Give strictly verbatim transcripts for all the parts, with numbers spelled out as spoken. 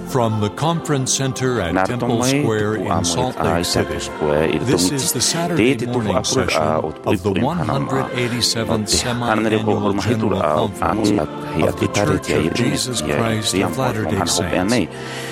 From the Conference Center at Temple Square in Salt Lake City, this is the Saturday morning session of the one hundred eighty-seventh Semi-Annual Annual Conference of The Church of Jesus Christ of Latter-day Saints,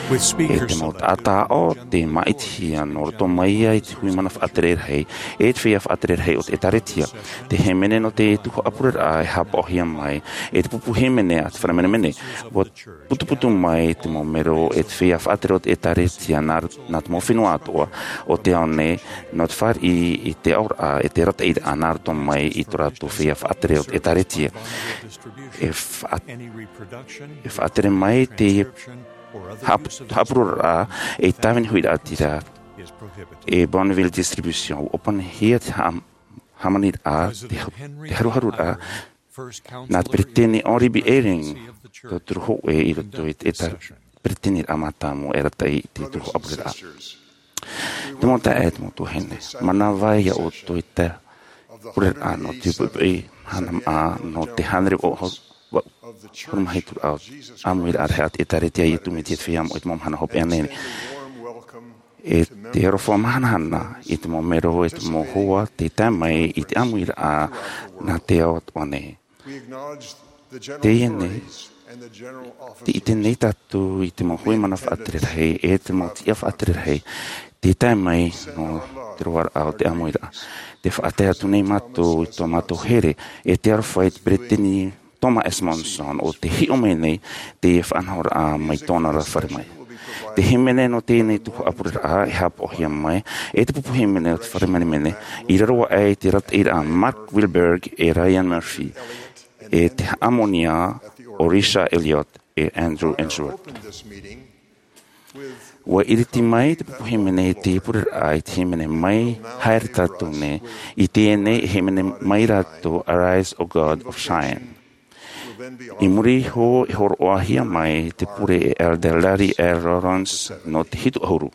with speakers selected. Te mau taʻata ʻo te māʻitihia nō roto mai ia i te hui mana faʻatere rahi, e te feiā faʻatere rahi o te ʻĒtārētia. Te hīmene nō te tuhaʻa pureraʻa e haʻapaʻohia mai e te pupu hīmene a te fare menemene. ʻUa putuputu mai te mau melo e te feiā faʻatere o te ʻĒtārētia nā, nā te mau fenua atoʻa o te ao nei, nō te fāriʻi i te aoraʻa e te arataʻiraʻa nā roto mai i tō rātou feiā faʻatere o te ʻĒtārētia. E faʻa-, e faʻatere mai te haʻap-, haʻapurororaʻa e tāvini huiraʻatira e Bonneville Distribution, ʻua ʻōpuahia te haʻa-, hāmaniraʻa, te ha-, te haruharuraʻa nā te peretiteni Henry B. Eyring, tō te turu hōʻē i roto i te ʻeta-, pereteniraʻa mātāmua e arataʻi i te tuhaʻa pureraʻa. Te mau taeaʻe, te mau tuahine, manava ia ʻoutou i te pureraʻa nō te poʻipoʻi mahana māʻa nō te hānere ʻo, ʻo, ʻahuru mā hitu raʻa ʻāmuiraʻa rahi a te ʻĒtārētia a Iesu Mesia te Feiā Moʻa i te mau mahana hopeʻa nei. E te aroha faʻamahanahana i te mau melo, e te mau hoa, tē tae mai i te ʻāmuiraʻa nā te ao atoʻa nei. Teie nei, tē ʻite nei tātou i te mau hui mana faʻatere rahi, e te mau tiʻa faʻatere rahi, tē tae mai nō te roaraʻa o te ʻāmuiraʻa. Tē faʻatae atu nei mātou i tō mātou here, e te aroha i te peretiteni Thomas S. Monson, ʻo tē hiʻo mai nei teie faʻanahoraʻa mai tōna ra fare mai. Te hīmene nō teie nei tuhaʻa pureraʻa e haʻapaʻohia mai e te pupu hīmene o te fare menemene, i raro aʻe i te arataʻiraʻa a Mark Wilberg e Ryan Murphy, e te haʻamoni ʻo Richard Elliott e Andrew Unsworth. ʻUa ʻiriti mai te pupu hīmene i te pureraʻa i te hīmene Mai Haere Tātou Nei, i teie nei e hīmene mai rātou Arise, O God of Zion. I muri iho e hōroʻahia mai te pure e Elder Larry L. Lawrence nō te hitu ʻahuru.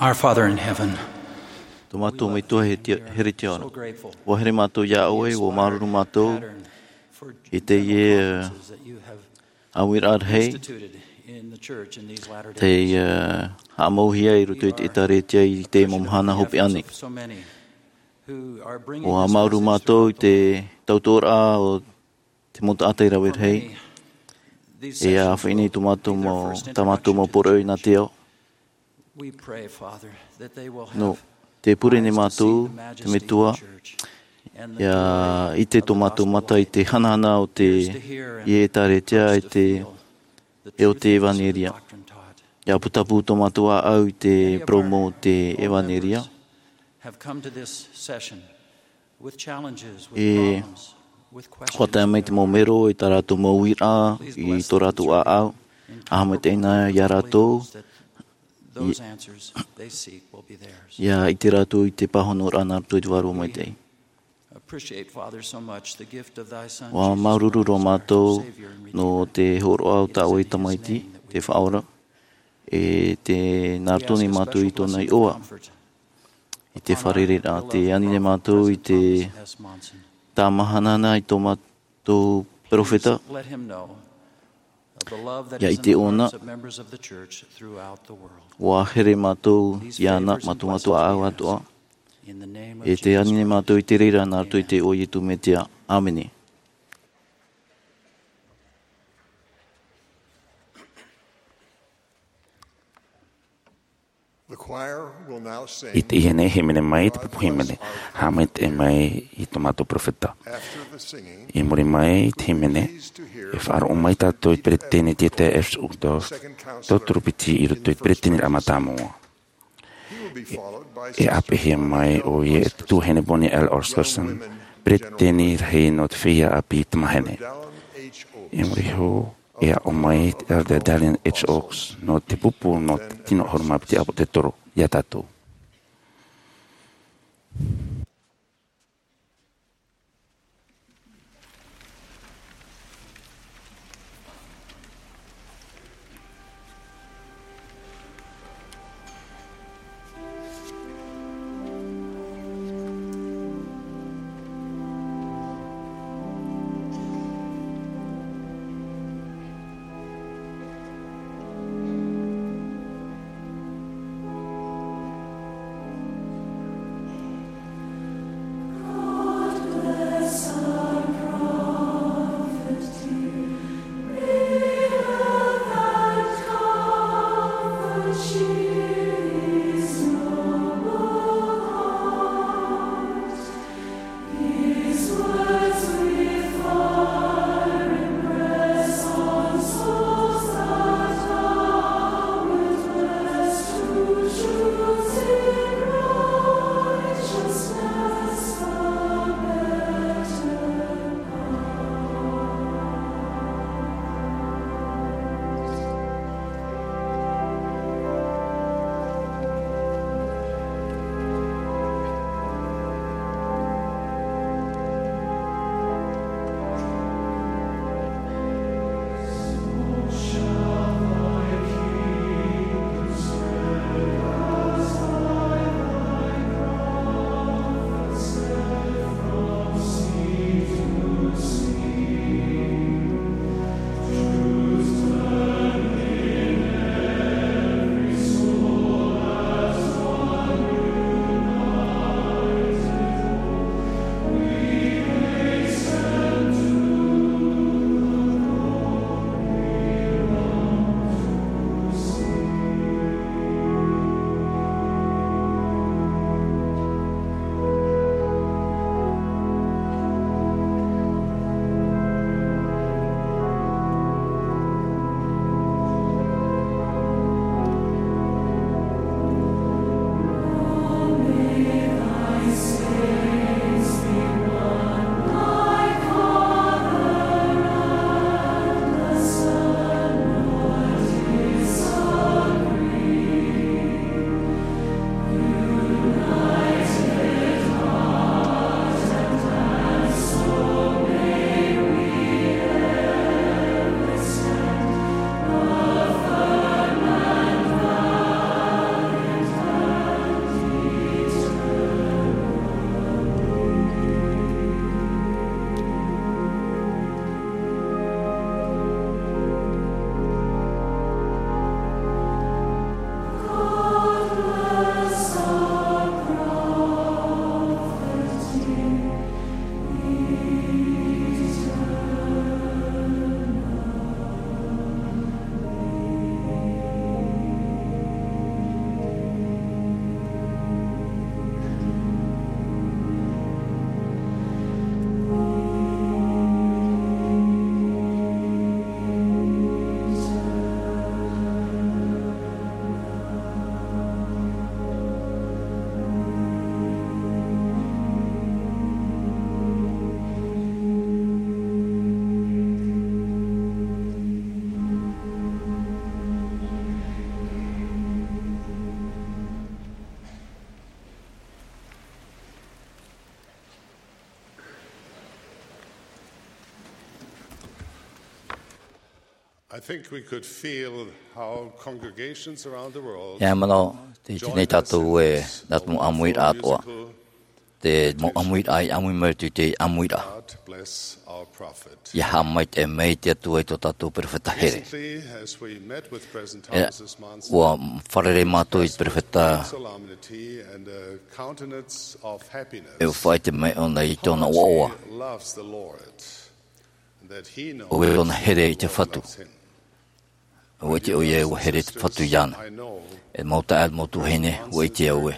Our Father in heaven, tō mātou Metua here i te ao ra, ʻua here mātou iā ʻoe, ʻua māuruuru mātou i teie ʻāmuiraʻa rahi tei haʻamauhia i roto i te ʻĒtārētia i teie mau mahana hopeʻa nei. ʻUa māuruuru mātou i te tautoʻoraʻa o te mau taʻata i rave rahi, e ʻāfaʻi nei tō mātou mau, tā mātou mau poroʻi nā te ao. Nō, tē pure nei mātou, te Metua, ʻia ʻite tō mātou mata i te hanahana o teie ʻĒtārētia, i te, e o te ʻevaneria. ʻIa putapū tō mātou ʻāʻau i te parau mau o te ʻevaneria. E, ʻua tae mai te mau mero i tā rātou mau uiraʻa, i tō rātou ʻāʻau, ʻa haʻamaitaʻi na iā rātou, ʻia ʻite rātou i te pāhonoraʻa nā roto i te Vārua Maitaʻi. ʻUa māuruuru roa mātou nō te hōroʻa o tā ʻoe Tamaiti, te Faʻaora, e tē nā roto nei mātou i tōna iʻoa, i te fārereiraʻa, tē ani nei mātou i te tāmāhanahana i tō mātou peropheta, ʻia ʻite ʻōna, ʻua here mātou iāna, mā tō mātou ʻāʻau atoʻa, e tē ani nei mātou i te reira nā roto i te iʻoa o Ietu Metia. ʻĀmene. The choir will now sing. I teie nei, hīmene mai te pupu hīmene, Haʻamaitaʻi Mai i tō Mātou Peropheta. After the singing, i muri mai i te hīmene, please to hear e faʻaroʻo mai tātou i te peretiteni Dieter F. Uchtdorf, tauturu piti i roto i te peretiteniraʻa mātāmua. He will be followed by e ʻāpeʻehia mai ʻoia e te tuahine Bonnie L. Oscarson, peretiteni rahi nō te feiā ʻāpī tamāhine. I muri iho, e aʻo mai te Elder Dallin H. Oaks nō te pupu nō te tino ʻahuru mā piti ʻāpōsetolo iā tātou. I think we could feel how congregations around the world E manaʻo, te iti nei tātou e, nā te mau ʻāmuiraʻa atoʻa. Te mau ʻāmuiraʻa i ʻāmui mai atu i te ʻāmuiraʻa. God bless our prophet. ʻIa haʻamaitaʻi mai te Atua i tō tātou perofeta here. Recently, as we met with President E, Thomas S. Monson, ʻua fārerei mātou i te perofeta solemnity and a countenance of happiness. E ʻua faʻaʻite mai ʻōna i tōna ʻoaʻoa. How much he loves the Lord. ʻO ʻoia tōna here i te Fatu. ʻUa ʻite ʻoia ʻua here te Fatu iāna. E mau taeaʻe, mau tuahine, ʻua ʻite au ē.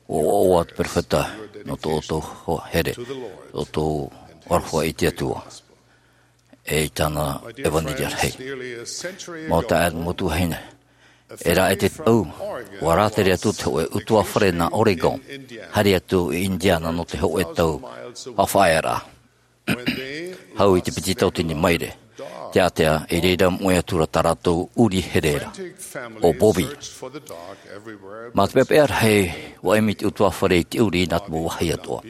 ʻUa ʻoaʻoa te perofeta nō tō ʻoutou here, tō ʻoutou aroha i te Atua. E i tāna ʻevanelia rahi. Mau taeaʻe, mau tuahine. E rave tau, ʻua rātere atu te hōʻē ʻutuāfare nā Oregon. Haere atu i Indiana nō te hōʻē tau faʻaearaʻa. Hau i te piti tauatini maire, te ātea, i reira moʻe atu ra tā rātou ʻuri here ra, ʻo Bobby. Mā te peʻapeʻa rahi, ʻua ʻimi te ʻutuāfare i te ʻuri nā te mau vāhi atoʻa.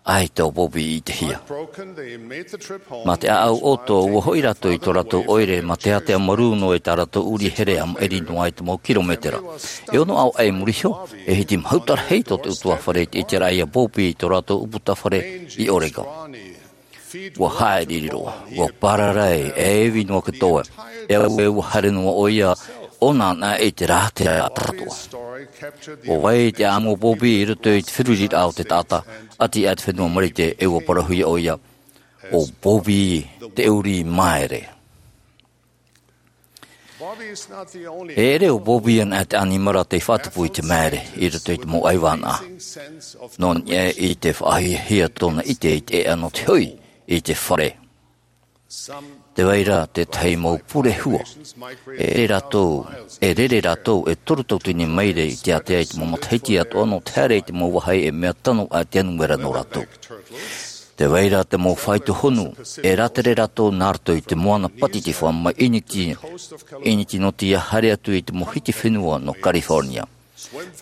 ʻAita ʻo Bobby i ʻitehia. Mā te ʻāʻau ʻoto, ʻua hoʻi rātou i tō rātou ʻoire, mā te ātea marū noa i tā rātou ʻuri here a maʻiri noa i te mau kirometera. E ono aʻo i muri iho, e hiti mahuta rahi tō te ʻutuāfare i te ʻiteraʻa ia Bobby i tō rātou ʻūputa fare i Oregon. ʻUa haʻeriri roa, ʻua pārahi, e ivi noa katoa. E au ē ʻua haere noa ʻoia, ʻōna anaʻe i te rātere atoʻa. ʻUa vai te ʻāʻamu o Bobby i roto i te feruriraʻa o te taʻata, ʻati aʻe te fenua Marite, e ʻua parauhia ʻoia, ʻo Bobby te ʻuri māere. E ʻere ʻo Bobby anaʻe te ʻanimara tei faʻatupu i te māere i roto i te mau ʻaivānaʻa. Nō niʻa i te faʻahiahia tōna ʻite i te ʻēʻa nō te hoʻi i te fare. Tē vai ra te tahi mau pure hua. E rere rātou, e rere rātou e toru tauatini maire i te ātea i te mau matahiti atoʻa nō te haere i te mau vāhi e mea tano aʻe te ʻanimara nō rātou. Tē vai ra te mau faito honu, e rātere rātou nā roto i te moana Pātitifā mai ʻiniti, ʻiniti nō te ʻia haere atu i te mau hiti fenua nō California.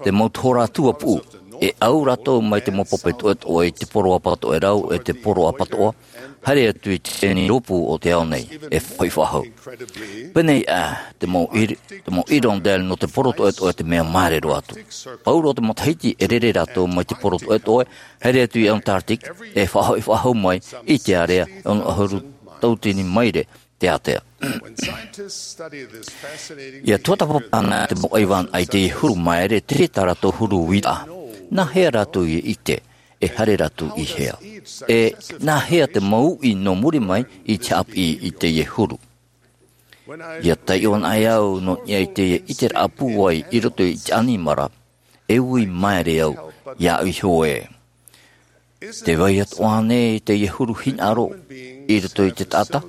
Te mau tohorā tuapuʻu, e ʻau rātou mai te mau pape toʻetoʻe i te poro apatoʻerau e te poro apatoʻa, haere atu i te peni rōpū o te ao nei, e faʻahoʻi faʻahou. Pēneiaʻe, te mau ir-, te mau hirondelle nō te poro toʻetoʻe te mea māere roa atu. Pauroa te matahiti e rere rātou mai te poro toʻetoʻe, haere atu i Antarctic, e faʻahoʻi faʻahou mai i te ārea e ono ʻahuru tauatini maire te ātea. ʻIa tuatāpapa ana te mau ʻaivānaʻa i teie huru māere, terā tā rātou huru uiraʻa. Nā hea rātou i ʻite, e haere rātou i hea? E nā hea te mau uʻi nō muri mai i te haʻapiʻi i teie huru? ʻIa taiʻo anaʻe au nō niʻa i teie ʻiteraʻa pūai i roto i te ʻanimara, e ui māere au iāʻu iho ē. Tē vai atoʻa ānei teie huru hinaʻaro i roto i te taʻata?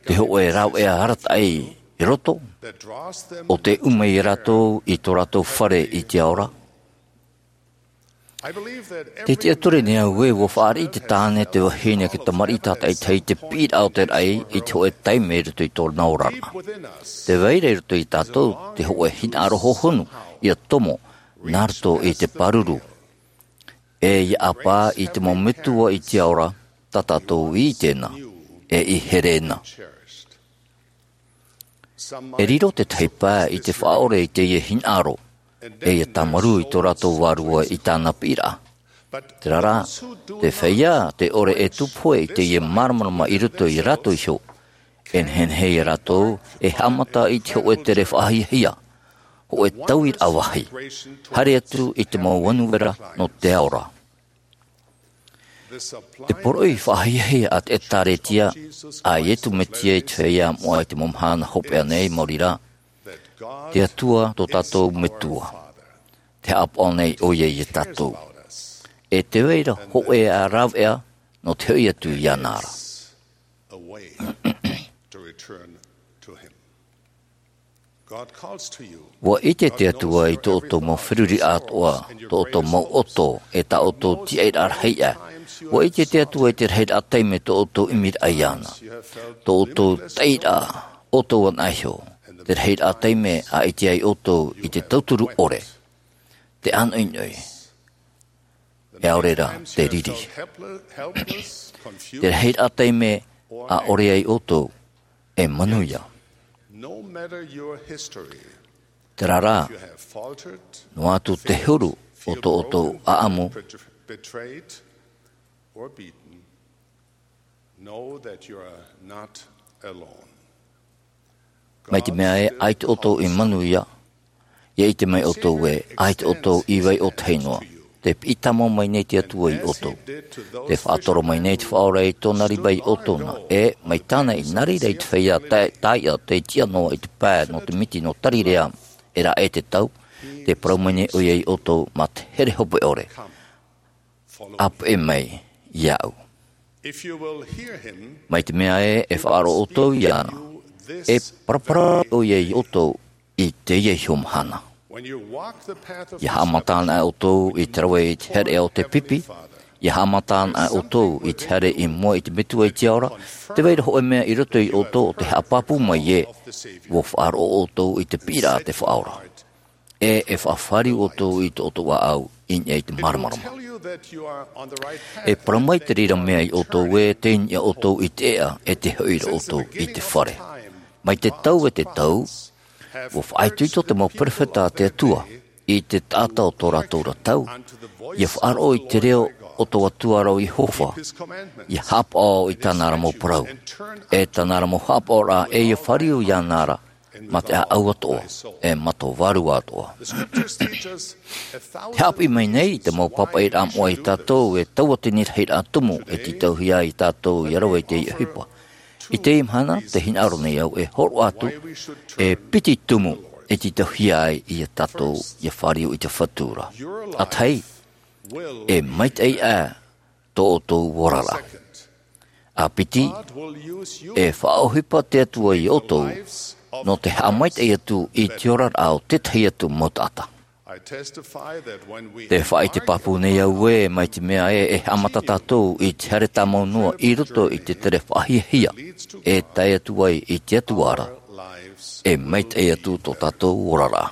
Te hōʻē rāveʻa arataʻi i roto, ʻo tē ʻuma ia rātou i tō rātou fare i te ao ra? Tē tiʻaturi nei au ē ʻua fāriʻi te tāne, te vahine, te tamariʻi tātaʻitahi i te piʻiraʻa o te raʻi i te hōʻē taime i roto i tōna oraraʻa. Tē vai ra i roto ia tātou te hōʻē hinaʻaro hohonu, ʻia tomo, nā roto i te pāruru. E ʻia ʻāpā i te mau metua i te ao ra, tā tātou i ʻite na, e i here na. E riro te tahi pae i te faʻaʻore i teie hinaʻaro, e ʻia tāmarū i tō rātou vārua i tāna piʻiraʻa. Terā rā, te feiā tē ʻore e tupu i teie māramarama i roto ia rātou iho, e nehenehe ia rātou e haʻamata i te hōʻē tere faʻahiahia, hōʻē tauiraʻa vāhi, haere atu i te mau ʻanimara nō te ao ra. Te poroʻi faʻahiahia a te ʻĒtārētia a Iesu Mesia i te feiā moʻa i te mau mahana hopeʻa nei, maori rā, te Atua tō tātou Metua, tē haʻapaʻo nei ʻoia ia tātou. E tē vai ra hōʻē rāveʻa nō te hoʻi atu iāna ra. ʻUa ʻite te Atua i tō ʻoutou mau feruriraʻa atoʻa, tō ʻoutou mau ʻoto, e tā ʻoutou tiaʻiraʻa rahi aʻe. ʻUa ʻite te Atua i te rahiraʻa taime tō ʻoutou ʻimiraʻa iāna. Tō ʻoutou taʻiraʻa, ʻoutou anaʻe iho, te rahiraʻa taime a ʻite ai ʻoutou i te tauturu ʻore, te ʻānoʻinoʻi, e ʻaore rā te riri. Te rahiraʻa taime ʻaʻore ai ʻoutou e manuia. No matter your history, Terā rā, if you have faltered, noa atu te huru o tō ʻoutou ʻaʻamu, betrayed or beaten, know that you are not alone. Mai te mea ē, ʻaita ʻoutou i manuia, ʻia ʻite mai ʻoutou ē, ʻaita ʻoutou i vai ʻōtahi noa. Te piʻi tāmau mai nei te Atua ia ʻoutou. Te faʻatoro mai nei te Faʻaora i tōna riva ia ʻoutou na, ʻe, mai tāna i nā reira i te feiā tai-, taiʻa, tei tiʻa noa i te pae nō te miti nō Tarirea, e rave te tau, tē parau mai nei ʻoia ia ʻoutou, mā te here hope ʻore. ʻĀpeʻe mai iāʻu. If you will hear him, Mai te mea ē, e faʻaroʻo ʻoutou iāna, e paraparau ʻoia ia ʻoutou i teie iho mahana. When you walk the path of ʻIa haʻamata anaʻe ʻoutou i te rave i te haereʻa o te pipi, ʻia haʻamata anaʻe ʻoutou i te haere i mua i te Metua i te ao ra, tē vai ra hōʻē mea i roto ia ʻoutou ʻo tē haʻapāpū mai ē, ʻua faʻaroʻo ʻoutou i te piʻiraʻa a te Faʻaora. ʻE e faʻafāriu ʻoutou i tō ʻoutou ʻāʻau i niʻa i te māramarama. E parau mai te reira mea ia ʻoutou ē, tei niʻa ʻoutou i te ʻēʻa, e tē hoʻi ra ʻoutou i te fare. Mai te tau e te tau, ʻua faʻaitoito te mau perofeta a te Atua i te taʻata o tō rātou ra tau, ʻia faʻaroʻo i te reo o tō Atua ra ʻo Iehova, ʻia haʻapaʻo i tāna ra mau parau, ʻe tāna ra mau haʻapaʻoraʻa ē ʻia fāriu iāna ra, mā te ʻāʻau atoʻa, ʻe mā tō Vārua atoʻa. Te haʻapiʻi mai nei te mau pāpaʻiraʻa moʻa ia tātou, e tautini rahiraʻa tumu e tītauhia ai ia tātou ʻia rave i teie ʻohipa. I teie mahana, tē hinaʻaro nei au e hōroʻa atu, e piti tumu e tītauhia ai ia tātou ʻia fāriu i te Fatu ra. ʻA tahi, e maitaʻi aʻe tō ʻoutou oraraʻa. ʻA piti, e faʻaʻohipa te Atua ia ʻoutou, nō te haʻamaitaʻi atu i te oraraʻa o tētahi atu mau taʻata. Te faʻaʻite pāpū nei au ē, mai te mea ē, e haʻamata tātou i te haere tāmau noa i roto i te tere faʻahiahia, e tae atu ai i te Atua ra, e maitaʻi atu tō tātou oraraʻa.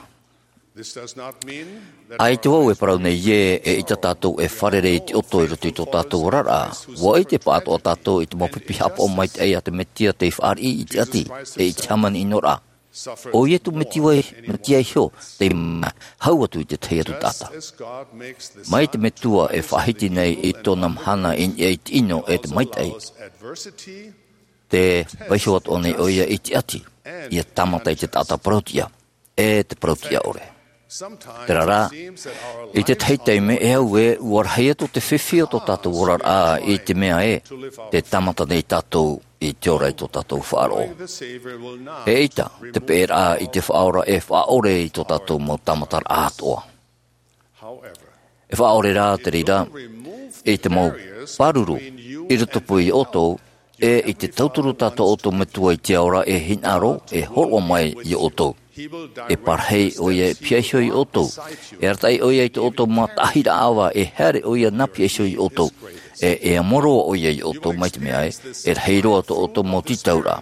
ʻAita vau e parau nei ē, eʻita tātou e fārerei i te ʻoto i roto i tō tātou oraraʻa. ʻUa ʻite pāʻatoʻa tātou i te mau pipi haʻapaʻo maitaʻi a te Mesia tei fāriʻi i te ʻati, ʻe i te hāmani ʻino ra. ʻO Iesu Mesia, Mesia iho, tei hau atu i te tahi atu taʻata. Mai te Metua e faʻahiti nei i tōna mahana i niʻa i te ʻino ʻe te maitaʻi, tē vaiiho atoʻa nei ʻoia i te ʻati, ʻia tāmata i te taʻata parauʻtiʻa, ʻe te parauʻtiʻa ʻore. Terā rā, i te tahi taime e au ē, ʻua rahi atu te fifi o tō tātou oraraʻa i te mea ē, tē tāmata nei tātou i te ora i tō tātou faʻaroʻo. ʻEʻita te peʻeraʻa i te Faʻaora e faʻaʻore i tō tātou mau tāmataraʻa atoʻa. E faʻaʻore rā te reira, i te mau pāruru i rotopū ia ʻoutou, ʻe i te tauturu tā tō ʻoutou Metua i te ao ra e hinaʻaro, e hōroʻa mai ia ʻoutou. E parahi ʻoia e pihaʻi iho ia ʻoutou. E arataʻi ʻoia i tō ʻoutou mau taʻahiraʻa ava, e haere ʻoia nā pihaʻi iho ia ʻoutou. ʻE e amo roa ʻoia ia ʻoutou mai te mea ē, e rahi roa tō ʻoutou mau tītauraʻa.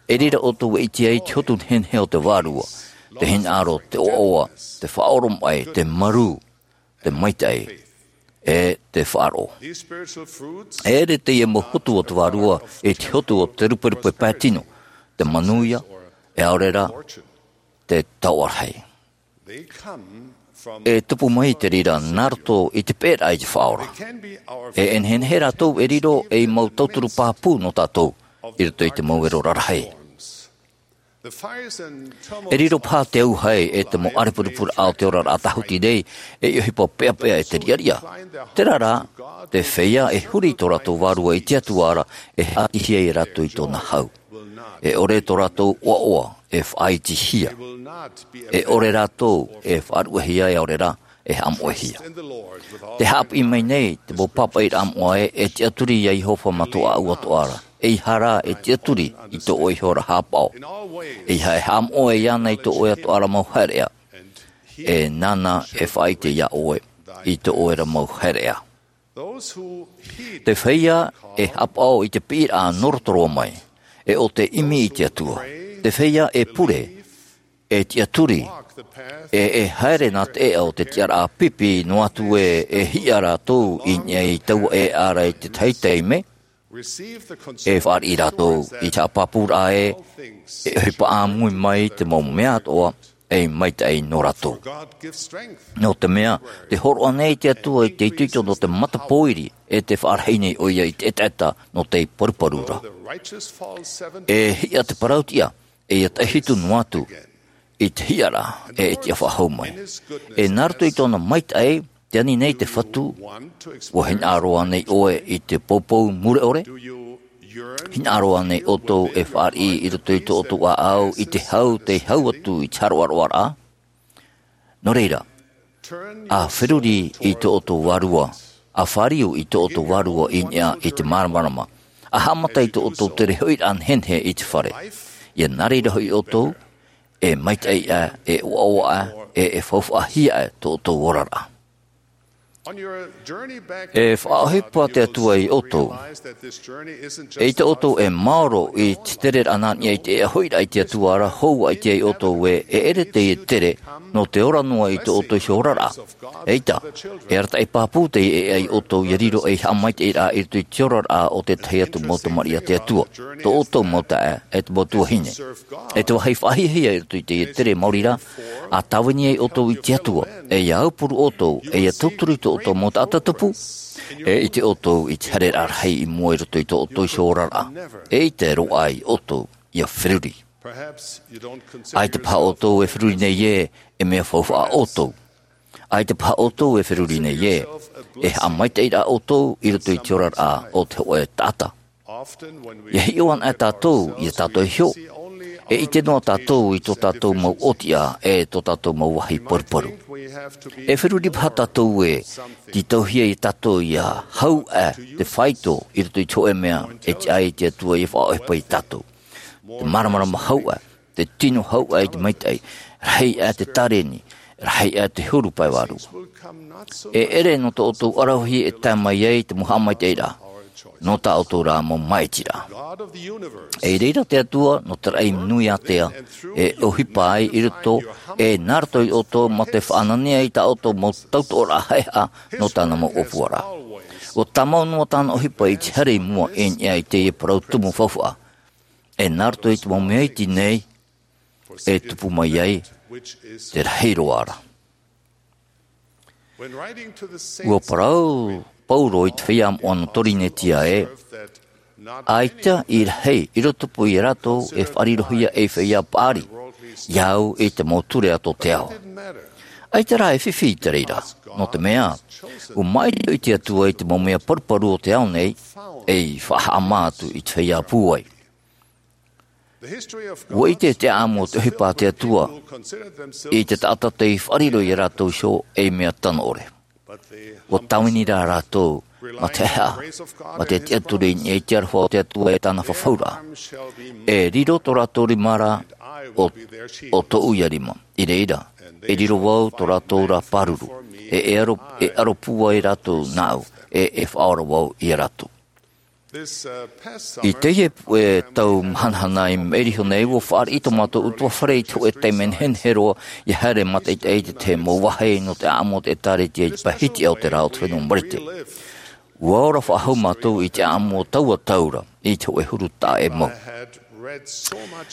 E reira ʻoutou e ʻite ai te hotu nehenehe o te Vārua, te hinaʻaro, te ʻoaʻoa, te faʻaoromaʻi, te marū, te maitaʻi, ʻe te faʻaroʻo. E ʻere teie mau hotu o te Vārua i te hotu o te ruperupe pae tino, te manuia, ʻe ʻaore rā, te taoʻa rahi. E tupu mai te reira nā roto i te peʻeraʻa i te Faʻaora. E nehenehe rātou e riro ei mau tauturu pāpū nō tātou, i roto i te mau ʻero rarahi. E riro paha te auahi ʻe te mau ʻārepurepuraʻa o te oraraʻa tāhuti nei, ei ʻohipa peʻapeʻa ʻe te riʻariʻa. Terā rā, te feiā e huri i tō rātou vārua i te Atua ra, e haʻatihia ia rātou i tōna hau. E ʻore tō rātou ʻoaʻoa e faʻaitihia. E ʻore rātou e faʻaruʻehia, ʻe ʻaore rā, e haʻamoʻehia. Tē haʻapiʻi mai nei te mau pāpaʻiraʻa moʻa ē, e tiʻaturi ia Iehova mā tō ʻāʻau atoʻa ra. ʻEiaha rā e tiʻaturi i tō ʻoe iho ra haʻapaʻo. ʻEiaha e haʻamoʻe iāna i tō ʻoe atoʻa ra mau haereʻa. ʻE nāna e faʻaʻite iā ʻoe i tō ʻoe ra mau haereʻa. Te feiā e haʻapaʻo i te piʻiraʻa nō roto roa mai, e ʻo te ʻimi i te Atua. Te feiā e pure, e tiʻaturi, ʻe e haere nā te ʻēʻa o te tiʻaraʻa pipi, noa atu ē, e hiʻa rātou i niʻa i taua ʻēʻa ra i te tahi taime, E fāriʻi rātou i te haʻapāpūraʻa ē, e ʻohipa ʻāmui mai te mau mea atoʻa, ei maitaʻi nō rātou. Nō te mea, tē hōroʻa nei te Atua i te itoito nō te matapōiri, e tē faʻarahi nei ʻoia i te ʻetaʻeta nō te paruparu ra. E hiʻa te parau-tiʻa, e ia taʻi hitu noa atu, i te hiʻa ra, e tiʻa faʻahou mai. E nā roto i tōna maitaʻi, tē ani nei te Fatu, ʻua hinaʻaro ānei ʻoe i te poupou mure ʻore? Hinaʻaro ānei ʻoutou e fāriʻi i roto i tō ʻoutou ʻāʻau i te hau, tei hau atu i te haroʻaroʻaraʻa? Nō reira, ʻa feruri i tō ʻoutou vārua, ʻa fāriu i tō ʻoutou vārua i niʻa i te māramarama, ʻa haʻamata i tō ʻoutou tere hoʻiraʻa nehenehe i te fare. ʻIa nā reira hoʻi ʻoutou, e maitaʻi aʻe, e ʻoaʻoa aʻe, e, e faufaʻahia aʻe tō ʻoutou oraraʻa. E faʻaʻohipa te Atua ia ʻoutou. E ʻaita ʻoutou e maoro i te tereraʻa nā niʻa i te ʻēʻa hoʻiraʻa i te Atua, ʻaore ra, hou ʻaita ia ʻoutou ē, e ʻere teie tere, nō te ora noa i tō ʻoutou iho oraraʻa. ʻAita, e arataʻi pāpū teie ʻēʻa ia ʻoutou ʻia riro ei haʻamaitaʻiraʻa i roto i te oraraʻa o te tahi atu mau tamariʻi a te Atua, tō ʻoutou mau taeaʻe, e te mau tuahine. E te vāhi faʻahiahia i roto i teie tere maori ra, ʻa tāvini ai ʻoutou i te Atua, e ʻia aupuru ʻoutou, e ʻia tauturu i tō ʻoutou mau taʻata tupu, e ʻite ʻoutou i te haereraʻa rahi i mua i roto i tō ʻoutou iho oraraʻa, e ʻaita e roaʻa ai ʻoutou ʻia feruri. ʻAita paha ʻoutou e feruri nei ē, e mea faufaʻa ʻoutou. ʻAita paha ʻoutou e feruri nei ē, e haʻamaitaʻi ra ʻoutou i roto i te oraraʻa o te hōʻē taʻata. ʻIa hiʻo ana tātou ia tātou iho, e ʻite noa tātou i tō tātou mau ʻōtiʻa, e tō tātou mau vāhi paruparu. E feruri paha tātou ē, tītauhia ia tātou ʻia hau aʻe te faito i roto i te hōʻē mea, e tiʻa ai te Atua ʻia faʻaʻohipa ia tātou. Te māramarama hau aʻe, te tino hau aʻe i te maitaʻi, rahi aʻe te tāreni, rahi aʻe te huru pae vārua. E ʻere nō tō ʻoutou ʻaravihi e tae mai ai te mau haʻamaitaʻiraʻa, nō tā ʻoutou rā mau māʻitiraʻa. E i reira te Atua, nō te raʻi nui ātea, e ʻohipa ai i roto, e nā roto ia ʻoutou mā te faʻananea i tā ʻoutou mau tautoʻoraʻa haʻehaʻa, nō tāna mau ʻōpuaraʻa. ʻUa tāmau noa tāna ʻohipa i te haere i mua i niʻa i teie parau tumu faufaʻa. E nā roto i te mau mea iti nei, e tupu mai ai te rahi roa ra. ʻUa parau Paulo i te feiā moʻa nō Torinetia ē, ʻaita i rahi, i roto pū ia rātou e faʻarirohia ei feiā paʻari, ʻia au i te mau ture a tō te ao. ʻAita rā e fifi i te reira, nō te mea, ʻua māʻiti te Atua i te mau mea paruparu o te ao nei, ei faʻahaʻamā atu i te feiā pūai. ʻUa ʻite te ʻāʻamu o te ʻohipa a te Atua i te taʻata tei faʻariro ia rātou iho ei mea tano ʻore. ʻUa tāvini rā rātou mā te haʻehaʻa, mā te tiʻaturi i niʻa i te aroha o te Atua e tāna fafauraʻa. E riro tō rātou rima ra ʻo, ʻo tōʻu ia rima. I reira, e riro vau tō rātou ra pāruru. E, e aro, e aro pūai rātou nāʻu, e, e faʻaora vau ia rātou. I teie puʻe tau mahanahana i maʻiri iho nei, ʻua fāriʻi tō mātou ʻutuāfare i te hōʻē taime nehenehe roa, ʻia haere mātaʻitaʻi i te tahi mau vāhi nō te ʻāʻamu o te ʻĒtārētia i te pae hitiʻa o te rā o te fenua Marite. ʻUa ora faʻahou mātou i te ʻāʻamu o taua tau ra, i te hōʻē huru taʻa ʻē mau.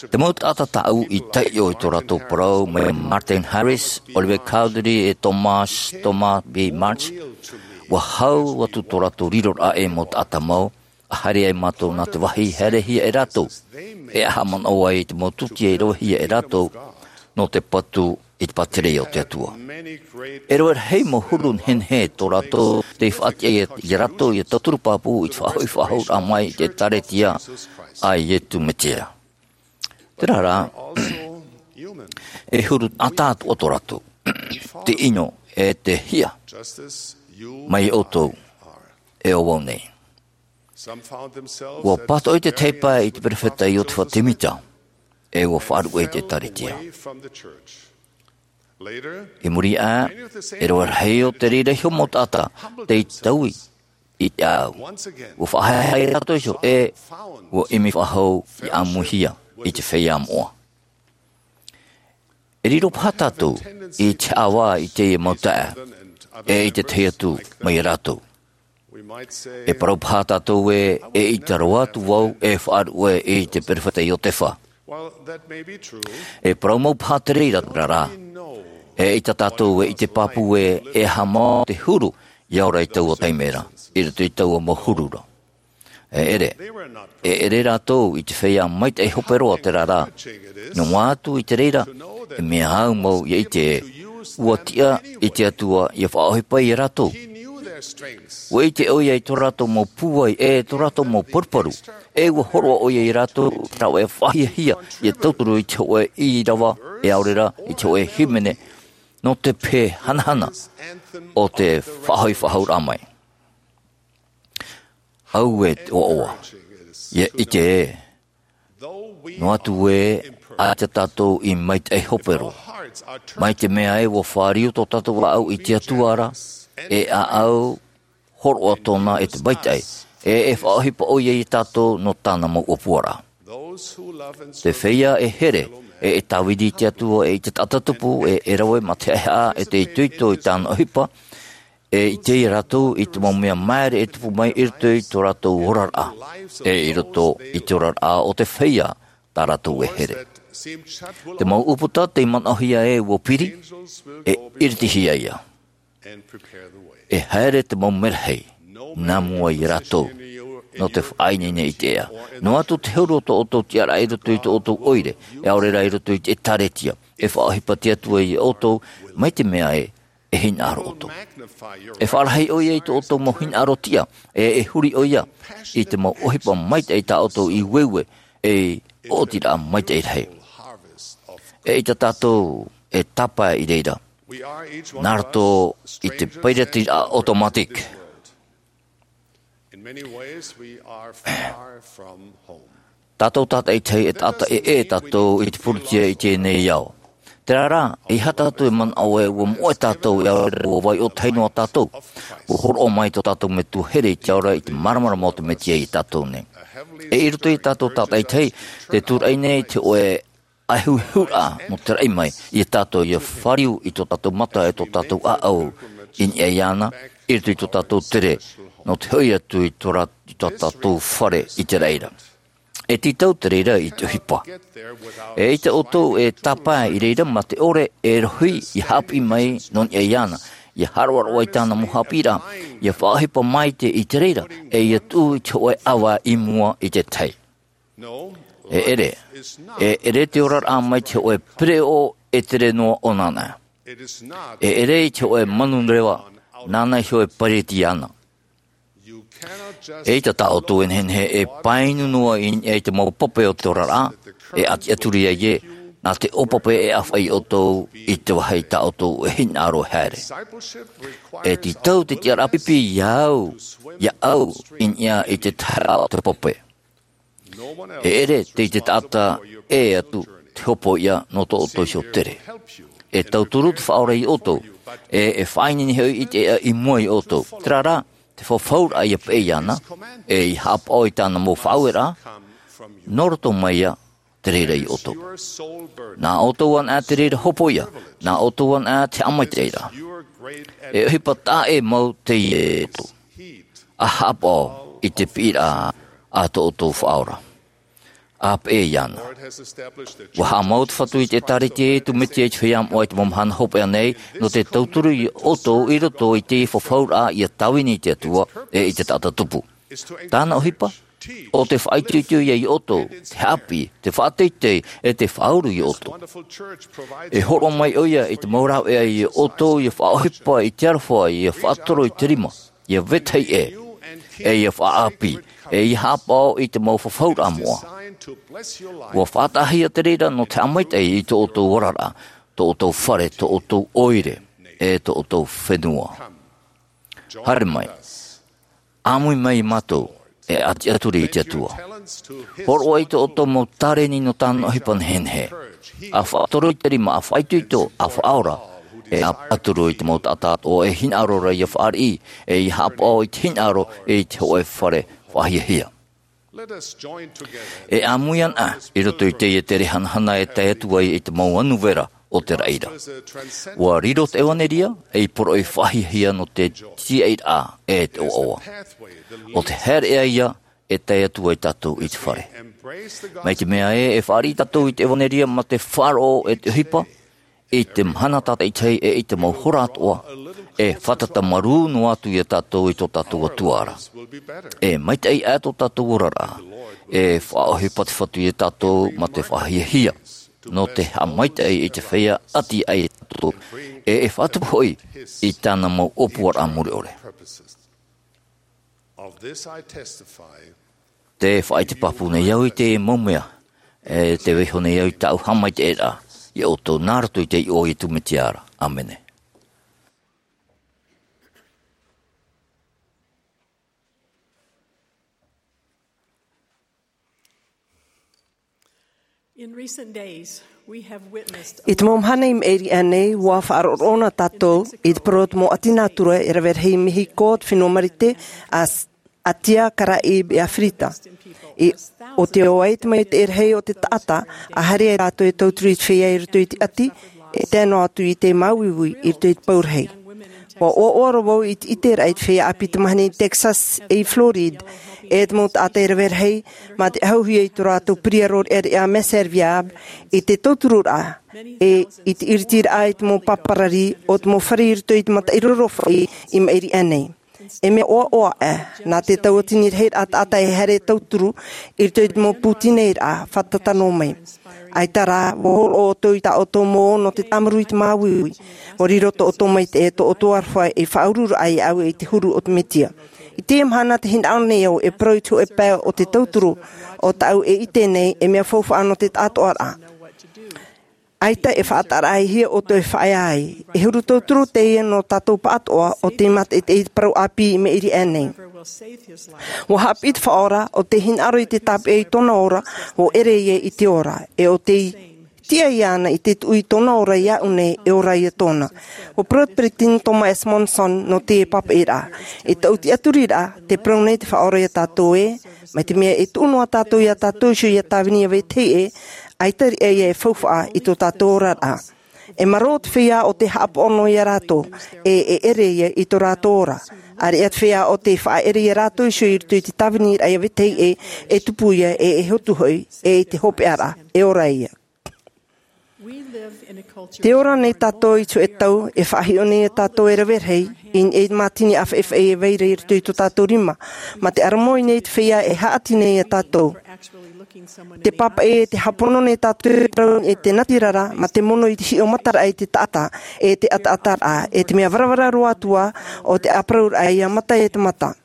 Te mau taʻata tāʻu i taiʻo i tō rātou parau, mai Martin Harris, Oliver Cowdery, e Thomas, Thomas B. Marsh, ʻua hau atu tō rātou riroraʻa ei mau taʻata mau, ʻa haere ai mātou nā te vāhi i haerehia e rātou, e ʻaha manaʻo ai i te mau tūtia i ravehia e rātou, nō te patu i te pātireia o te Atua. E rave rahi mau huru nehenehe tō rātou tei faʻatiʻa ia, ia rātou ʻia tauturu pāpū i te faʻahoʻi faʻahouraʻa mai i te ʻĒtārētia a Iesu Mesia. Terā rā, e huru taʻata atoʻa tō rātou. Te ʻino e te hiʻa. Mai ʻoutou, e ʻo vau nei. ʻUa pātoʻi te tahi pae i te perofeta Iosepha Semita, e ʻua faʻaruʻe i te ʻĒtārētia. I muri aʻe, e rave rahi o te reira iho mau taʻata tei taui i te ʻāʻau. ʻUa faʻahaehae rātou iho, e ʻua ʻimi faʻahou ʻia ʻāmuihia i te feiā moʻa. E riro paha tātou i te haʻavā i teie mau taeaʻe, e i te tahi atu mai ia rātou. E parau paha tātou ē, e ʻaita roa atu vau e faʻaruʻe i te perofeta Iotefa. E parau mau paha te reira, terā rā. E ʻaita tātou e ʻite pāpū ē, e aha mau te huru ʻia ora i taua taime ra, i roto i taua mau huru ra. E ʻere, e ʻere rātou i te feiā maitaʻi hope roa, terā rā. Noa atu i te reira, e mea au mau ʻia ʻite ē, ʻua tiʻa i te Atua ʻia faʻaʻohipa ia rātou. ʻUa ʻite ʻoia i tō rātou mau pūai, e tō rātou mau paruparu. E ʻua hōroʻa ʻoia ia rātou, rāveʻa faʻahiahia, ʻia tauturu i te hōʻē ʻīrava, e ʻaore rā, i te hōʻē hīmene, nō te pehe hanahana o te faʻahoʻi faʻahou mai. Auē te ʻoaʻoa, ʻia ʻite ē, noa atu ē, ʻaita tātou i maitaʻi hope roa. Mai te mea ē ʻua fāriu tō tātou ʻāʻau i te Atua ra, e ʻāʻau hōroʻa tōna e te maitaʻi, e, e faʻaʻohipa ʻoia ia tātou nō tāna mau ʻōpuaraʻa. Te feiā e here, e, e tāvini i te Atua, e, i te taʻata tupu, e, e rave mā te haʻehaʻa, e te itoito i tāna ʻohipa, e ʻite ia rātou i te mau mea māere e tupu mai i roto i tō rātou oraraʻa, e i roto i te oraraʻa o te feiā tā rātou e here. Te mau ʻūputa tei manaʻohia ē ʻua piri, e ʻiritihia ia. E haere te mau merahi, nā mua ia rātou, nō te faʻaineine i te ea. Noa atu te huru o tō ʻoutou tiʻaraʻa i roto i tō ʻoutou ʻoire, e ʻaore rā i roto i te ʻēkālesia, e faʻaʻohipa te Atua ia ʻoutou, mai te mea ē, e hinaʻaro ʻoutou. E faʻarahi ʻoia i tō ʻoutou mau hinaʻaro tiʻa, e, e huri ʻoia i te mau ʻohipa maitaʻi tā ʻoutou i ueue, e i ʻōtiraʻa maitaʻi rahi. E ʻaita tātou e tāpae i reira, nā roto i te pairatiraʻa automatic. Tātou tātaʻitahi e taʻata ʻē tātou i te puritia i teie nei ao. Terā rā, ʻeiaha tātou e manaʻo ē ʻua moʻe tātou, e ʻaore rā ʻua vaiiho tahi noa tātou. ʻUa hōroʻa mai tō tātou Metua here i te ao ra i te māramarama o te Mesia ia tātou nei. E i roto ia tātou tātaʻitahi, te tūraʻi nei te hōʻē ʻahiʻahiraʻa nō te raʻi mai ia tātou ʻia fāriu i tō tātou mata e tō tātou ʻāʻau i niʻa iāna, i roto i tō tātou tere, nō te hoʻi atu i tō rā-, i tō tātou fare i te raʻi ra. E tītau te reira i te ʻohipa. E ʻaita ʻoutou e tāpae i reira mā te ʻore e rohi ʻia haʻapiʻi mai nō niʻa iāna, ʻia haʻaroaroa i tāna mau haʻapiʻiraʻa, ʻia faʻaʻohipa maite i te reira, e ʻia tuʻu i te hōʻē ʻava i mua i te tahi. E ʻere, e ʻere te oraraʻa mai te hōʻē pereʻoʻo e tere noa ʻōna na. E ʻere i te hōʻē manu reva, nāna iho e paireti ana. E ʻaita tā ʻoutou e nehenehe e pae inu noa i niʻa i te mau pape o te oraraʻa, e ʻati-, ʻaturi ai ē, nā te ʻōpape e ʻāfaʻi ʻoutou i te vāhi tā ʻoutou e hinaʻaro e haere. E tītau te tiʻaraʻa pipi iāʻu, iāʻu i niʻa i te taheraʻa o te pape. E ʻere tei te taʻata ʻē atu te hopoiʻa nō tō ʻoutou iho tere. E tauturu te Faʻaora ia ʻoutou, e, e faʻaineine hoʻi i te ea i mua ia ʻoutou. Terā rā, te faufauraʻa ʻia peʻe iāna, e ʻia haʻapaʻo i tāna mau faʻaueraʻa, nō roto mai ia te reira ia ʻoutou. Nā ʻoutou anaʻe te reira hopoiʻa, nā ʻoutou anaʻe te haʻamaitaʻiraʻa. E ʻohipa taʻa ʻē mau teie ia ʻoutou. ʻA haʻapaʻo i te piʻiraʻa a tō ʻoutou Faʻaora. ʻA peʻe iāna. ʻUa haʻamau te Fatu i te ʻĒtārētia e tū Mesia i te feiā moʻa i te mau mahana hopeʻa nei, nō te tauturu ia ʻoutou i roto i te faufauraʻa ʻia tāvini i te Atua, e i te taʻata tupu. Tāna ʻohipa, ʻo te faʻaitoito ia ʻoutou, te haʻapiʻi, te faʻateitei, e te faʻauru ia ʻoutou. E hōroʻa mai ʻoia i te mau rāveʻa ia ʻoutou, ʻia faʻaʻohipa i te aroha, ʻia faʻatoro i te rima, ʻia vetahi ʻē, e ʻia faʻaʻāpī, e ʻia haʻapaʻo i te mau faufauraʻa moʻa. ʻUa faʻataʻahia te reira nō te haʻamaitaʻi i tō ʻoutou oraraʻa, tō ʻoutou fare, tō ʻoutou ʻoire, e tō ʻoutou fenua. Haere mai. ʻĀmui mai ia mātou, e ʻati-, ʻaturi i te Atua. Hōroʻa i tō ʻoutou mau tāreni nō tāna ʻohipa nehenehe. ʻA faʻatoro i te rima, ʻa faʻaitoito, ʻa faʻaora, e ʻa pāturu i te mau taʻata atoʻa e hinaʻaro ra ʻia fāriʻi, e ʻia haʻapaʻo i te hinaʻaro i te hōʻē fare faʻahiahia. E ʻāmui ana i roto i teie tere hanahana e tae atu ai i te mau anu vera o te raʻi ra. ʻUa riro te ʻevaneria ei poroʻi faʻahiahia nō te tiaʻiraʻa e te ʻoaʻoa. ʻO te haereʻa ia e tae atu ai tātou i te fare. Mai te mea ē, e fāriʻi tātou i te ʻevaneria mā te faʻaroʻo e te ʻohipa, i te mahana tātaʻitahi e i te mau hora atoʻa, e fātata marū noa atu ia tātou i tō tātou Atua ra. E maitaʻi aʻe tō tātou oraraʻa, e faʻaʻohipa te Fatu ia tātou mā te faʻahiahia, nō te haʻamaitaʻi i te feiā ʻati aʻe ia tātou, e e faʻatupu hoʻi i tāna mau ʻōpuaraʻa mure ʻore. Te faʻaʻite pāpū nei au i te mau mea, e te vaiiho nei au i tāʻu haʻamaitaʻiraʻa, ia ʻoutou nā roto i te iʻoa o Iesu Mesia ra. ʻĀmene. In recent days, we have witnessed I te mau mahana i maʻiri aʻe nei, ʻua faʻaroʻo na tātou i te parau o te mau ʻati nātura e rave rahi i Mehiko, te fenua Marite, a Asia, Karaibe, e Aferika. I, ʻo te ō ai te maitaʻi rahi o te taʻata, ʻa haere ai rātou e tauturu i te feiā i roto i te ʻati, e tae noa atu i te māuiui i roto i te pau rahi. ʻUa ʻoaʻoa roa vau i te ʻiteraʻa i te feiā ʻāpī i te mahana i Texas e i Florida, e te mau taʻata e rave rahi, mā te ʻahuhia i tō rātou piriaro reʻareʻa Meservia, i te tautururaʻa, e i te ʻiritiraʻa i te mau pāparari o te mau fare i roto i te mataʻi rorofaʻi i maʻiri aʻe nei. E mea ʻoaʻoa aʻe, nā te tauatini rahiraʻa taʻata e haere tauturu i roto i te mau pūtinaʻiraʻa, fātata noa mai. ʻAita rā, ʻua hōroʻa ʻoutou i tā ʻoutou mau ō nō te tāmuru i te māuiui. ʻUa riro tō ʻoutou maitaʻi e tō ʻoutou aroha ei faʻaururaʻa ia au i te huru o te Mesia. I teie mahana tē hinaʻaro nei au e parau i te hōʻē pae o te tauturu o tāʻu e ʻite nei e mea faufaʻa nō te taʻatoʻaraʻa. ʻAita e faʻataʻaraʻahia ʻoutou e faʻaea ai. E huru tauturu teie nō tātou pāʻatoʻa ʻo tei mātaʻitaʻi i te parau ʻāpī i maʻiri aʻe nei. ʻUa haʻapiʻi te Faʻaora, ʻo tē hinaʻaro i te tāpeʻa i tōna ora, ʻua ʻere ia i te ora, e ʻo tē tiʻa iāna i te tuʻu i tōna ora iāʻu nei, e ora ia tōna. ʻUa parau te Peresideni Thomas S. Monson nō te pāpaʻiraʻa. I tāʻu tiʻaturiraʻa, tē parau nei te Faʻaora ia tātou ē, mai te mea e tuʻu noa tātou ia tātou iho ia tāvini ia vetahi ʻē, ʻaita riʻa ia e faufaʻa i tō tātou oraraʻa. E marō te feiā ʻo tē haʻapaʻo noa ia rātou, e, e ʻere ia i tō rātou ora. ʻĀreʻa te feiā ʻo tē faʻaʻere ia rātou iho i roto i te tāviniraʻa ia vetahi ʻē, e tupu ia, e, e hotu hoʻi, e i te hopeʻaraʻa, e ora ia. Tē ora nei tātou i te hōʻē tau, e faʻahiʻo nei ia tātou e rave rahi, i niʻa i te mātini ʻāfaʻifaʻi e vai ra i roto i tō tātou rima, mā te ʻaramoe nei te feiā e haʻati nei ia tātou. Te pāpaʻi ē tē haʻapono nei tātou e parau e te natirara, mā te mono i te hiʻomataraʻa i te taʻata, e te ʻataʻataraʻa, e te mea varavara roa atu ā, ʻo te ʻāparauraʻa ia mata e te mata.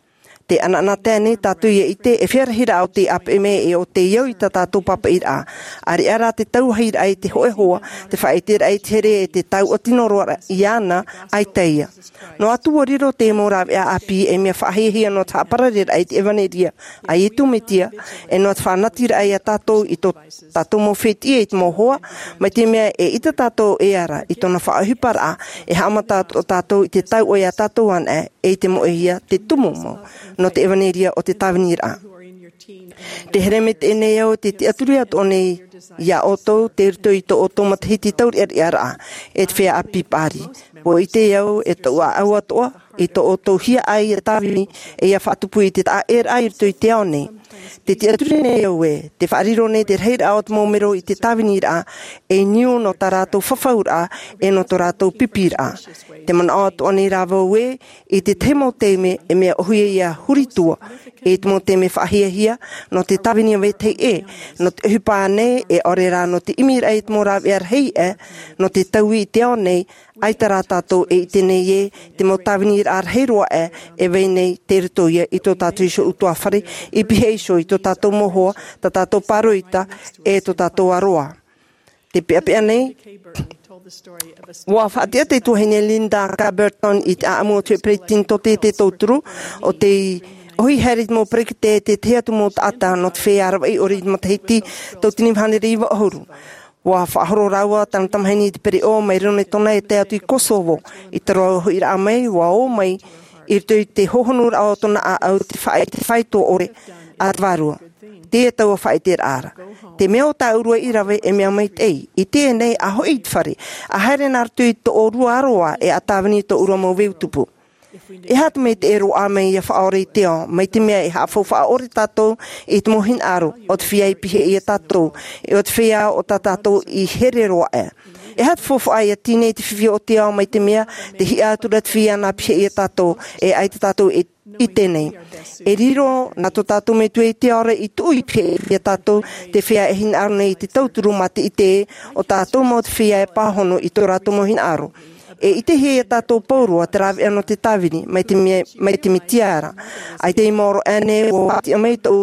Tē ʻanaʻanatae nei tātou ia ʻite, e fea rahiraʻa ʻo tei ʻāpeʻe mai e ʻo tei au i tā tātou pāpaʻiraʻa. ʻĀreʻa rā te tauahiraʻa i te hōʻē hoa, te faʻaʻiteraʻa i te here e te tauatino roa iāna, ʻaita ia. Noa atu ʻua riro te mau rāveʻa ʻāpī ei mea faʻahiahia nō te haʻaparareraʻa i te ʻevaneria a Iesu Mesia, e nō te faʻanatiraʻa ia tātou i tō tātou mau fētiʻi i te mau hoa, mai te mea e ʻita tātou e ara i tōna faʻaʻohiparaʻa, e haʻamata atoʻa tātou i te tauʻa ia tātou anaʻe, e i te moʻehia te tumu mau, nō te ʻevaneria o te tāviniraʻa. Tē here maitaʻi nei au, tē tiʻaturi atoʻa nei ia ʻoutou, tei roto i tō ʻoutou matahiti taureʻareʻaraʻa, e te feiā ʻāpī paʻari. ʻUa ʻite au, e tōʻu ʻāʻau atoʻa, i tō ʻoutou hiaʻai ia tāvini, e ia faʻatupu i te taʻaʻēraʻa i roto i te ao nei. Tē tiʻaturi nei au ē, tē faʻariro nei te rahiraʻa o te mau mero i te tāviniraʻa, ei niu nō tā rātou fafauraʻa, e nō tō rātou pipiraʻa. Tē manaʻo atoʻa nei rā vau ē, i te tahi mau taime, e mea ʻōhie ia huri tua, i te mau taime faʻahiahia, nō te tāvini ia vetahi ʻē, nō te ʻohipa nei, e ʻaore rā nō te ʻimiraʻa i te mau rāveʻa rahi ʻē, nō te taui i te ao nei, ʻaita rā tātou e ʻite nei ē, te mau tāviniraʻa rahi roa ʻē, e vai nei tei roto ia i tō tātou iho ʻutuāfare, i pihaʻi iho i tō tātou mau hoa, tā tātou pāroita, e tō tātou aroā. Tē peʻapeʻa nei, ʻua faʻatiʻa te tuahine Linda K. Burton i te ʻāʻamu o te peresideni tō te, te tauturu, ʻo tei ʻohi haere i te mau peretiteni e te tahi atu mau taʻata nō te feiā ravaʻi ʻore i te matahiti, tauatini iva hānere iva ʻahuru. ʻUa faʻahoro rāua tāna tamahine i te pereʻoʻo mai Rarotonga e tae atu i Kosovo. I te roa hoʻiraʻa mai, ʻua ō mai i roto i te hohonuraʻa o tōna ʻāʻau te faʻaʻite faito ʻore. a te vārua. Teie taua faʻaʻiteraʻa ra. Te mea ʻo tāʻu rua i rave e mea maitaʻi. I teie nei a hoʻi i te fare, a haere nā roto i tō ʻoe rua aroā e a tāvini i tō ʻoe rua mau veu tupu. E aha te mea e roaʻa mai ia faʻaora i te ao, mai te mea e haʻafaufaʻa ʻore tātou i te mau hinaʻaro, ʻo te feiā i pihaʻi ia tātou, ʻe ʻo te feiā ʻo tā tātou i here roa aʻe. E aha te faufaʻa ia tīnei te fifi o te ao, mai te mea te hiʻa atu ra te feiā nā pihaʻi ia tātou, e ʻaita tātou e ʻite nei. E riro nā tō tātou Metua i te ao ra i tuʻu i pihaʻi ia tātou, te feiā e hinaʻaro nei i te tauturu mā te ʻite ē, ʻo tātou mau te feiā e pāhono i tō rātou mau hinaʻaro. E ʻitehia ia tātou pauroa te rāveʻa nō te tāvini, mai te mea, mai te Mesia ra. ʻAita i maoro aʻe nei, ʻua faʻatiʻa mai tōʻu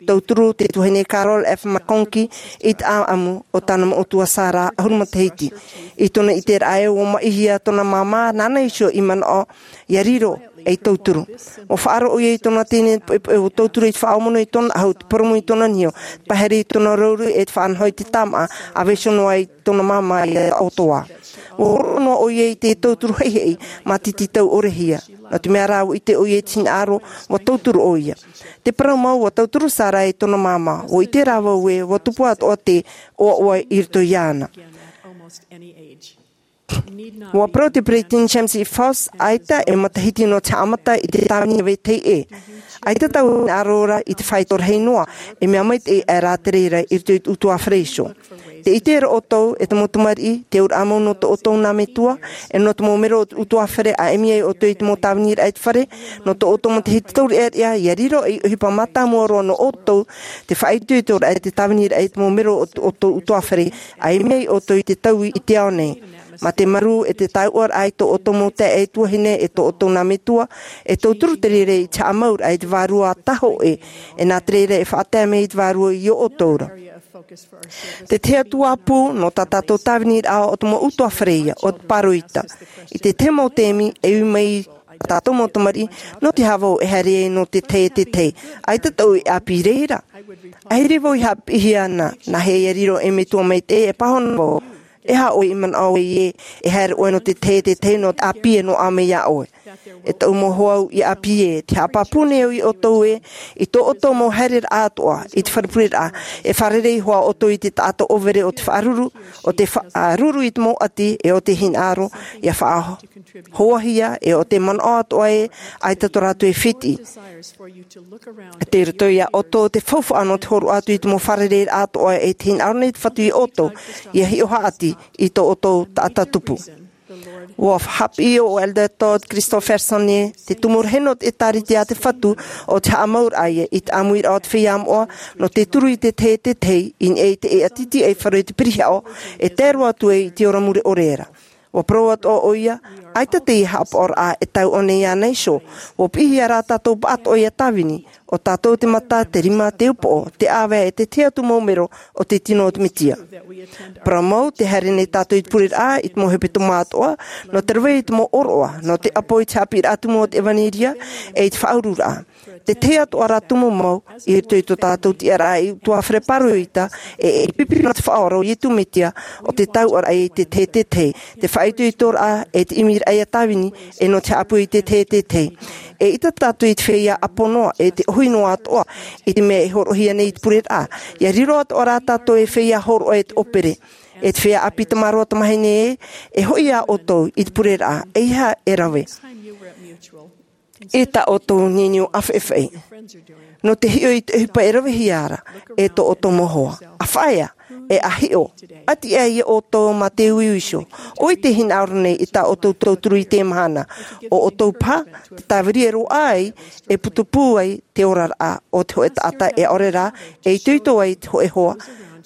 tauturu, te tuahine Carol F. McConkie, i te ʻāʻamu o tāna moʻotua Sarah, ʻahuru matahiti. I tōna ʻiteraʻa ē, ʻua maʻihia tōna māmā, nāna iho i manaʻo ia riro ei tauturu. ʻUa faʻaroʻo ʻoia i tōna teine poʻipoʻi, ʻua tauturu i te faʻaʻōmunu i tōna ʻahu, te purōmu i tōna niho, te pahere i tōna rouru, ʻe te faʻanaho i te tāmaʻa, a vaiiho noa ai tōna māmā ia taʻoto ā. ʻUa hōroʻa noa ʻoia i te tauturu heihei, mā te tītau ʻore hia. Nō te mea rā, ʻua ʻite ʻoia i te hinaʻaro, ʻua tauturu ʻoia. Te parau mau, ʻua tauturu Sarah e tōna māmā, ʻua ʻite rā vau ē, ʻua tupu atoʻa te ʻoaʻoa i roto iāna. ʻUa parau te Peresideni James E. Faust, ʻaita e matahiti nō te haʻamata i te tāvini vetahi ʻē. ʻAita tāʻu hinaʻaro ra i te faito rahi noa, e mea maitaʻi aʻe rā te reira i roto i te ʻutuāfare iho. Tē ʻite ra ʻoutou, e te mau tamariʻi, te auraʻa mau nō tō ʻoutou nā metua, ʻe nō te mau mero o te ʻutuāfare a ʻimi ai ʻoutou i te mau tāviniraʻa i te fare, nō tō ʻoutou matahiti taureʻareʻa, ia riro ei ʻohipa mātāmua roa nō ʻoutou, te faʻaitoitoraʻa i te tāviniraʻa i te mau mero o tō ʻoutou ʻutuāfare, a ʻimi ai ʻoutou i te taui i te ao nei. Mā te marū ʻe te tāuʻaraʻa i tō ʻoutou mau taeaʻe tuahine ʻe tō ʻoutou nā metua, e tauturu te reira i te haʻamauraʻa i te vārua tā hōʻē, ʻe nā te reira e faʻatae mai i te vārua iō ʻoutou ra. Te tahi atu ā pū nō tā tātou tāviniraʻa ʻo te mau ʻutuāfare ïa, ʻo te pāroita. I te tahi mau taime, e ui mai tā tātou mau tamariʻi, nō te aha vau e haere ai nō te tahi e te tahi, ʻaita tāʻu e ʻāpī reira. ʻAhiri vau i haʻapiʻihia ana, nāhea ia riro ei metua maitaʻi e pāhono vau. E aha ʻoe i manaʻo ai ē, e haere ʻoe nō te tahi e te tahi nō te ʻāpī e noaʻa mai iā ʻoe. E tāʻu mau hoa au i ʻāpī ē, tē haʻapāpū nei au iā ʻoutou ē, i tō ʻoutou mau haereraʻa atoʻa i te fare pureraʻa, e fārerei hoʻi ʻoutou i te taʻata ʻōvere o te faʻaruru, ʻo te faʻaruru i te mau ʻati, ʻe ʻo te hinaʻaro, ia faʻahoahia, ʻe ʻo te manaʻo atoʻa ē, ʻaita tō rātou e fiti. Tei roto iā ʻoutou te faufaʻa nō te hōroʻa atu i te mau fārereiraʻa atoʻa ʻe te hinaʻaro nei te Fatu iā ʻoutou, ia hiʻo haʻati i tō ʻoutou taʻata tupu. ʻUa haʻapiʻi ʻo Elder Todd Christofferson ē, te tumu rahi nō te ʻĒtārētia a te Fatu, ʻo te haʻamauraʻa ïa i te ʻāmuiraʻa o te feiā moʻa, nō te turu i te tahi e te tahi, i niʻa i te ʻēʻa tītīʻa i faro i te pirihaʻo, e tae roa atu ai i te ora mure ʻore ra. ʻUa parau atoʻa ʻoia, ʻaita teie haʻapaʻoraʻa e tau ʻō nei iāna iho, ʻua piʻihia rā tātou pāʻatoʻa ia tāvini, ʻo tātou te mata, te rima, te upoʻo, te ʻāvae ʻe te tahi atu mau mero o te tino o te Mesia. Parau mau, tē haere nei tātou i te pureraʻa, i te mau hepetoma atoʻa, nō te rave i te mau ʻōroʻa, nō te ʻapo i te haʻapiʻiraʻa tumu o te ʻevanelia, ʻe i te faʻaururaʻa. Te tahi atoʻa rā tumu mau, i roto i tō tātou tiʻaraʻa ei ʻutuāfare pāroita, ʻe, ʻe i pipi nō te Faʻaora ʻo Iesu Mesia, ʻo te tauʻaraʻa i te tahi e te tahi, te faʻaitoitoraʻa, ʻe te ʻimiraʻa ia tāvini, ʻe nō te haʻapūai i te tahi e te tahi. ʻEita tātou i te feiā ʻapo noa, ʻe te ʻohi noa atoʻa, i te mea e hōroʻahia nei i te pureraʻa. Ia riro atoʻa rā tātou ei feiā hōroʻa e te ʻōpere. ʻE te feiā ʻāpī tamaroa tamāhine ē, e hoʻi iā ʻoutou i te pureraʻa, ʻeiaha e rave. I tā ʻoutou niuniu ʻāfaʻifaʻi. Nō te hiʻo i te ʻohipa e ravehia ra, e tō ʻoutou mau hoa. ʻA faʻaea, ʻe ʻa hiʻo, ʻati aʻe iā ʻoutou mā te uiui iho. ʻOia tē hinaʻaro nei i tā ʻoutou tauturu i teie mahana. ʻO ʻoutou paha, te tāviri e roaʻa ai, e putupū ai te oraraʻa o te hōʻē taʻata e ʻaore rā, e itoito ai te hōʻē hoa,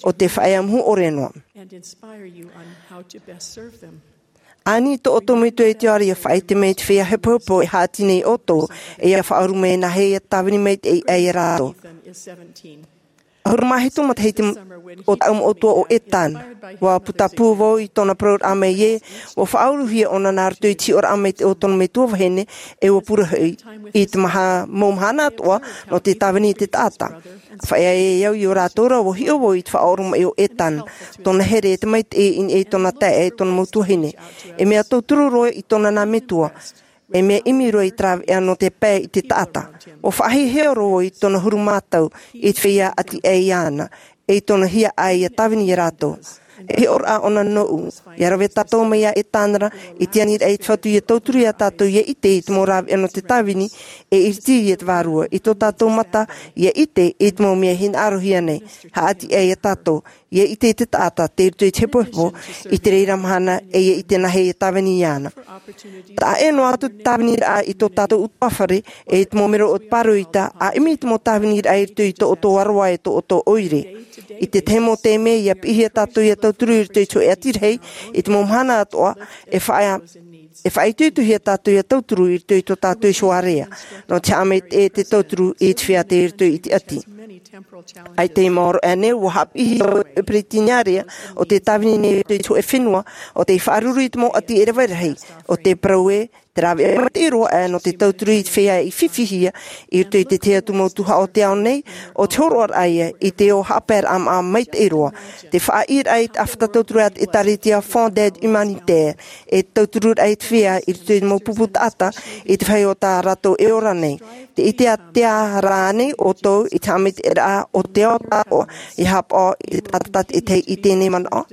ʻo te faʻaea muhu ʻore noa. And inspire you on how to best serve them. Ani tō ʻoutou Metua i te ao ra ia faʻaʻite mai te feiā hepohepo e haʻati nei iā ʻoutou, ʻe ia faʻauru mai nāhea ia tāvini maitaʻi aʻe iā rātou. ʻAhuru mā hitu matahiti o tāʻu moʻotua ʻo Ethan. ʻUa putapū vau i tōna parauraʻa mai ē, ʻua faʻauruhia ʻōna nā roto i te hiʻoraʻa mai o tōna metua vahine, ʻe ʻua pure hoʻi i te maha, mau mahana atoʻa, nō te tāvini i te taʻata. Faʻaea e au iā rātou ra, ʻua hiʻo vau i te faʻaoromaʻi o Ethan, tōna here e te maitaʻi i niʻa i tōna taeaʻe ʻe tōna mau tuahine. E mea tauturu roa i tōna nā metua. E mea ʻimi roa i te rāveʻa nō te pae i te taʻata. ʻUa faʻahiahia roa i tōna huru mātau i te feiā ʻati ʻē iāna, e i tōna hiaʻai ʻia tāvini iā rātou. E hiʻoraʻa ʻōna nōʻu, ʻia rave tātou mai iā ʻEtana ra, i te aniraʻa i te Fatu ʻia tauturu iā tātou ʻia ʻite i te mau rāveʻa nō te tāvini, e iriti ia te Vārua, i tō tātou mata, ʻia ʻite i te mau mea e hinaʻarohia nei, haʻati ʻē iā tātou, ʻia ʻite i te taʻata, tei roto i te hepohepo, i te reira mahana, e ʻia ʻite nāhea ʻia tāvini iāna. Taʻa ʻē noa atu te tāviniraʻa i tō tātou ʻutuāfare, e i te mau mero o te pāroita, ʻa ʻimi i te mau tāviniraʻa i roto i tō ʻoutou aroā e tō ʻoutou ʻoire. I te tahi mau taime, ʻia piʻihia tātou ʻia tauturu i roto i te hōʻē ʻati rahi, i te mau mahana atoʻa, e faʻa-, e faʻaitoitohia tātou ʻia tauturu i roto i tō tātou iho ārea. Nō te haʻamaitaʻi e te tauturu i te feiā tei roto i te ʻati. ʻAita i maoro aʻe nei, ʻua haʻapiʻihia e peretiteni ārea, ʻo tē tāvini nei i roto i te hōʻē fenua, ʻo tē faʻaruru i te mau ʻati e rave rahi, ʻo tē parau ē, te rāveʻa maitaʻi roa aʻe nō te tauturu i te feiā i fifihia, i roto i te tahi atu mau tuhaʻa o te ao nei, ʻo te hōroʻaraʻa ia, i te ō haʻapaeraʻa maitaʻi roa. Te faʻaʻīraʻa i te ʻāfata tauturu a te ʻĒtārētia Fonds d'Aide Humanitaire, e tautururaʻa i te feiā, i roto i te mau pupu taʻata, i te vāhi o tā rātou e ora nei. Te ʻite ā te ā rānei ʻoutou i te haʻamaitaʻiraʻa o te ao tāʻoa, ʻia haʻapaʻo i te taʻata tātaʻitahi i teie nei manaʻo?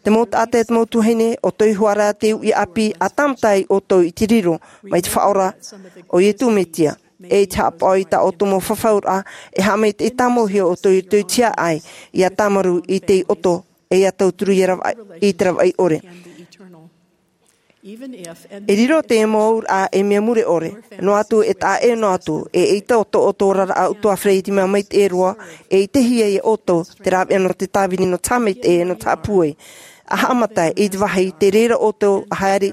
Te mau taʻata e te mau tuahine, ʻoutou iho ā rā te uʻi ʻāpī, ʻa tāmata ai ʻoutou i te riro, mai te Faʻaora, ʻo Iesu Mesia. E i te haʻapaʻo i tā ʻoutou mau fafauraʻa, e haʻamaitaʻi tāmauhia ʻoutou i roto i te hiaʻai, ʻia tāmarū i te ʻoto, e ʻia tauturu ʻia ravaʻi, i te ravaʻi ʻore. E riro te mau auraʻa e mea mure ʻore, noa atu e taʻa ʻē noa atu, e ʻeita tō ʻoutou oraraʻa ʻutuāfare i te mea maitaʻi roa, e ʻitehia ia ʻoutou, te rāveʻa nō te tāvini nō te haʻamaitaʻi, nō te haʻapūai. ʻA haʻamata i te vāhi, tē reira ʻoutou, ʻa haere,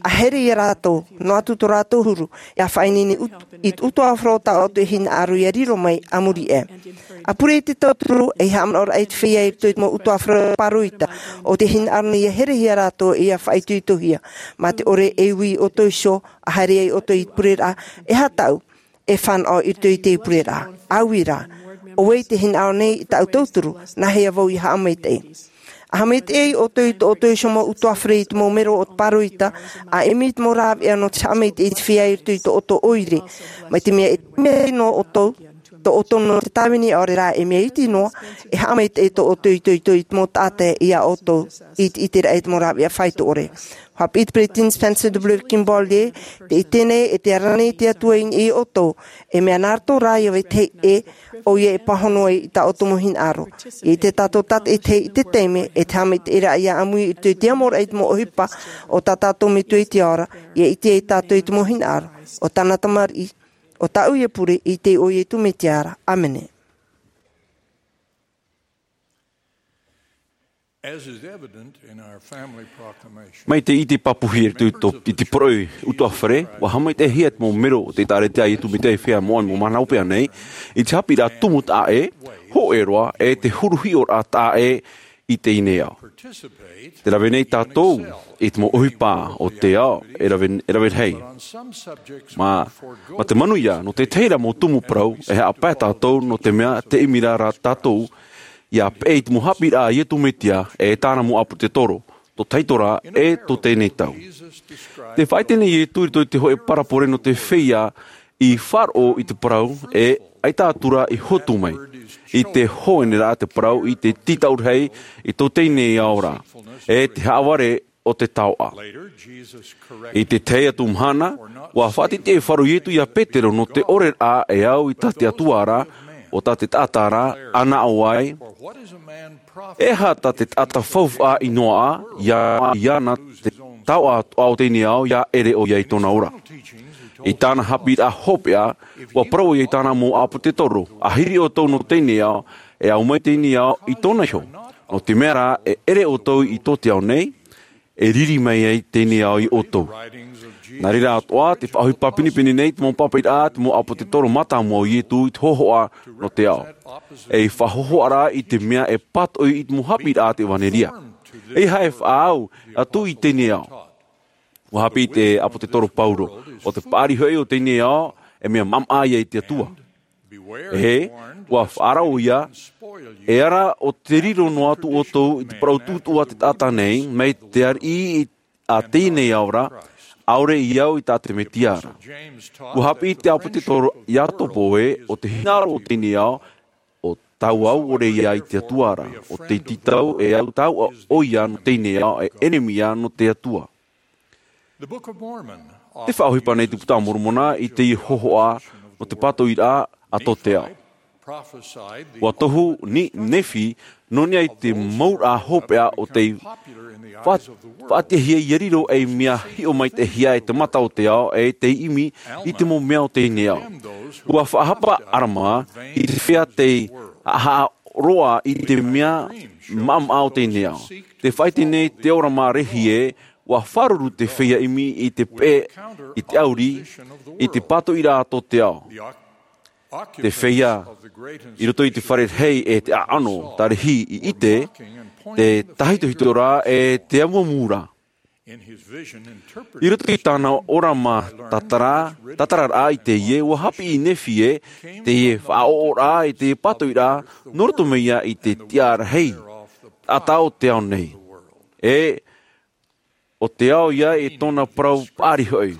ʻa haere ia rātou, noa atu tō rātou huru, ʻia faʻaineine ut-, i te ʻutuāfare o tā ʻoutou e hinaʻaro ʻia riro mai a muri aʻe. ʻA pure i te tauturu, e haʻamanaʻoraʻa i te feiā i roto i te mau ʻutuāfare pāroita, ʻo tē hinaʻaro nei ʻia herehia rātou e ʻia faʻaitoitohia. Mā te ʻore e ui ʻoutou iho, ʻa haere ai ʻoutou i te pureraʻa, e aha tāʻu, e fānaʻo i roto i te pureraʻa. ʻA ui rā, ʻo vai tē hinaʻaro nei i tāʻu tauturu, nāhea vau ʻia haʻamaitaʻi. ʻA haʻamaitaʻi ʻoutou i tō ʻoutou iho mau ʻutuāfare i te mau mero o te pāroita, ʻa ʻimi i te mau rāveʻa nō te haʻamaitaʻi i te feiā i roto i tō ʻoutou ʻoire. Mai te mea e te mea noa ʻoutou, tō ʻoutou nō te tāvini ʻaore rā e mea iti noa, e haʻamaitaʻi tō ʻoutou itoito i te mau taʻata ia ʻoutou, i te, i te raʻi te mau rāveʻa faito ʻore. Haʻapiʻi te peretiteni Spencer W. Kimball ē, tē ʻite nei, e tē ara nei te Atua i niʻa ia ʻoutou, e mea nā roto rā ia vetahi ʻē, ʻoia e pāhono ai i tā ʻoutou mau hinaʻaro. ʻIa ʻite tātou tātaʻitahi i te taime, e te haʻamaitaʻiraʻa ʻia ʻāmui i roto i te amo raʻa i te mau ʻohipa, o tā tātou Metua i te ao ra, ʻia ʻite ai tātou i te mau hinaʻaro, o tāna tamariʻi, o tāʻu ia pure i te iʻoa o Iesu Mesia ra. ʻĀmene. As is evident in our family proclamation, mai te ʻite pāpūhia i te, i te poroʻi ʻutuāfare, ʻua haʻamaitaʻihia te mau mero o te ʻĒtārētia a Iesu Mesia i te feiā moʻa i te mau mahana hopeʻa nei, i te haʻapiʻiraʻa tumu taʻa ʻē, hōʻē roa, e te huru hiʻoraʻa taʻa ʻē i teie nei ao. Te rave nei tātou i te mau ʻohipa o te ao, e rave, e rave rahi. Mā, mā te manuia, nō te tahi ra mau tumu parau, e haʻapae tātou, nō te mea, tē ʻimi ra rā tātou, ʻia peʻe i te mau haʻapiʻiraʻa a Iesu Mesia, e tāna mau ʻāpōsetolo, tō tahito ra, e tō teie nei tau. Tē faʻaʻite nei Iesu i roto i te hōʻē parabole nō te feiā, i faʻaroʻo i te parau, e ʻaita atu ra i hotu mai. I te hōʻē nei rā te parau i te tītau rahi i tō teie nei ao ra. E te haʻavare o te taoʻa. I te tahi atu mahana, ʻua faʻateiteʻa e faʻaroʻo Iesu ia Petero nō te ʻore ra e au i tā te Atua ra, ʻo tā te taʻata ra, ʻa nā ʻō ai, e aha tā te taʻata faufaʻa i noaʻa, ʻia, ʻia na te taoʻa atoʻa o teie nei ao, ʻia ʻere ʻoia i tōna ora. I tāna haʻapiʻiraʻa hopeʻa, ʻua parau ʻoia i tāna mau ʻāpōsetolo, ʻa hiri ʻoutou nō teie nei ao, e au mai teie nei ao i tōna iho. Nō te mea rā, e ʻere ʻoutou i tō te ao nei, e riri mai ai teie nei ao ia ʻoutou. Nā reira atoʻa, tē faʻaʻohipa pinepine nei te mau pāpaʻiraʻa a te mau ʻāpōsetolo mātāmua o Iesu i te hōhoʻa nō te ao. E faʻahōhoʻa rā i te mea e pātoʻi i te mau haʻapiʻiraʻa a te ʻevanelia. ʻEiaha e faʻaau atu i teie nei ao. ʻUa haʻapiʻi te ʻāpōsetolo Paulo, ʻo te paʻari hoʻi o teie nei ao, e mea maʻamaʻa ia i te Atua. E, ʻua faʻaara ʻoia, e ara ʻo te riro noa atu ʻoutou i te parau tuʻutuʻu a te taʻata nei, mai te ariʻi a teie nei ao ra, ʻaore i au i tā te Mesia ra. Ua haʻapiʻi te ʻāpōsetolo Iakobo ē, ʻo te hinaʻaro o teie nei ao, ʻo taua au ʻore ia i te Atua ra, ʻo tei tītau e au tāuʻa ʻoia nō teie nei ao, e ʻenemi ia nō te Atua. Te faʻaʻohipa nei te Puta a Moromona i te hōhoʻa nō te pātoʻiraʻa a tō te ao. Ua tohu Nefi nō niʻa i te mauraʻa hopeʻa ʻo tei faʻatiʻahia ia riro ei mea hiʻo maitaʻihia e te mata o te ao, e tei ʻimi i te mau mea o teie nei ao. Ua faʻahapa ʻAlama i te feiā tei haʻaroʻa i te mea maʻamaʻa o teie nei ao. Te faʻaite nei te ʻōrama rehi ē, ua fāruru te feiā ʻimi i te peʻe, i te ʻauri, i te pātoʻiraʻa a tō te ao. Te feiā i roto i te fare rahi e te ʻaʻano tarihi i ʻite, te tāhitohito ra e te amuamu ra. I roto i tāna ʻōrama tātara, tātararaʻa i teie, ua haʻapiʻi Nefi ē, teie faʻaʻoʻoraʻa i te pātoʻiraʻa nō roto mai ia i te tiʻaraʻa rahi, taʻata o te ao nei. E ʻo te ao ia e tōna parau paʻari hoʻi.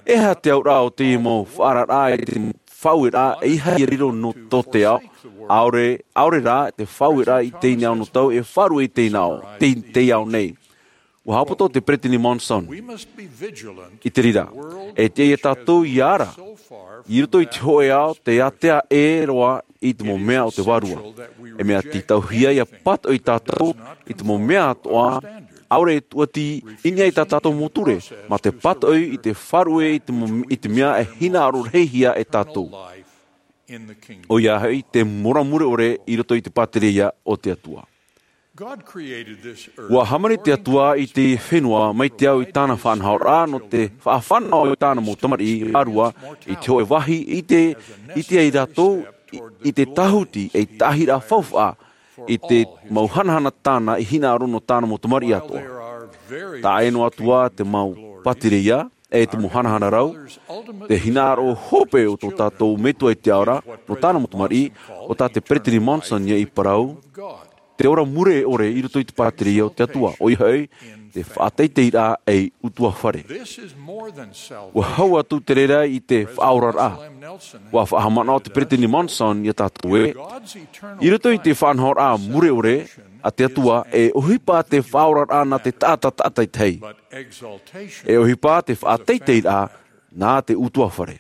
E aha te auraʻa o teie mau faʻaararaʻa e te faʻaueraʻa e ʻeiaha ia riro nō tō te ao, ʻaore, ʻaore rā te faʻaueraʻa i teie nei ao nō tātou e faʻaruʻe i teie nei ao, tei, teie ao nei. Ua haʻapoto te Peresideni Monson i te reira. E tiʻa ia tātou ia ara, i roto i te hōʻē ao, tē ātea ʻē roa i te mau mea o te vārua. E mea tītauhia ia pātoʻi tātou i te mau mea atoʻa, ʻaore e tuati i niʻa i tā tātou mau ture, mā te pātoʻi i te faʻaruʻe i te mau, i te mea e hinaʻaro rahihia e tātou. ʻOia hoʻi te mau ora mure ʻore i roto i te pātireia o te Atua. Ua hāmani te Atua i te fenua mai te ao i tāna faʻanahoraʻa nō te faʻafānaʻo i tāna mau tamariʻi vārua i te hōʻē vāhi i te, i te ai rātou i, i te tāhuti ei taʻahiraʻa faufaʻa i te mau hanahana tāna i hinaʻaro nō tāna mau tamariʻi atoʻa. Taʻa ʻē noa atu ā te mau pātireia, e te mau hanahana rau, te hinaʻaro hope o tō tātou Metua i te ao ra, nō tāna mau tamariʻi, ʻo tā te Peresideni Monson ia i parau, te ora mure ʻore i roto i te pātireia o te Atua, ʻoia hoʻi, te faʻateiteiraʻa ei ʻutuāfare. Ua hau atu te reira i te faʻaoraraʻa. Ua faʻahaʻamanaʻo te Peresideni Monson ia tātou ē, i roto i te faʻanahoraʻa mure ʻore a te Atua, e ʻohipa te faʻaoraraʻa nā te taʻata taʻata i te hei. E ʻohipa te faʻateiteiraʻa nā te ʻutuāfare.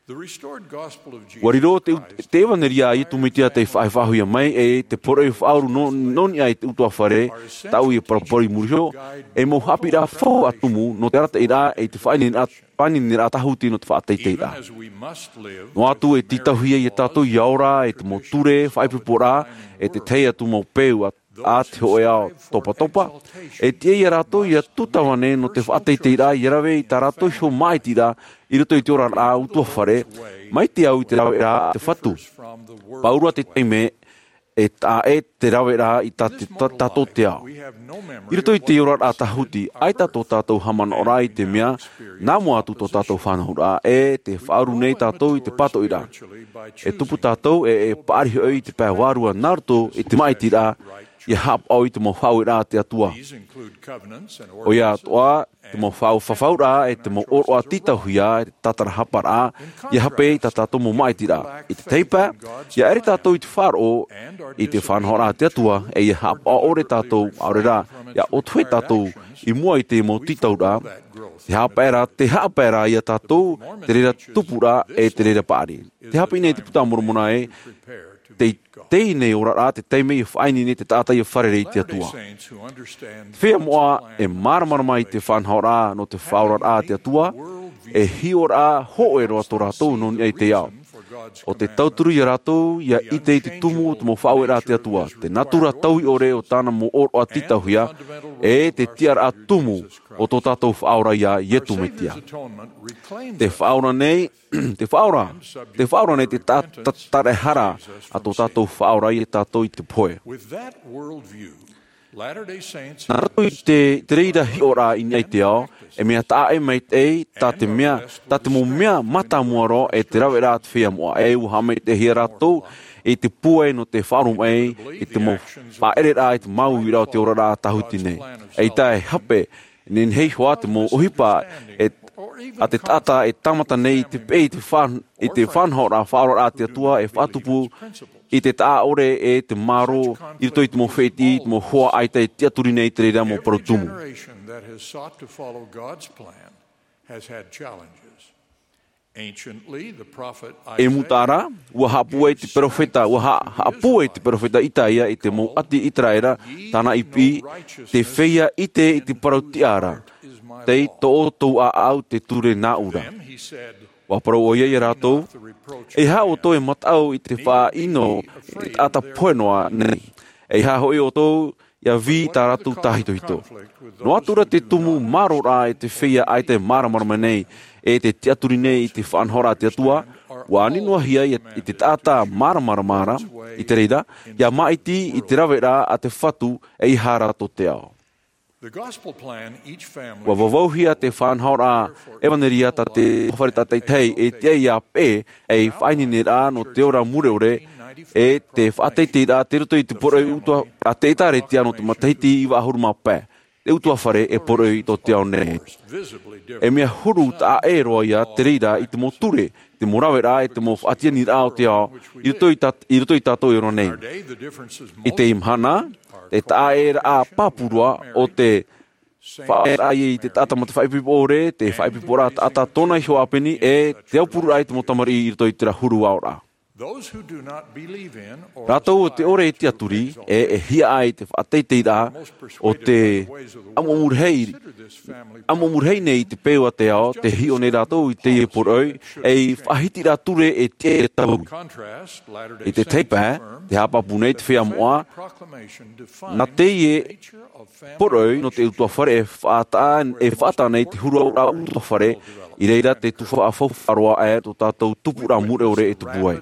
Ua riro te, te ʻevanelia a Iesu Mesia tei faʻaʻohipahia mai, e te poroʻi faʻaʻoru nō, nō niʻa i te ʻutuāfare, tāʻu ia paraparau i muri iho, ei mau haʻapiʻiraʻa faufaʻa tumu, nō te arataʻiraʻa, e te faʻaineineraʻa, faʻaineineraʻa tāhuti nō te faʻateiteiraʻa. Noa atu e tītauhia ia tātou ia ora, e te mau ture, faʻaipoiporaʻa, e te tahi atu mau peu a a te hōʻē ao topatopa, e tiʻa ia rātou ia tūtava nei nō te faʻateiteiraʻa ia rave i tā rātou iho māʻitiraʻa i roto i te oraraʻa ʻutuāfare, mai te au i te raveraʻa a te Fatu. Paurua te taime e taʻa ʻē te raveraʻa i tā te, tā, tā tō te ao. I roto i te oraraʻa tāhuti, ʻaita tō tātou haʻamanaʻoraʻa i te mea, nā mua atu tō tātou faʻanahoraʻa, e te faʻaʻoru nei tātou i te pātoʻiraʻa. E tupu tātou, e, e paʻari hoʻi i te pae vārua nā roto i te māʻitiraʻa, ia haʻapaʻo i te mau faʻaueraʻa a te Atua. ʻOia atoʻa, te mau faʻafafauraʻa, e te mau ʻōroʻa tītauhia, e te tātarahaparaʻa, ia hape i tā tātou mau māʻitiraʻa. I te tahi pae, ia ʻere tātou i te faʻaroʻo, i te faʻanahoraʻa a te Atua, e ia haʻapaʻo ʻore tātou, ʻaore rā, ia ʻoto hē tātou, i mua i te mau tītauraʻa, te haʻapaʻo ra, te haʻapaʻo ra ia tātou, te reira tupuraʻa, e te reira paʻari. Te haʻapiʻi nei te Puta a Moromona ē, tei, teie nei oraraʻa, te taime ia faʻaineine te taʻata ia fārerei i te Atua. Te feiā moʻa e māramarama i te faʻanahoraʻa nō te faʻaoraraʻa a te Atua, e hiʻoraʻa hōʻē roa tō rātou nō niʻa i te ao. ʻO te tauturu ia rātou, ia ʻite i te tumu o te mau faʻaueraʻa a te Atua, te natura taui ʻore o tāna mau ʻōroʻa tītauhia, e te tiʻaraʻa tumu o tō tātou Faʻaora ia Iesu Mesia. Te Faʻaora nei, te Faʻaora, te Faʻaora nei te ta-, ta-, taraehara a tō tātou Faʻaora ia tātou i te pohe. Nā roto i te, te reira hiʻoraʻa i niʻa i te ao, e mea taʻa ʻē maitaʻi, tā te mea, tā te mau mea mātāmua roa e te raveraʻa a te feiā moʻa, e ua haʻamaitaʻihia rātou i te pūai nō te faʻaroʻo mai i te mau faʻaʻereraʻa, i te māuiuiraʻa o te oraraʻa tāhuti nei. ʻAita e hape, E nehenehe hoʻi te mau ʻohipa e, a te taʻata e tāmata nei i te peʻe i te faʻa-, i te faʻanahoraʻa, faʻaoraraʻa a te Atua e faʻatupu i te taʻa ʻore e te mārō i roto i te mau fētiʻi, i te mau hoa ʻaita e tiʻaturi nei te reira mau parau tumu. E mūtaʻa ra, ua haʻapūai te peropheta, ua ha-, haʻapūai te peropheta Itaia i te mau ʻati Iteraera, tāna i piʻi, te feiā ʻite i te parau tiʻa ra, tei tō ʻoutou ʻāʻau te ture nāʻu ra. Ua parau ʻoia ia rātou, ʻeiaha ʻoutou e mataʻu i te faʻaʻino, e te taʻata pohe noa nei. ʻEiaha hoʻi ʻoutou ia vī i tā rātou tāhitohito. Noa atu ra te tumu mārōraʻa e te feiā ʻaita e māramarama nei, e te tiʻaturi nei i te faʻanahoraʻa a te Atua, ua ani noa hia ia i te taʻata māramarama ra, i te reira, ia māʻiti i te raveraʻa a te Fatu ʻeiaha ra tō te ao. Ua vauvauhia te faʻanahoraʻa ʻevanelia tā te fare tātaʻitahi e tiʻa ia peʻe ei faʻaineineraʻa nō te ora mure ʻore, e te faʻateiteiraʻa tei roto i te poroʻi ʻutuāfare a te ʻĒtārētia nō te matahiti iva ʻahuru mā pae, te ʻutuāfare e poroʻi tō te ao nei. E mea huru taʻa ʻē roa ia te reira i te mau ture, te mau raveraʻa, e te mau faʻatiʻaniraʻa o te ao, i roto i tā-, i roto ia tātou e ora nei. I teie mahana, te taʻa ʻēraʻa pāpū roa o te faʻaearaʻa i te taʻata mā te faʻaipoipo ʻore, te faʻaipoiporaʻa taʻata tōna iho ʻāpeni, e te aupuruʻraʻa i te mau tamariʻi i roto i terā huru aoraʻa. Rātou ʻo tē ʻore e tiʻaturi, e, e hiaʻai i te faʻateiteiraʻa o te ʻamuʻamu rahi, ʻamuʻamu rahi nei i te peu a te ao, tē hiʻo nei rātou i teie poroʻi, ei faʻahitiraʻa ture e tiʻa e taui. I te tahi pae, tē haʻapāpū nei te feiā moʻa, nā teie poroʻi nō te ʻutuāfare e faʻataʻa, e faʻataʻa nei te huru aoraʻa ʻutuāfare, i reira te tuhaʻa faufaʻa roa aʻe tō tātou tupuraʻa mure ʻore e tupu ai.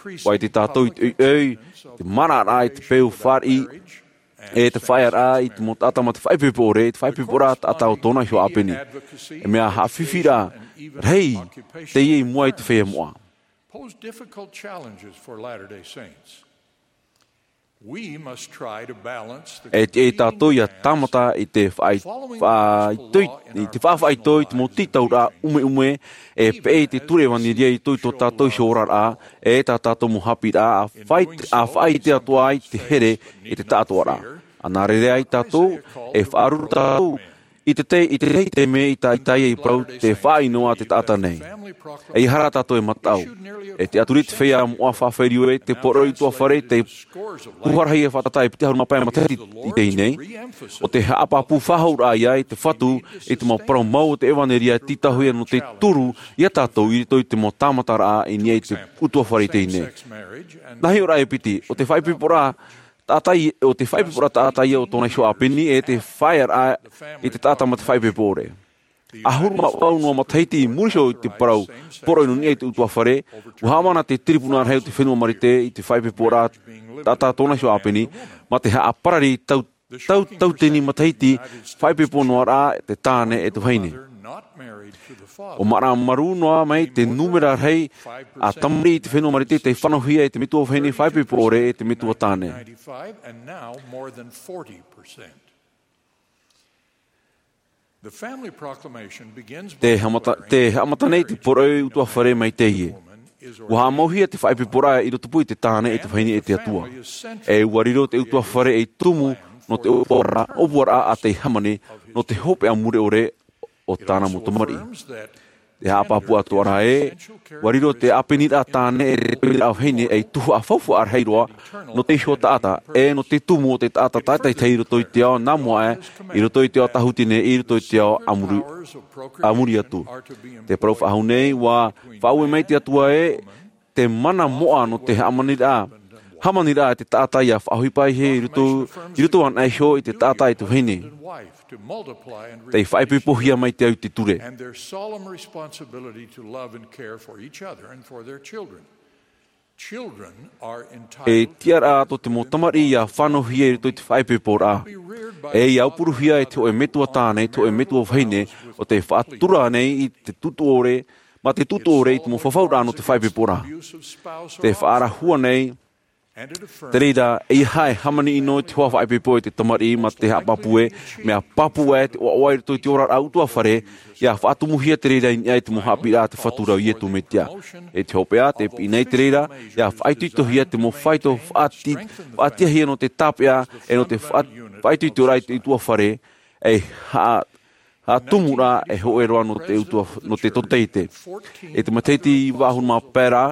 ʻUa ʻite tātou i te ʻoiʻoi, te maraʻaraʻa i te peu fāriʻi, e te faʻaearaʻa i te mau taʻata mā te faʻaipoipo ʻore, te faʻaipoiporaʻa taʻata ʻo tōna iho ʻāpeni. E mea haʻafifiraʻa rahi teie i mua i te feiā moʻa. E tiʻa ia tātou ia tāmata i te faʻai-, faʻaitoi, i te faʻafaʻaitoi, te mau tītauraʻa ʻumeʻume, e peʻe i te ture ʻevanelia i roto i tō tātou iho oraraʻa, e tā tātou mau haʻapiʻiraʻa, ʻa faʻai-, ʻa faʻaʻite atoʻa ai te here i te taʻatoʻaraʻa. ʻA nā reira ia tātou, e faʻaruru tātou, i te te-, i te tahi taime i tā Itaia i parau te faʻaʻino a te taʻata nei. ʻEiaha rā tātou e mataʻu. E tiʻaturi te feiā moʻa faʻaferuri ʻē, te poroʻi ʻutuāfare, te tuhaʻa rahi e fātata e piti ʻahuru mā pae matahiti i teie nei. ʻO te haʻapāpū faʻahou ra ia i te Fatu, i te mau parau mau o te ʻevanelia tītauhia nō te turu ia tātou i roto i te mau tāmataraʻa i niʻa i te ʻutuāfare i teie nei. Nā hiʻoraʻa e piti, ʻo te faʻaipoiporaʻa taʻata ia, ʻo te faʻaipoiporaʻa taʻata ia ʻo tōna iho ʻāpeni, e te faʻaearaʻa i te taʻata mā te faʻaipoipo ʻore. ʻAhuru mā vaʻu noa matahiti i muri iho i te parau poroʻi nō niʻa i te ʻutuāfare, ua haʻamana te tiripuna rahi o te fenua Marite i te faʻaipoiporaʻa taʻata tōna iho ʻāpeni, mā te haʻaparari tau, tau, tauatini matahiti faʻaipoipo noa ra te tāne e te vahine. ʻUa maramarū noa mai te nūmera rahi a tamariʻi i te fenua Marite tei fānauhia e te metua vahine faʻaipoipo ʻore e te metua tāne. Te haʻamata, te haʻamata nei te poroʻi ʻutuāfare mai teie. ʻUa haʻamauhia te faʻaipoiporaʻa i roto pū i te tāne e te vahine e te Atua. E ʻua riro te ʻutuāfare ei tumu nō te ʻōpuaraʻa, ʻōpuaraʻa a tei hāmani nō te hopeʻa mure ʻore o tāna mau tamariʻi. Te haʻapāpū atoʻa ra ē, ʻua riro te ʻāpeniraʻa tāne e te ʻāpeniraʻa vahine ei tuhaʻa faufaʻa rahi roa nō te iho taʻata, e nō te tumu o te taʻata tātaʻitahi i roto i te ao nā mua aʻe, i roto i te ao tāhuti nei, i roto i te ao a muri, a muri atu. Te parau faʻahou nei, ʻua faʻaue mai te Atua ē, te mana moʻa nō te hāmaniraʻa, hāmaniraʻa e te taʻata ia faʻaʻohipa i roto, i roto anaʻe iho i te taʻata e te vahine. Tei faʻaipoipohia mai te au i te ture. E tiʻaraʻa tō te mau tamariʻi ia fānauhia i roto i te faʻaipoiporaʻa. E ia aupuruhia e te hōʻē metua tāne, te hōʻē metua vahine, ʻo tē faʻatura nei i te tūtū ʻore, mā te tūtū ʻore i te mau fafauraʻa nō te faʻaipoiporaʻa. Tē faʻarahua nei, Te reira, ʻeiaha e hāmani ʻino i te hoa faʻaipoipo e te tamariʻi mā te haʻapāpū ē, mea pāpū ē te ʻoaʻoa i roto i te oraraʻa ʻutuāfare, ʻia faʻatumuhia te reira i niʻa i te mau haʻapiʻiraʻa a te Fatu ra ʻo Iesu Mesia. E te hopeʻa, tē piʻi nei te reira, ʻia faʻaitoitohia te mau faito faʻati-, faʻatiʻahia nō te tāpeʻa, e nō te faʻa-, faʻaitoitoraʻa i te ʻutuāfare, e haʻa-, haʻatumuraʻa e hōʻē roa nō te ʻutua-, nō te tōtaiete. I te matahiti iva ʻahuru mā pae ra,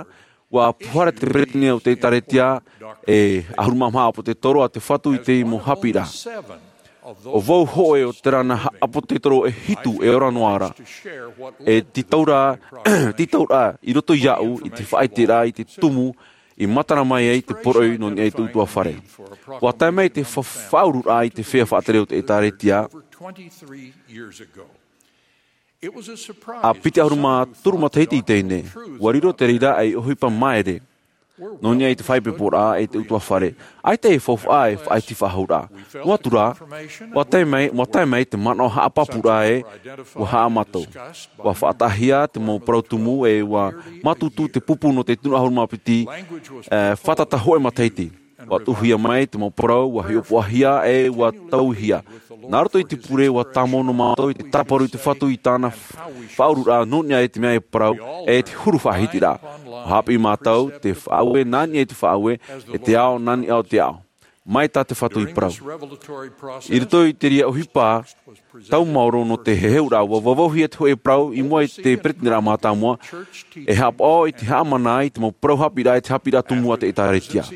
ʻua pūhara te peretiteni o te ʻĒtārētia e ʻahuru mā maha ʻāpōsetolo a te Fatu i te mau haʻapiʻiraʻa. ʻO vau hōʻē o terā nā ʻāpōsetolo e hitu e ora noa ra. E tītauraʻa, tītauraʻa i roto iāʻu i te faʻaʻiteraʻa i te tumu i mātara mai ai te poroʻi nō niʻa i te ʻutuāfare. ʻUa tae mai te fa-, faʻaururaʻa i te feiā faʻatere o te ʻĒtārētia. ʻA piti ʻahuru mā toru matahiti i teie nei, ʻua riro te reira ei ʻohipa māere nō niʻa i te faʻaipoiporaʻa e te ʻutuāfare. ʻAita e faufaʻa e faʻaiti faʻahou ra. Noa atu rā, ʻua tae mai, ʻua tae mai te manaʻo haʻapāpūraʻa ē ʻua haʻamātau. ʻUa faʻataʻahia te mau parau tumu e ʻua mātutu te pupu nō te tino ʻahuru mā piti, e, fātata hōʻē matahiti. ʻUa tuʻuhia mai te mau parau, ʻua hiʻopoʻahia, e ʻua tauihia. Nā roto i te pure, ʻua tāmau noa mātou i te tāparu i te Fatu i tāna f-, faʻaururaʻa nō niʻa i te mea e parau, e te huru faʻahitiraʻa. ʻUa haʻapiʻi mātou, te faʻaue, nā niʻa i te faʻaue, e te ao, nā niʻa o te ao. Mai tā te Fatu i parau. I roto i te reira ʻohipa, tau maoro nō te heheuraʻa, ʻua vauvauhia te hōʻē parau i mua i te peretiteniraʻa mātāmua, e haʻapaʻo i te haʻamana i te mau parau haʻapiʻiraʻa, e te haʻapiʻiraʻa tumu a te ʻĒtārētia.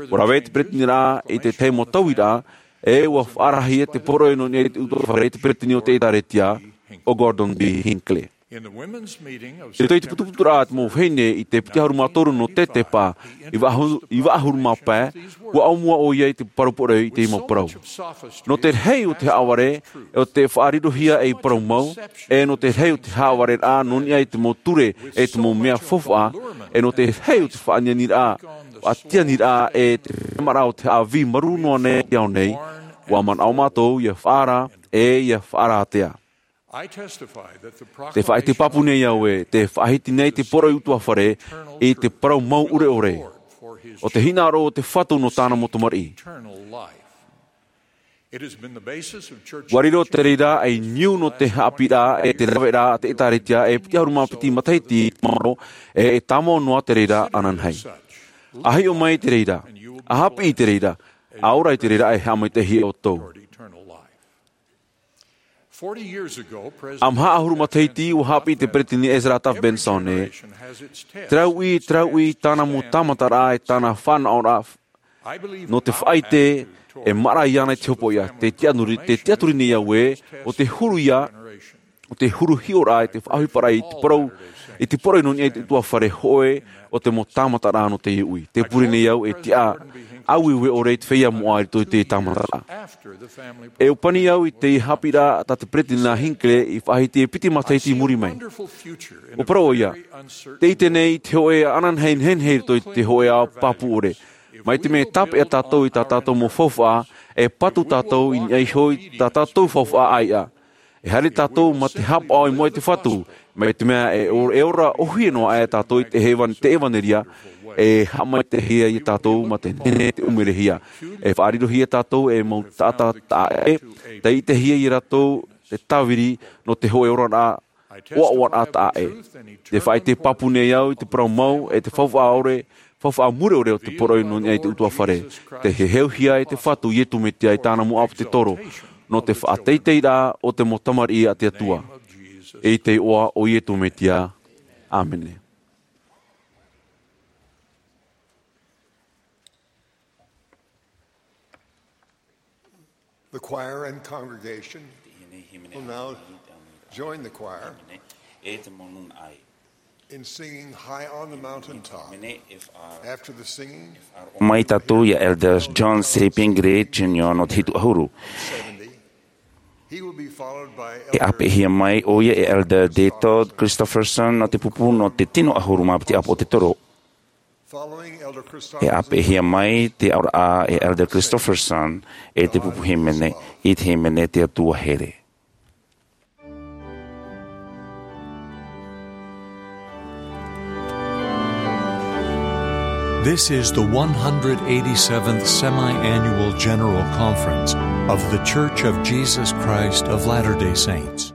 ʻUa rave te peretiteniraʻa i te tahi mau tauiraʻa, e ʻua faʻarahihia te poroʻi nō niʻa i te ʻutuāfare i te peretiteni o te ʻĒtārētia, ʻo Gordon B. Hinckley. I roto i te putuputuraʻa a te mau vahine i te piti ʻahuru mā toru nō Tetepa, iva ʻahu-, iva ʻahuru mā pae, ʻua ʻaumua ʻoia i te parau poroʻi i te mau parau. Nō te rahi o te haʻavare, e ʻo te faʻarirohia ei parau mau, e nō te rahi o te haʻavareraʻa nō niʻa i te mau ture, e te mau mea faufaʻa, e nō te rahi o te faʻanianiraʻa, faʻatianiraʻa, e te maraʻa o te haʻavī marū noa nei i te ao nei, ʻua manaʻo mātou ʻia faʻaara, e ʻia faʻaara ātea. Te faʻaite pāpū nei au ē, tē faʻahiti nei te poroʻi ʻutuāfare i te parau mau ʻureʻore. ʻO te hinaʻaro o te Fatu nō tāna mau tamariʻi. ʻUa riro te reira ei niu nō te haʻapiʻiraʻa e te raveraʻa a te ʻĒtārētia e piti ʻahuru mā piti matahiti i te maoro, e, e tāmau noa te reira ananahi. ʻA hiʻo mai te reira, ʻa haʻapiʻi te reira, ʻa ora i te reira e haʻamaitaʻihia ʻoutou. ʻA maha ʻahuru matahiti, ʻua haʻapiʻi te peretiteni Ezra Taft Benson ē, terā uʻi, terā uʻi tāna mau tāmataraʻa e tāna fānaʻoraʻa nō te faʻaite e maraʻa iāna i te hopoiʻa, tē tiʻaturi, tē tiʻaturi nei au ē, ʻo te huru ia, ʻo te huru hiʻoraʻa e te faʻaʻohiparaʻa i te parau, i te poroʻi nō niʻa i te ʻutuāfare hōʻē, ʻo te mau tāmataraʻa nō teie uʻi. Tē pure nei au e tiʻa ʻāueue ʻore i te feiā moʻa i roto i te tāmataraʻa. E ʻōpani au i te haʻapiʻiraʻa tā te peretiteni Hinckley i faʻahiti e piti matahiti i muri mai. ʻUa parau ʻoia, tē ʻite nei i te hōʻē ananahi nehenehe i roto i te hōʻē ao pāpū ʻore. Mai te mea e tāpeʻa tātou i tā tātou mau faufaʻa, e patu tātou i niʻa iho i tā tātou faufaʻa ʻāiʻa. E haere tātou mā te haʻapaʻo i mua i te Fatu, mai te mea e or-, e ora ʻōhie noa aʻe tātou i te ʻeva-, te ʻevanelia, e haʻamaitaʻihia ia tātou mā te nehenehe e te ʻumirehia. E faʻarirohia tātou e mau taʻata taʻa ʻē, tē ʻitehia ia rātou te tāviri nō te hōʻē oraraʻa, ʻoaʻoaraʻa taʻa ʻē. Tē faʻaite pāpū nei au i te parau mau, e te faufaʻa ʻore, faufaʻa mure ʻore o te poroʻi nō niʻa i te ʻutuāfare, tē heheuhia e te Fatu Iesu Mesia i tāna mau ʻāpōsetolo, nō te faʻateiteiraʻa o te mau tamariʻi a te Atua. I te iʻoa o Iesu Mesia. ʻĀmene. The choir and congregation will now join the choir in singing High on the Mountaintop. After the singing, Mai tātou ia Elder John C. Pingree Junior nō te hitu ʻahuru. He will be followed by E ʻāpeʻehia mai ʻoia e Elder D. Todd Christofferson nō te pupu nō te tino ʻahuru mā piti ʻāpōsetolo. E ʻāpeʻehia mai te aʻoraʻa e Elder Christofferson e te pupu hīmene, i te hīmene Te Atua Here. This is the one hundred eighty-seventh Semi-Annual General Conference of The Church of Jesus Christ of Latter-day Saints.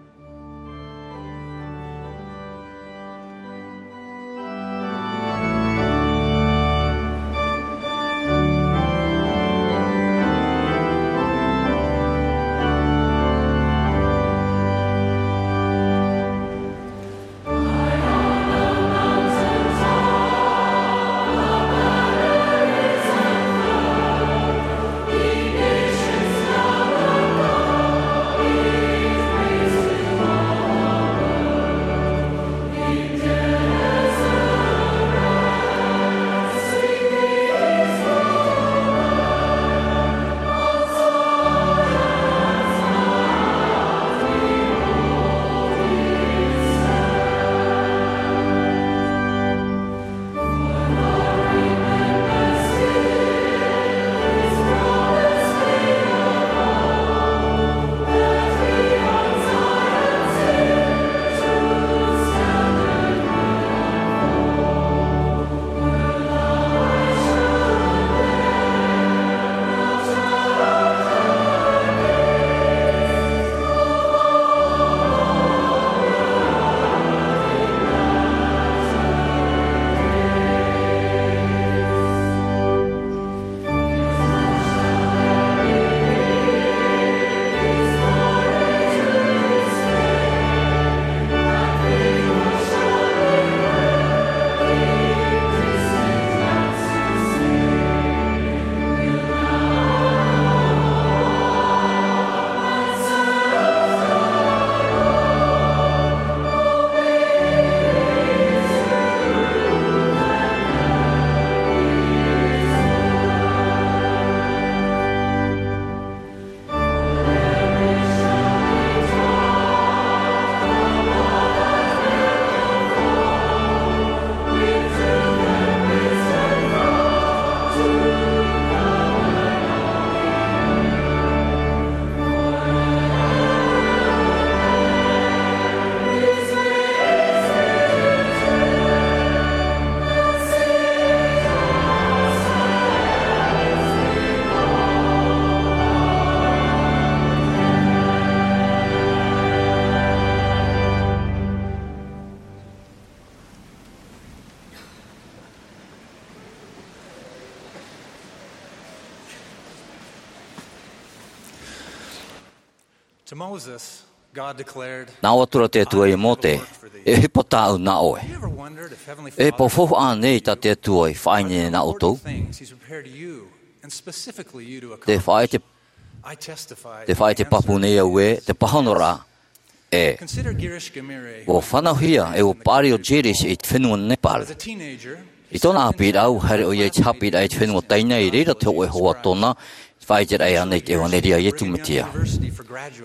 To Moses, God declared, Nā ʻō atu ra te Atua iā Mōte, e ʻohipa tāʻu nā ʻoe. E pō faufaʻa ānei tā te Atua i faʻaineine nā ʻoutou? Te faʻaʻite, te faʻaʻite pāpū nei au ē, te pāhonoraʻa, e. ʻUa fānauhia, e ʻua paʻari ʻo Girish i te fenua Nepal. I tōna ʻāpīraʻa, ʻua haere ʻoia i te haʻapiʻiraʻa i te fenua Taina, i reira te hōʻē hoa tōna, faʻaʻiteraʻa ānei i te ʻevanelia a Iesu Mesia.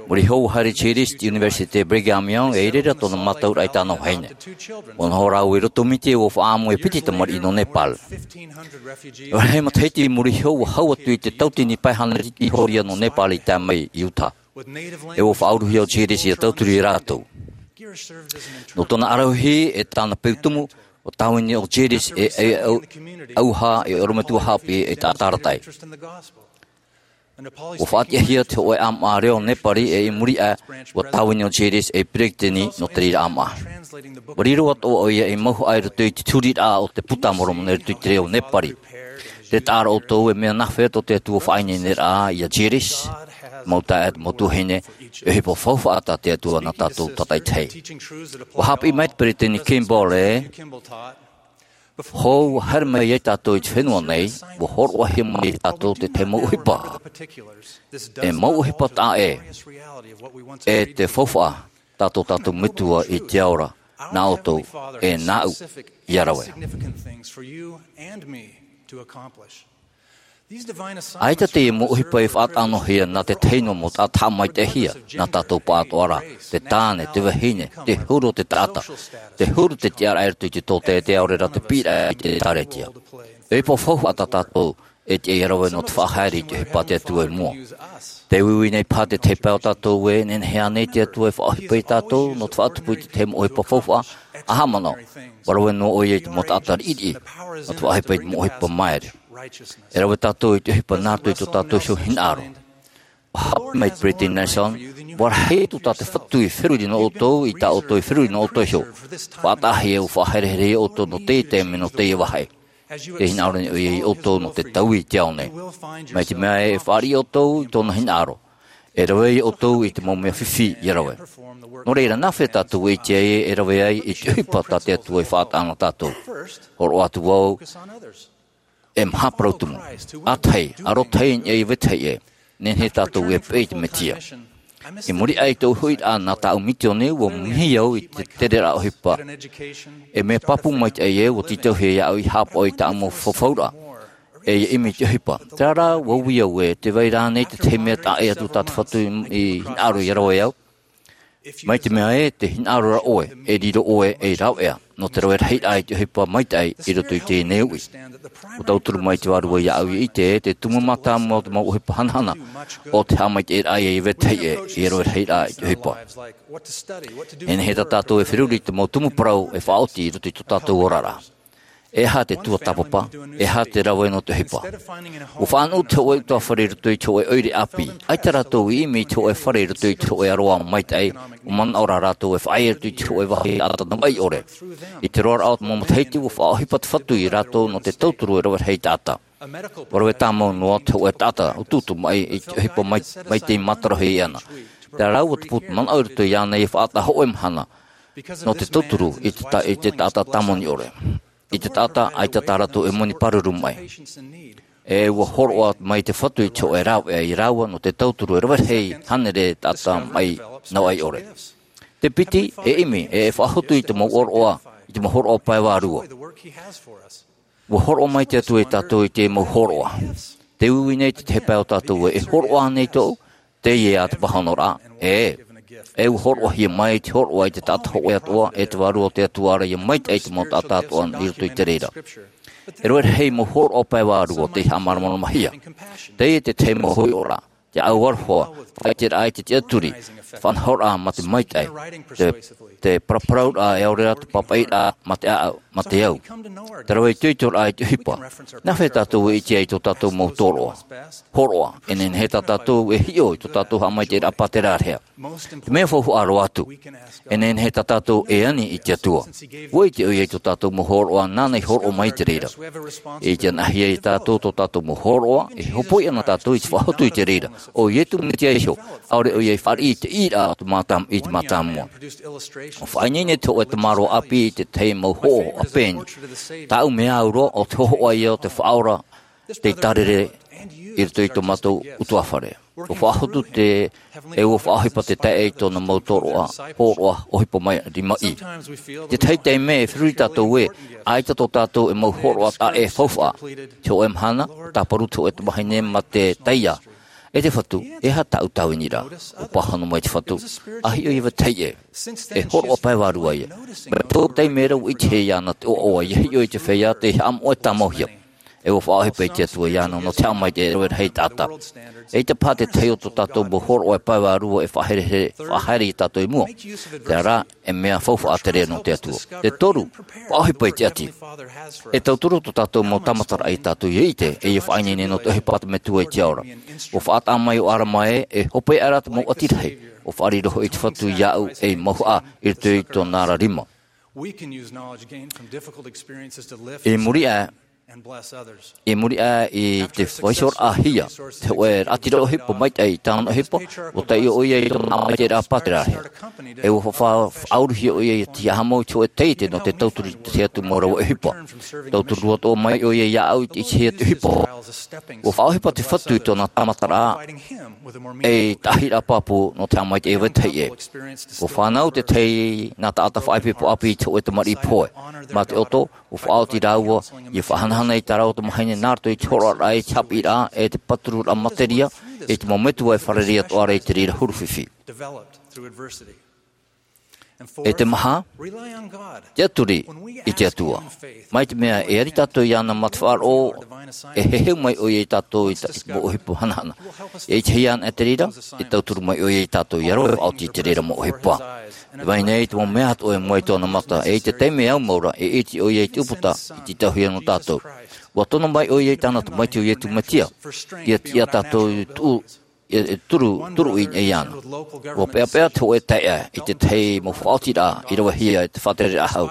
Muri iho ʻua haere Girish i te Université Brigham Young, e i reira tōna mātauraʻa i tāna vahine. ʻUa noho rāua i roto mai te ʻua faʻaʻamu e piti tamariʻi nō Nepal. ʻUa rahi matahiti i muri iho, ʻua hau atu i te tauatini pae hānere iti hōria nō Nepal i tae mai i Utah. E ʻua faʻauruhia ʻo Girish ʻia tauturu ia rātou. Nō tōna ʻaravihi e tāna peu tumu, ʻua tāvini ʻo Girish e, e, au, ʻauha e ʻorometua haʻapiʻi e taʻata arataʻi. ʻUa faʻatiʻahia te hōʻē ʻāmaʻa reo Nepali e i muri aʻe, ʻua tāvini ʻo Girish ei peretiteni nō te reira ʻāmaʻa. ʻUa riro atoʻa ʻoia ei mauhaʻa i roto i te Turiraʻa o te Puta a Moromona i roto i te reo Nepali. Tē taʻa ra ʻoutou e mea nāfea tō te Atua faʻaineineraʻa iā Girish, mau taeaʻe, mau tuahine, e ʻohipa faufaʻa tā te Atua nā tātou tātaʻitahi. ʻUa haʻapiʻi mai te peretiteni Kimball ē, hou ʻua haere mai ai tātou i te fenua nei, ʻua hōroʻahia mai ia tātou te tahi mau ʻohipa. E mau ʻohipa taʻa ʻē, e te faufaʻa tā tō tātou Metua i te ao ra, nā ʻoutou, e nāʻu, ʻia rave. ʻAita teie mau ʻohipa i faʻataʻanohia nā te tahi noa mau taʻata haʻamaitaʻihia, nā tātou pāʻatoʻa ra, te tāne, te vahine, te huru o te taʻata, te huru o te tiʻaraʻa i roto i te tōtaiete, ʻaore rā te piʻiraʻa i te ʻĒkālesia. E ʻohipa faufaʻa tā tātou, e tiʻa ia rave nō te faʻahaere i te ʻohipa a te Atua i mua. Tē uiui nei paha te tahi pae o tātou ē, nehenehe ānei te Atua e faʻaʻohipa ia tātou nō te faʻatupu i te tahi mau ʻohipa faufaʻa, ʻaha manaʻo, ʻua rave noa ʻoia i te mau taʻata riʻiriʻi, nō te faʻaʻohipa i te mau ʻohipa māere. E rave tātou i te ʻohipa nā roto i tō tātou iho hinaʻaro. ʻUa haʻapaʻo mai te Peresideni Nelson, ʻua rahi atu tā te Fatu i feruri nō ʻoutou, i tā ʻoutou i feruri nō ʻoutou iho. Faʻataʻahia ʻua faʻaherehere ia ʻoutou nō teie taime, nō teie vāhi. Tē hinaʻaro nei ʻoia ia ʻoutou nō te taui i te ao nei. Mai te mea ē, e fāriʻi ʻoutou i tōna hinaʻaro. E rave ia ʻoutou i te mau mea fifi ia rave. Nō reira, nā hea tātou e ʻite ai e rave ai i te ʻohipa tā te Atua i faʻataʻa nā tātou? Hōroʻa atu vau, e maha parau tumu. ʻA tahi, ʻa roto i niʻa ia vetahi ʻē, nehenehe tātou e peʻe i te Mesia. I muri aʻe i tōʻu hoʻiraʻa nā tāʻu misiōni, ʻua mihi au i te tereraʻa ʻohipa. E mea pāpū maitaʻi ē, ʻua tītauhia iāʻu i haʻapaʻo i tāʻu mau fafauraʻa, e ia ʻimi i te ʻohipa. Terā rā, ʻua ui au ē, tē vai ra ānei te tahi mea taʻa ʻē atu tā te Fatu i, i hinaʻaro ia rave au? Mai te mea ē, tē hinaʻaro ra ʻoe, e riro ʻoe ei rāveʻa nō te rave rahi i te ʻohipa maitaʻi i roto i teie nei uʻi. ʻUa tauturu mai te Vārua iāʻu i te, te tumu mātāmua o te mau ʻohipa hanahana, ʻo te haʻamaitaʻiraʻa ia vetahi ʻē, ia rave rahi i te ʻohipa. E nehenehe tā tātou e feruri i te mau tumu parau e faʻaoti i roto i tō tātou oraraʻa. E aha te tuatāpapa, e aha te rave nō te ʻohipa? ʻUa faʻanaho te hōʻē ʻutuāfare i roto i te hōʻē ʻoire ʻāpī. ʻAita rātou i ʻimi i te hōʻē fare i roto i te hōʻē aroā maitaʻi, ʻua manaʻo rā rātou e faʻaea i roto i te hōʻē vāhi taʻata navaʻi ʻore. I te roaraʻa o te mau matahiti, ʻua faʻaʻohipa te Fatu ia rātou nō te tauturu e rave rahi i te taʻata. ʻUa rave tāmau noa te hōʻē taʻata utuutu maʻi i te ʻohipa mai, mai te mātarohia iāna. Terā rā, ʻua tupu te manaʻo i roto iāna ia faʻataʻa hōʻē mahana nō te tauturu i te ta-, i te taʻata tāmoni ʻore. I te taʻata ʻaita tā rātou e moni pāruru mai. E ʻua hōroʻa mai te Fatu i te hōʻē rāveʻa ia rāua nō te tauturu e rave rahi hānere taʻata maʻi navaʻi ʻore. Te piti, e ʻimi, e faʻahotu i te mau ʻōroʻa, i te mau hōroʻa pae vārua. ʻUa hōroʻa mai te Atua ia tātou i te mau hōroʻa. Tē uiui nei te tahi pae o tātou ē, e hōroʻa ānei tōʻu, teie ā te pāhonoraʻa? ʻĒ. E ʻua hōroʻahia mai te hōroʻa i te taʻata hōʻē atoʻa, e te Vārua o te Atua ra ia maitaʻi te mau taʻata atoʻa i roto i te reira. E rave rahi mau hōroʻa pae vārua tei haʻamāramaramahia. Teie te tahi mau hoʻiraʻa, te ʻāʻau aroha, faʻaʻiteraʻa i te tiʻaturi, faʻanahoraʻa mā te maitaʻi, te, te paraparauraʻa e ʻaore rā te pāpaʻiraʻa mā te ʻāʻau, mā te au. Te rave itoitoraʻa i te ʻohipa. Nā hea tātou e ʻite ai i tō tātou mau tōroʻa? Hōroʻa, e nehenehe tā tātou e hiʻo i tō tātou haʻamaitaʻiraʻa pāterāhea. Te mea faufaʻa roa atu, e nehenehe tā tātou e ani i te Atua. ʻUa ʻite ʻoia i tō tātou mau hōroʻa, nāna i hōroʻa mai i te reira. E ʻite anaʻe ia tātou tō tātou mau hōroʻa, e hopoiʻa na tātou i te faʻahotu i te reira. ʻO Iesu Mesia iho, ʻaore ʻoia i fāriʻi i te ʻīraʻa o te mātā-, i te mātāmua. ʻUa faʻaineine te hōʻē tamaroa ʻāpī i te tahi mau hoʻo a pēni. Tāʻu mea au roa, ʻo te hōhoʻa ia o te Faʻaora tei tārere i roto i tō mātou ʻutuāfare. ʻUa faʻahotu te, e ʻua faʻaʻohipa te taeaʻe i tōna mau tōroʻa, hōroʻa, ʻohipa mai rimaʻī. Te tahi taime e feruri tātou ē, ʻaita tō tātou e mau hōroʻa taʻa ʻē faufaʻa. Te hōʻē mahana, ʻua tāparu te hōʻē tamahine mā te taiā. E te Fatu, e aha tāʻu tāviniraʻa? ʻUa pāhono mai te Fatu, ʻa hiʻo ia vetahi ʻē. E hōroʻa pae vārua ïa. Mai tō taime ra ʻua ʻitehia iāna te ʻoaʻoa ʻia hiʻo i te feiā tei haʻamoʻe tāmauhia. E ʻua faʻaʻohipa te Atua iāna nō te haʻamaitaʻi e rave rahi i te taʻata. ʻEita paha te tahi o tō tātou mau hōroʻa pae vārua e faʻaherehere, faʻahaere ia tātou i mua. Terā rā, e mea faufaʻa te reira nō te Atua. Te toru, faʻaʻohipa i te ʻati. E tauturu tō tātou mau tāmataraʻa ia tātou ʻia ʻite, e ʻia faʻaineine nō te ʻohipa a te Metua i te ao ra. ʻUa faʻataʻa mai ʻo ʻArama ē, e hopeʻa ra te mau ʻati rahi, ʻua faʻariro hoʻi te Fatu iāʻu ei mauhaʻa i roto i tōna ra rima. We can use knowledge gained from difficult experiences to lift I muri aʻe, and bless others. I muri aʻe i te faʻaihoraʻahia te hōʻē raʻatira ʻohipa maitaʻi i tāna ʻohipa, ʻua taiʻo ʻoia i tōna haʻamaitaʻiraʻa pāterāhea. E ʻua fa-, fa-, faʻauruhia ʻoia ʻia tiʻa haʻamau i te hōʻē taiete nō te tauturu i te tahi atu mau rave ʻohipa. Tauturu atoʻa mai ʻoia iāʻu i te ʻitehia te ʻohipa. ʻUa faʻaʻohipa te Fatu i tōna tāmataraʻa, ei taʻahiraʻa pāpū nō te haʻamaitaʻi e vetahi ʻē. ʻUa fānau te tahi nā taʻata faʻaipoipo ʻāpī i te hōʻē tamariʻi pohe. Mā te ʻoto, ʻua faʻaoti rāua ʻia faʻahanahana i tā rāua tamahine nā roto i te hōroʻaraʻa i te haʻapiʻiraʻa, e te pātururaʻa materia, e te mau metua e fārerei atoʻa ra i te reira huru fifi. E te maha, tiʻaturi i te Atua. Mai te mea e ari tātou iāna mā te faʻaroʻo, e heheu mai ʻoia ia tātou i te mau ʻohipa hanahana. E ʻite hia ana e te reira, e tauturu mai ʻoia ia tātou ia rave faʻaoti i te reira mau ʻohipa. E vai nei te mau mea atoʻa e moe i tōna mata, e i te taime e au mau ra, e ʻite ʻoia i te ʻūputa i te tauhia nō tātou. ʻUa tono mai ʻoia i tāna tamaiti ʻo Iesu Mesia, ia tiʻa tātou i tuʻu, e, e turu, turuʻi nei iāna. ʻUa peʻapeʻa te hōʻē taeaʻe i tētahi mau faʻaotiraʻa i ravehia e te faʻatereraʻa hau.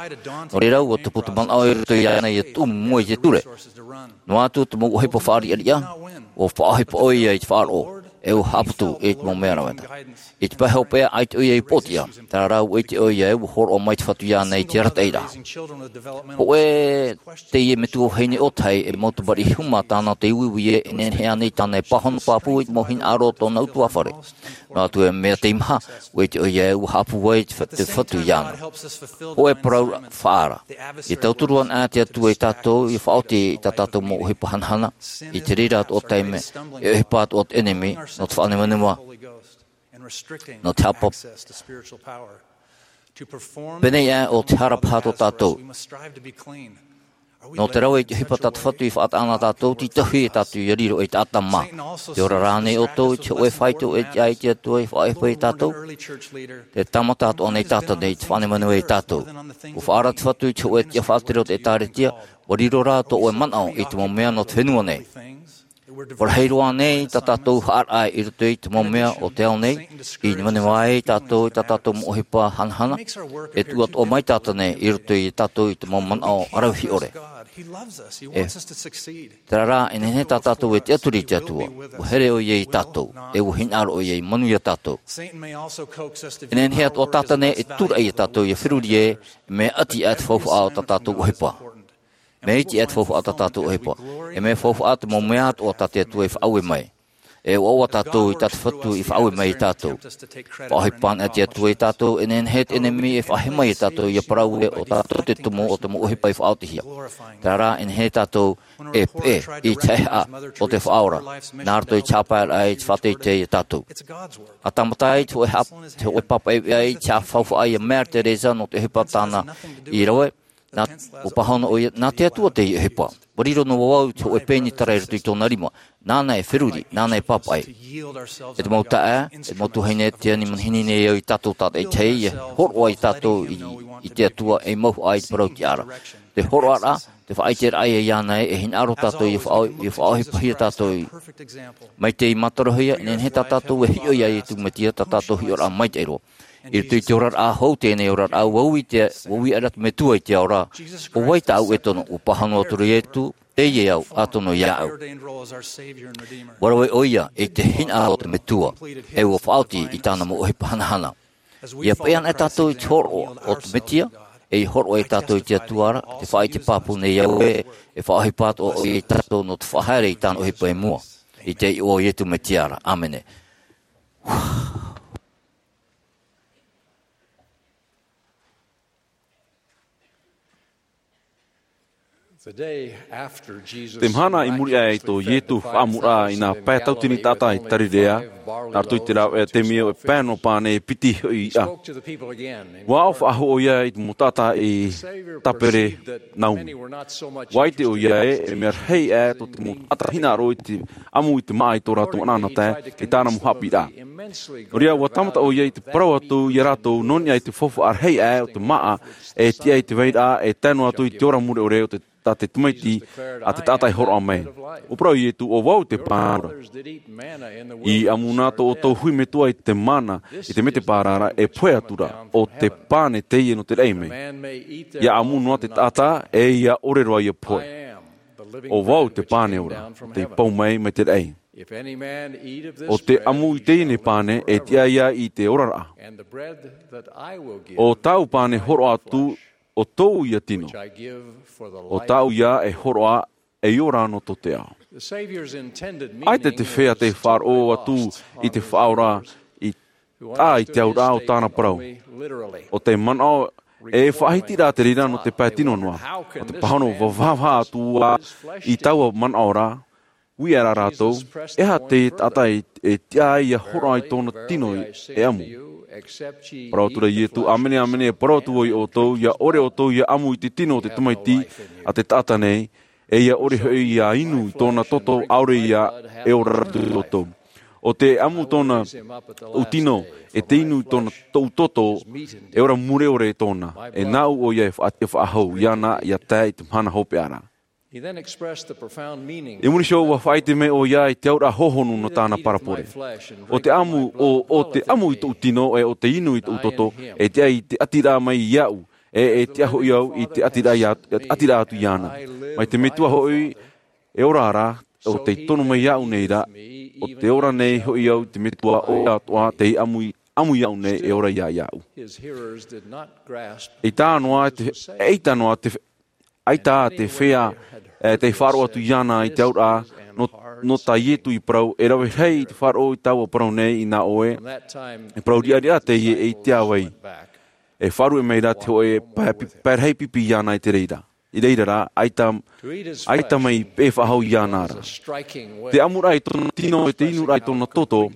Nō reira, ʻua tupu te manaʻo i roto iāna ia tuʻu moe i te ture. Noa atu te mau ʻohipa faʻariʻariʻa, ʻua faʻaʻohipa ʻoia i te faʻaroʻo, e ʻua haʻaputu i te mau mea rave. I te pae hopeʻa, ʻaita ʻoia i pōtiʻa, terā rā, ʻua ʻite ʻoia ē ʻua hōroʻa mai te Fatu iāna i te arataʻiraʻa. Hōʻē teie metua vahine ʻōtahi e mau tamariʻi huma tāna tei uiui ē, e nehenehe ānei tāna e pāhono pāpū i te mau hinaʻaro o tōna ʻutuāfare. Noa atu e mea teimaha, ʻua ʻite ʻoia ē ʻua haʻapūai te fa-, te Fatu iāna. Hōʻē parau faʻaara. E tauturu ana te Atua ia tātou, ia faʻaoti i tā tātou mau ʻohipa hanahana, i te reira atoʻa taime, e ʻohipa atoʻa te ʻenemi, nō te faʻanevaneva, nō te haʻapa-, pēnei aʻe ʻo te hara paha tō tātou. Nō te rave i te ʻohipa tā te Fatu i faʻataʻa na tātou, tītauhia tātou ia riro ei taʻata mā. Te ora rānei ʻoutou i te hōʻē faito e tiʻa ai te Atua i faʻaʻohipa ia tātou? Te tāmata atoʻa nei Sātane i te faʻanevaneva ia tātou. ʻUa faʻaara te Fatu i te hōʻē tiʻa faʻatere o te ʻĒtārētia, ʻua riro rā tō ʻoe manaʻo i te mau mea nō te fenua nei. ʻUa rahi roa nei tā tātou haʻaraʻa i roto i te mau mea o te ao nei, i nevaneva ai tātou i tā tātou mau ʻohipa hanahana, e tuʻu atoʻa mai Sātane i roto ia tātou i te mau manaʻo ravehia ʻore. E, terā rā, e nehenehe tā tātou e tiʻaturi i te Atua, ʻua here ʻoia ia tātou, e ʻua hinaʻaro ʻoia i manuia tātou. E nehenehe atoʻa Sātane e tūraʻi ia tātou ia feruri ē, mea ʻati aʻe te faufaʻa o tā tātou ʻohipa. Mea iti aʻe te faufaʻa tā tātou ʻohipa. E mea faufaʻa te mau mea atoʻa tā te Atua i faʻaue mai. E ʻoaʻoa tātou i tā te Fatu i faʻaue mai ia tātou. Faʻaʻohipa ana te Atua ia tātou, e nehenehe te ʻenemi e faʻahema ia tātou ia parau ē ʻo tātou te tumu o te mau ʻohipa i faʻaotihia. Terā rā, e nehenehe tātou e peʻe i te haʻehaʻa o te Faʻaora, nā roto i te haʻapaeraʻa i te faʻateitei ia tātou. ʻA tāmata ai te hōʻē haʻa-, te hōʻē pāpaʻi veʻa i te faufaʻa ia Mother Teresa nō te ʻohipa tāna i rave, nā, ʻua pāhono ʻoia, nā te Atua teie ʻohipa. ʻUa riro noa vau i te hōʻē pēni tara i roto i tōna rima. Nāna e feruri, nāna e pāpaʻi. E te mau taeaʻe, e te mau tuahine, tē ani manihini nei au ia tātou tātaʻitahi, e hōroʻa ia tātou i, i te Atua, e mauhaʻa i te parau tiʻa ra. Te hōroʻaraʻa, te faʻaʻiteraʻa ia iāna ē, e hinaʻaro tātou ia faʻa-, ia faʻaʻohipahia tātou i. Mai tei mātarohia, e nehenehe tā tātou e hiʻo ia Iesu Mesia, tā tātou hiʻoraʻa maitaʻi roa. I roto i te oraraʻa hou, teie nei oraraʻa, ʻua ui te, ʻua ui aʻera te Metua i te ao ra, ʻo vai tāʻu e tono? ʻUa pāhono atu ra Iesu, teie au, ʻa tono iāʻu. ʻUa rave ʻoia i te hinaʻaro o te Metua, e ʻua faʻaoti i tāna mau ʻohipa hanahana. ʻIa peʻe ana tātou i te hōroʻa o te Mesia, e ʻia hōroʻa ia tātou i te Atua ra, te faʻaʻite pāpū nei au ē, e faʻaʻohipa atoʻa ʻoia ia tātou nō te faʻahaere i tāna ʻohipa i mua. I te iʻoa o Iesu Mesia ra. ʻĀmene. Te mahana i muri aʻe i tō Iesu faʻaʻamuraʻa i nā pae tauatini taʻata i Kalileia, nā roto i te rāveʻa Timaio, e pae noa pāne e piti hoʻi iʻa. ʻUa aʻo faʻahou ʻoia i te mau taʻata i Kaperinauma. ʻUa ʻite ʻoia ē, e mea rahi aʻe tō te mau taʻata hinaʻaro i te ʻamu i te māʻa i tō rātou anaanatae, i tāna mau haʻapiʻiraʻa. Nō reira, ʻua tāmata ʻoia i te parau atu ia rātou nō niʻa i te faufaʻa rahi aʻe o te māʻa, e tiʻa i te vairaʻa, e tae noa atu i te ora mure ʻore o te, tā te tamaiti a te taʻata i hōroʻa mai. ʻUa parau Iesu, ʻo vau te pāne ora. I ʻamu na tō ʻoutou hui metua i te mana, i te mētēpara ra, e pohe atu ra, ʻo te pāne teie nō te raʻi mai. ʻIa ʻamu noa te taʻata, e ʻia ʻore roa ʻia pohe. ʻO vau te pāne ora, tei pau mai, mai te raʻi. ʻO tē ʻamu i teie nei pāne, e tiʻa ia i te oraraʻa. ʻO tāʻu pāne hōroʻa atu, ʻo tōʻu ia tino. ʻO tāʻu ia e hōroʻa, ei ora nō tō te ao. ʻAita te feiā tei faʻaroʻo atu i te Faʻaora i, ā, i te auraʻa o tāna parau. ʻO te manaʻo, e faʻahiti rā te reira nō te pae tino noa. ʻO te pāhono vāvāvā atu ā i taua manaʻo ra, Ui ara rātou, e aha te taʻata e tiʻa ai ia horo ai tōna tino e ʻamu. Parau atu ra Ietu, ʻāmene, ʻāmene, e parau atu vau ia ʻoutou, ia ʻore ʻoutou ia ʻamu i te tino o te tamaiti a te taʻata nei, e ia ʻore hoʻi ia inu i tōna toto, ʻaore ia e ora atu ia ʻoutou. ʻO te ʻamu tōna ʻu tino, e te inu i tōna tōʻu toto, e ora mure ʻore tōna, e nāʻu ʻoia e faʻahou iāna ia tae i te mahana hopeʻa ra. I muri iho ua faʻaʻite mai ʻoia i te auraʻa hōhonu nō tāna parabole. ʻO te ʻamu, ʻo te ʻamu i tōʻu tino, e ʻo te inu i tōʻu toto, e tiʻa i te ʻatiraʻa mai iāʻu, e e tiʻa hoʻi au i te ʻatiraʻa atu iāna. Mai te metua hoʻi e ora ra, ʻo tei tono mai iāʻu nei ra, ʻo te ora nei hoʻi au i te metua ʻoia atoʻa tei ʻamu iāʻu nei, e ora ia iāʻu. I tā noa te ʻaita noa te ʻaita te fea, e tei faʻaroʻo atu iāna i te auraʻa nō tā Ietu i parau, e rave rahi i te faʻaroʻo i taua parau nei i nā ʻoe. E parau riʻariʻa teie, e ʻite ā vau e faʻaruʻe mai ra te hoʻe pae rahi pipi iāna i te reira. I reira rā, ʻaita mai e faʻahou iāna ra. Te ʻamuraʻa i tōna tino, e te inuraʻa i tōna toto,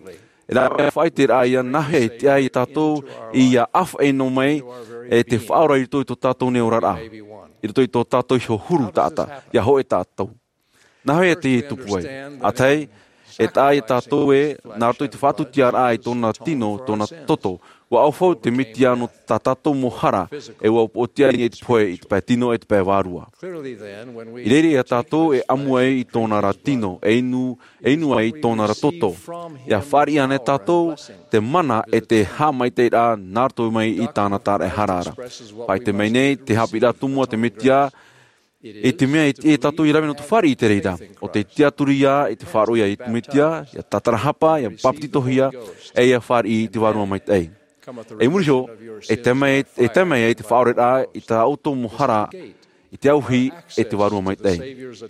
e rāveʻa faʻaʻiteraʻa ia nāhea e tiʻa ai ia tātou ia ʻāfaʻi noa mai e te Faʻaora i roto i tō tātou nei oraraʻa, i roto i tō tātou iho huru taʻata, ia hoʻe tātou. Nāhea teie e tupu ai? ʻA tahi, e taʻa ia tātou ē, nā roto i te faʻatuturaʻa i tōna tino, tōna toto, ua ʻaufau te Mesia nō tā tātou mau hara, e ua upoʻotiʻa i niʻa i te pohe, i te pae tino e te pae vārua. I reira ia tātou e ʻamu ai i tōna ra tino, e inu, e inu ai i tōna ra toto. Ia fāriʻi anaʻe tātou te mana e te haʻamaitaʻiraʻa nā roto mai i tāna tāraʻehara ra. Faʻaʻite mai nei te haʻapiʻiraʻa tumu a te Mesia, i te mea e tiʻa tātou i rave nō te fāriʻi i te reira. ʻO te tiʻaturi ia i te faʻaroʻo ia Ietu Mesia, ia tātarahapa, ia bāpetizohia, e ia fāriʻi i te Vārua Maitaʻi. I muri iho, e tae mai, e tae mai ai te faʻaoreraʻa i tā ʻoutou mau hara, i te auahi e te Vārua Maitaʻi.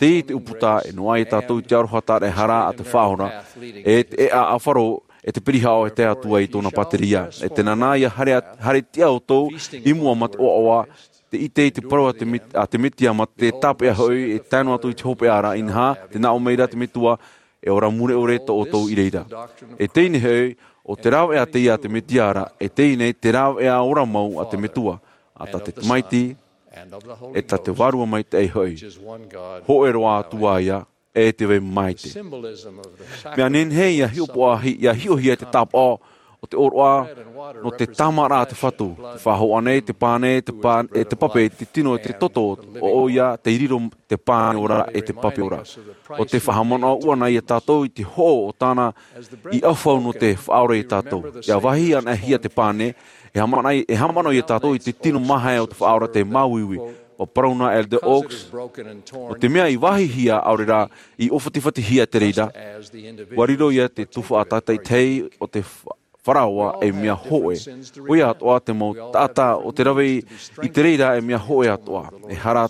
Teie te ʻūputa e noaʻa ia tātou i te aroha tāraʻehara a te Faʻaora, e te ʻēʻa ʻāfaro, e te pirihaʻo e tae atu ai i tōna pātireia. E te nānā ia haere, haere tiʻa ʻoutou i mua mā te ʻoaʻoa, te ʻite i te parau a te Met-, a te Mesia mā te tāpeʻa hoʻi e tae noa atu i te hopeʻa ra, inaha, tē nā ʻō mai ra te Metua, e ora mure ʻore tō ʻoutou i reira. E teie nei hoʻi, ʻo te rāveʻa teie a te Mesia ra, e teie nei te rāveʻa ora mau a te Metua, a tā te Tamaiti, e tā te Vārua Maitaʻi hoʻi. Hōʻē roa atu ā ia, e te vai maite. Mea nehenehe ia hiʻopoʻa, ia hiʻohia te tāpaʻo o te ʻōroʻa nō te tāmāraʻa a te Fatu, te faʻahoʻa nei, te pane, te pa-, e te pape, te tino, e te toto, ʻo ʻoia tei riro te pane ora, e te pape ora. ʻO te faʻahaʻamanaʻo ʻana ia tātou i te hoʻo o tāna i ʻaufau nō te Faʻaora ia tātou. Ia vāhi anaʻe hia te pane, e haʻamanaʻo, e haʻamanaʻo ia tātou i te tino mahae o te Faʻaora tei māuiui. ʻUa parau nā Elder Oaks, ʻo te mea i vāhi hia ʻaore rā i ʻōfatifati hia te reira, ʻua riro ia te tuhaʻa tātaʻitahi o te fa-, faraoa e mea hōʻē. ʻOia atoʻa te mau taʻata o te rave i te reira e mea hōʻē atoʻa. E hara,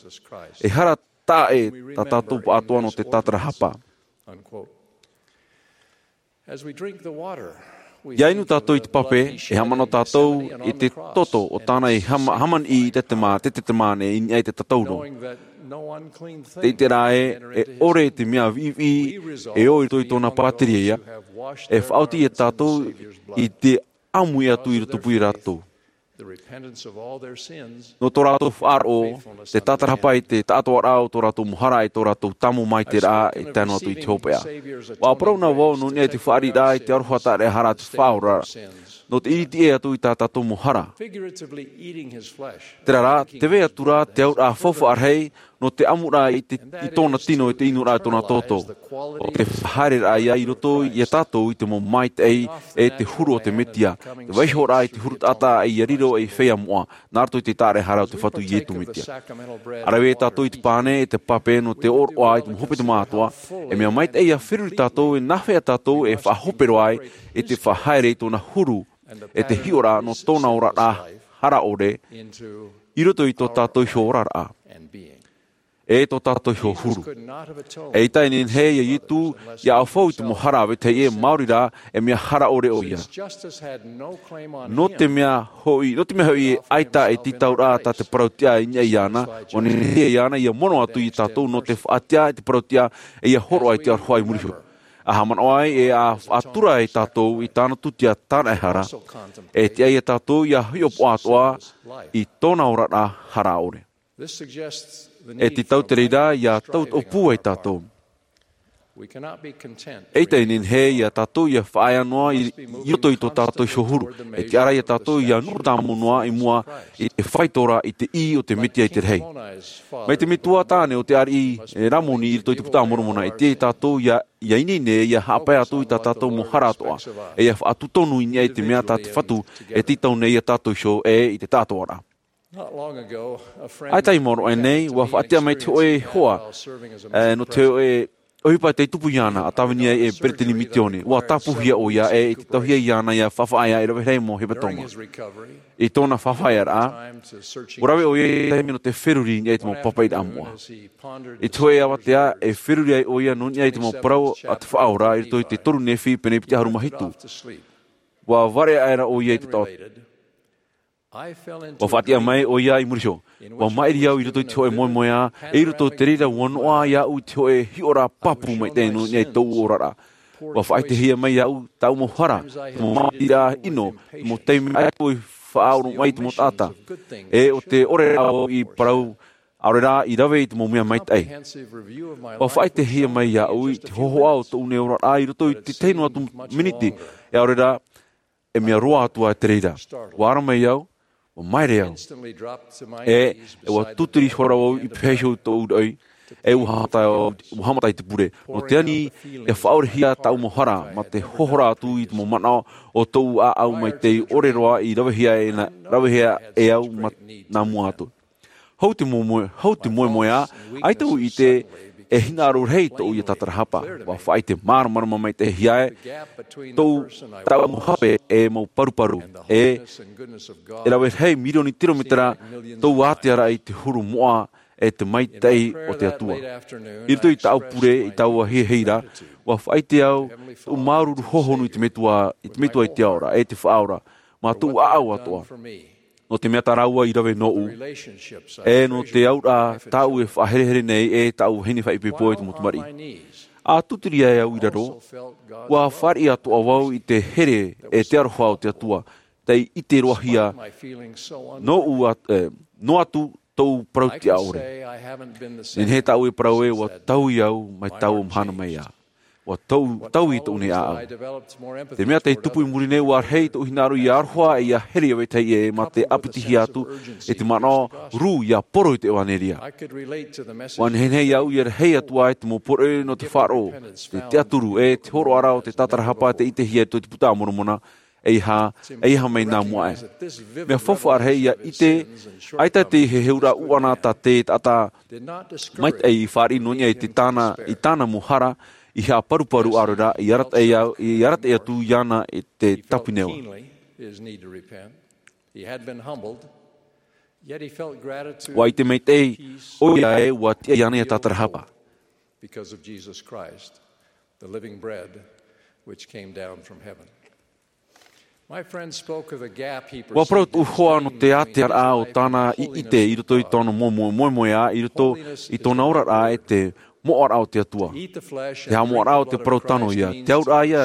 e hara taʻa ʻē tā tātou pāʻatoʻa nō te tātarahapa. Ia inu tātou i te pape, e haʻamanaʻo tātou i te toto o tāna i hama-, hāmani i te tama, te, te tamane, i niʻa i te tatauro. Te ʻite rā ē, e ʻore te mea viʻiviʻi, e ō i roto i tōna pātireia, e faʻaoti ia tātou i te ʻāmui atu i roto pū ia rātou. Nō tō rātou faʻaroʻo, te tātarahapa i te taʻatoʻaraʻa o tō rātou mau hara, e tō rātou tāmau maitaʻiraʻa, e tae noa atu i te hopeʻa. ʻUa parau nā vau nō niʻa i te fāriʻiraʻa i te aroha tāraʻehara a te Faʻaora, nō te ʻiriti ʻē atu i tā tātou mau hara. Terā rā, tē vai atu ra te auraʻa faufaʻa rahi, nō te ʻamuraʻa i te, i tōna tino, i te inuraʻa i tōna toto. ʻO te haereraʻa ia i roto ia tātou i te mau maitaʻi e te huru o te Mesia. Te vaihoraʻa i te huru taʻata ia riro ei feiā moʻa, nā roto i te tāraʻehara o te Fatu Ietu Mesia. ʻA rave tātou i te pane, e te pape nō te ʻōroʻa i te mau hope o te mātāmua, e mea maitaʻi ia feruri tātou, e nāhea tātou e faʻahope roa ai, e te faʻahaere i tōna huru, e te hiʻoraʻa nō tōna oraraʻa hara ʻore, i roto i tō tātou iho oraraʻa. E tō tātou iho huru. E ʻaita e nehenehe ia Ietu ia ʻaufau i te mau hara a vetahi ʻē, maori rā, e mea hara ʻore ʻoia. Nō te mea hoʻi, nō te mea hoʻi e ʻaita e tītauraʻa tā te parau tiʻa i niʻa iāna, ʻua nehenehe iāna ia mono atu ia tātou nō te faʻatiʻa i te parau tiʻa e ia hōroʻa i te aroha i muri iho. ʻA haʻamanaʻo ai e ʻa faʻatura ai tātou i tāna tūtia tāna e hara, e tiʻa ia tātou ia hiʻopoʻa atoʻa i tōna oraraʻa hara ʻore. E tītau te reira ia tautoʻopū ai tātou. E ʻaita e nehenehe ia tātou ia faʻaea noa i, i roto i tō tātou iho huru. E tiʻa ra ia tātou ia nuʻu tāmau noa i mua i te faito ra i te ʻī o te Metia i te rahi. Mai te metua tāne o te ariʻi, e, Ramoni i roto i te Puta a Moromona, e tiʻa ia tātou ia, ia ineine, ia haʻapae atu i tā tātou mau hara atoʻa, e ia faʻatūtonu i niʻa i te mea tā te Fatu e tītau nei ia tātou iho, e i te taʻatoʻaraʻa. ʻAita i maoro aʻe nei, ʻua faʻatiʻa mai te hōʻē hoa, e, nō te hōʻē ʻohipa tei tupu iāna, ʻa tāvini ai e peresideni misiōni. ʻUa tāpūhia ʻoia, e i te tauhia iāna ia faʻaea e rave rahi mau hepetoma. I tōna faʻaearaʻa, ʻua rave ʻoia i te taime nō te feruri i niʻa i te mau papaʻiraʻa moʻa. I te hōʻē avatea, e feruri ai ʻoia nō niʻa i te mau parau a te Faʻaora i roto i te toru Nephi pene piti ʻahuru mā hitu. ʻUa vare aʻera ʻoia i te taʻo. ʻUa faʻatiʻa mai ʻoia i muri iho. ʻUa maʻiri au i roto i te hōʻē moemoeā, e i roto i te reira ʻua noaʻa iāʻu i te hōʻē hiʻoraʻa pāpū maitaʻi nō niʻa i tōʻu oraraʻa. ʻUa faʻaʻitehia mai iāʻu tāʻu mau hara, te mau māʻitiraʻa ʻino, te mau taime ʻaita vau i faʻaoromaʻi i te mau taʻata. E ʻo te ʻore rā vau i parau, ʻaore rā i rave i te mau mea maitaʻi. ʻUa faʻaʻitehia mai iāʻu i te hōhoʻa o tōʻu nei oraraʻa i roto i te tahi noa atu miniti, e ʻaore rā, e mea roa atu ā te reira. ʻUa ara mai au, ʻua maere au. E, e ʻua tūturi ihora vau i pīhaʻi iho i tōʻu raʻi, e ʻua haʻamata au, ʻua haʻamata i te pure. Nō te ani, e faʻaʻorehia tāʻu mau hara, mā te hohora atu i te mau manaʻo o tōʻu ʻāʻau maitaʻi ʻore roa i ravehia e na-, ravehia e au mā-, nā mua atu. Hou te moemoe-, hou te moemoeā, ʻaita vau i ʻite e hinaʻaro rahi tōʻu ia tātarahapa. ʻUa faʻaʻite māramarama maitaʻihia e tōʻu, tāʻu mau hape e mau paruparu, e, e rave rahi mirioni tirometera tōʻu ātea ra i te huru moʻa e te maitaʻi o te Atua. I roto i tāʻu pure, i taua hiahia ra, ʻua faʻaʻite au tōʻu māuruuru hōhonu i te Metua, i te Metua i te Ao ra, e te Faʻaora, mā tōʻu ʻāʻau atoʻa. Nō te mea tā rāua i rave nōʻu, e nō te auraʻa tāʻu e faʻaherehere nei e tāʻu vahine faʻaipoipo e te mau tamariʻi. ʻA tūturi ai au i raro, ʻua fāriʻi atoʻa vau i te here e te aroha o te Atua, tei ʻite roahia nōʻu a-, e, noa atu tōʻu parau tiʻa ʻore. Nehenehe tāʻu e parau ē, ʻua taui au mai taua mahana mai ā. ʻUa tau-, taui tōʻu nei ʻāʻau. Te mea tei tupu i muri nei, ʻua rahi tōʻu hinaʻaro ia aroha e ia here ia vetahi ʻē mā te ʻāpitihia atu e te manaʻo rū ia poro i te ʻevanelia. ʻUa nehenehe iāʻu ia rahi atu ā i te mau poroʻi nō te faʻaroʻo, te tiʻaturi, e te hōroʻaraʻa o te tātarahapa tei ʻitehia i te Puta a Moromona, ʻeiaha, ʻeiaha mai nā mua aʻe. Mea faufaʻa rahi ia ʻite, ʻaita te heheuraʻa ʻuʻana tā te taʻata maitaʻi i fāriʻi nō niʻa i te tāna, i tāna mau hara, i haʻaparuparu ʻaore rā, i arataʻi au, i arataʻi atu iāna i te tāpinera. ʻUa ʻite maitaʻi ʻoia ē, ʻua tiʻa iāna ia tātarahapa. Because of Jesus Christ, the living bread which came down from heaven. My friend spoke of a gap he perceived in his own thinking. ʻUa parau tōʻu hoa nō te ātearaʻa o tāna i ʻite i roto i tōna moemoe-, moemoeā, i roto i tōna oraraʻa e te moʻaraʻa o te Atua. Te haʻamoʻaraʻa o te parau tano ia, te auraʻa ia,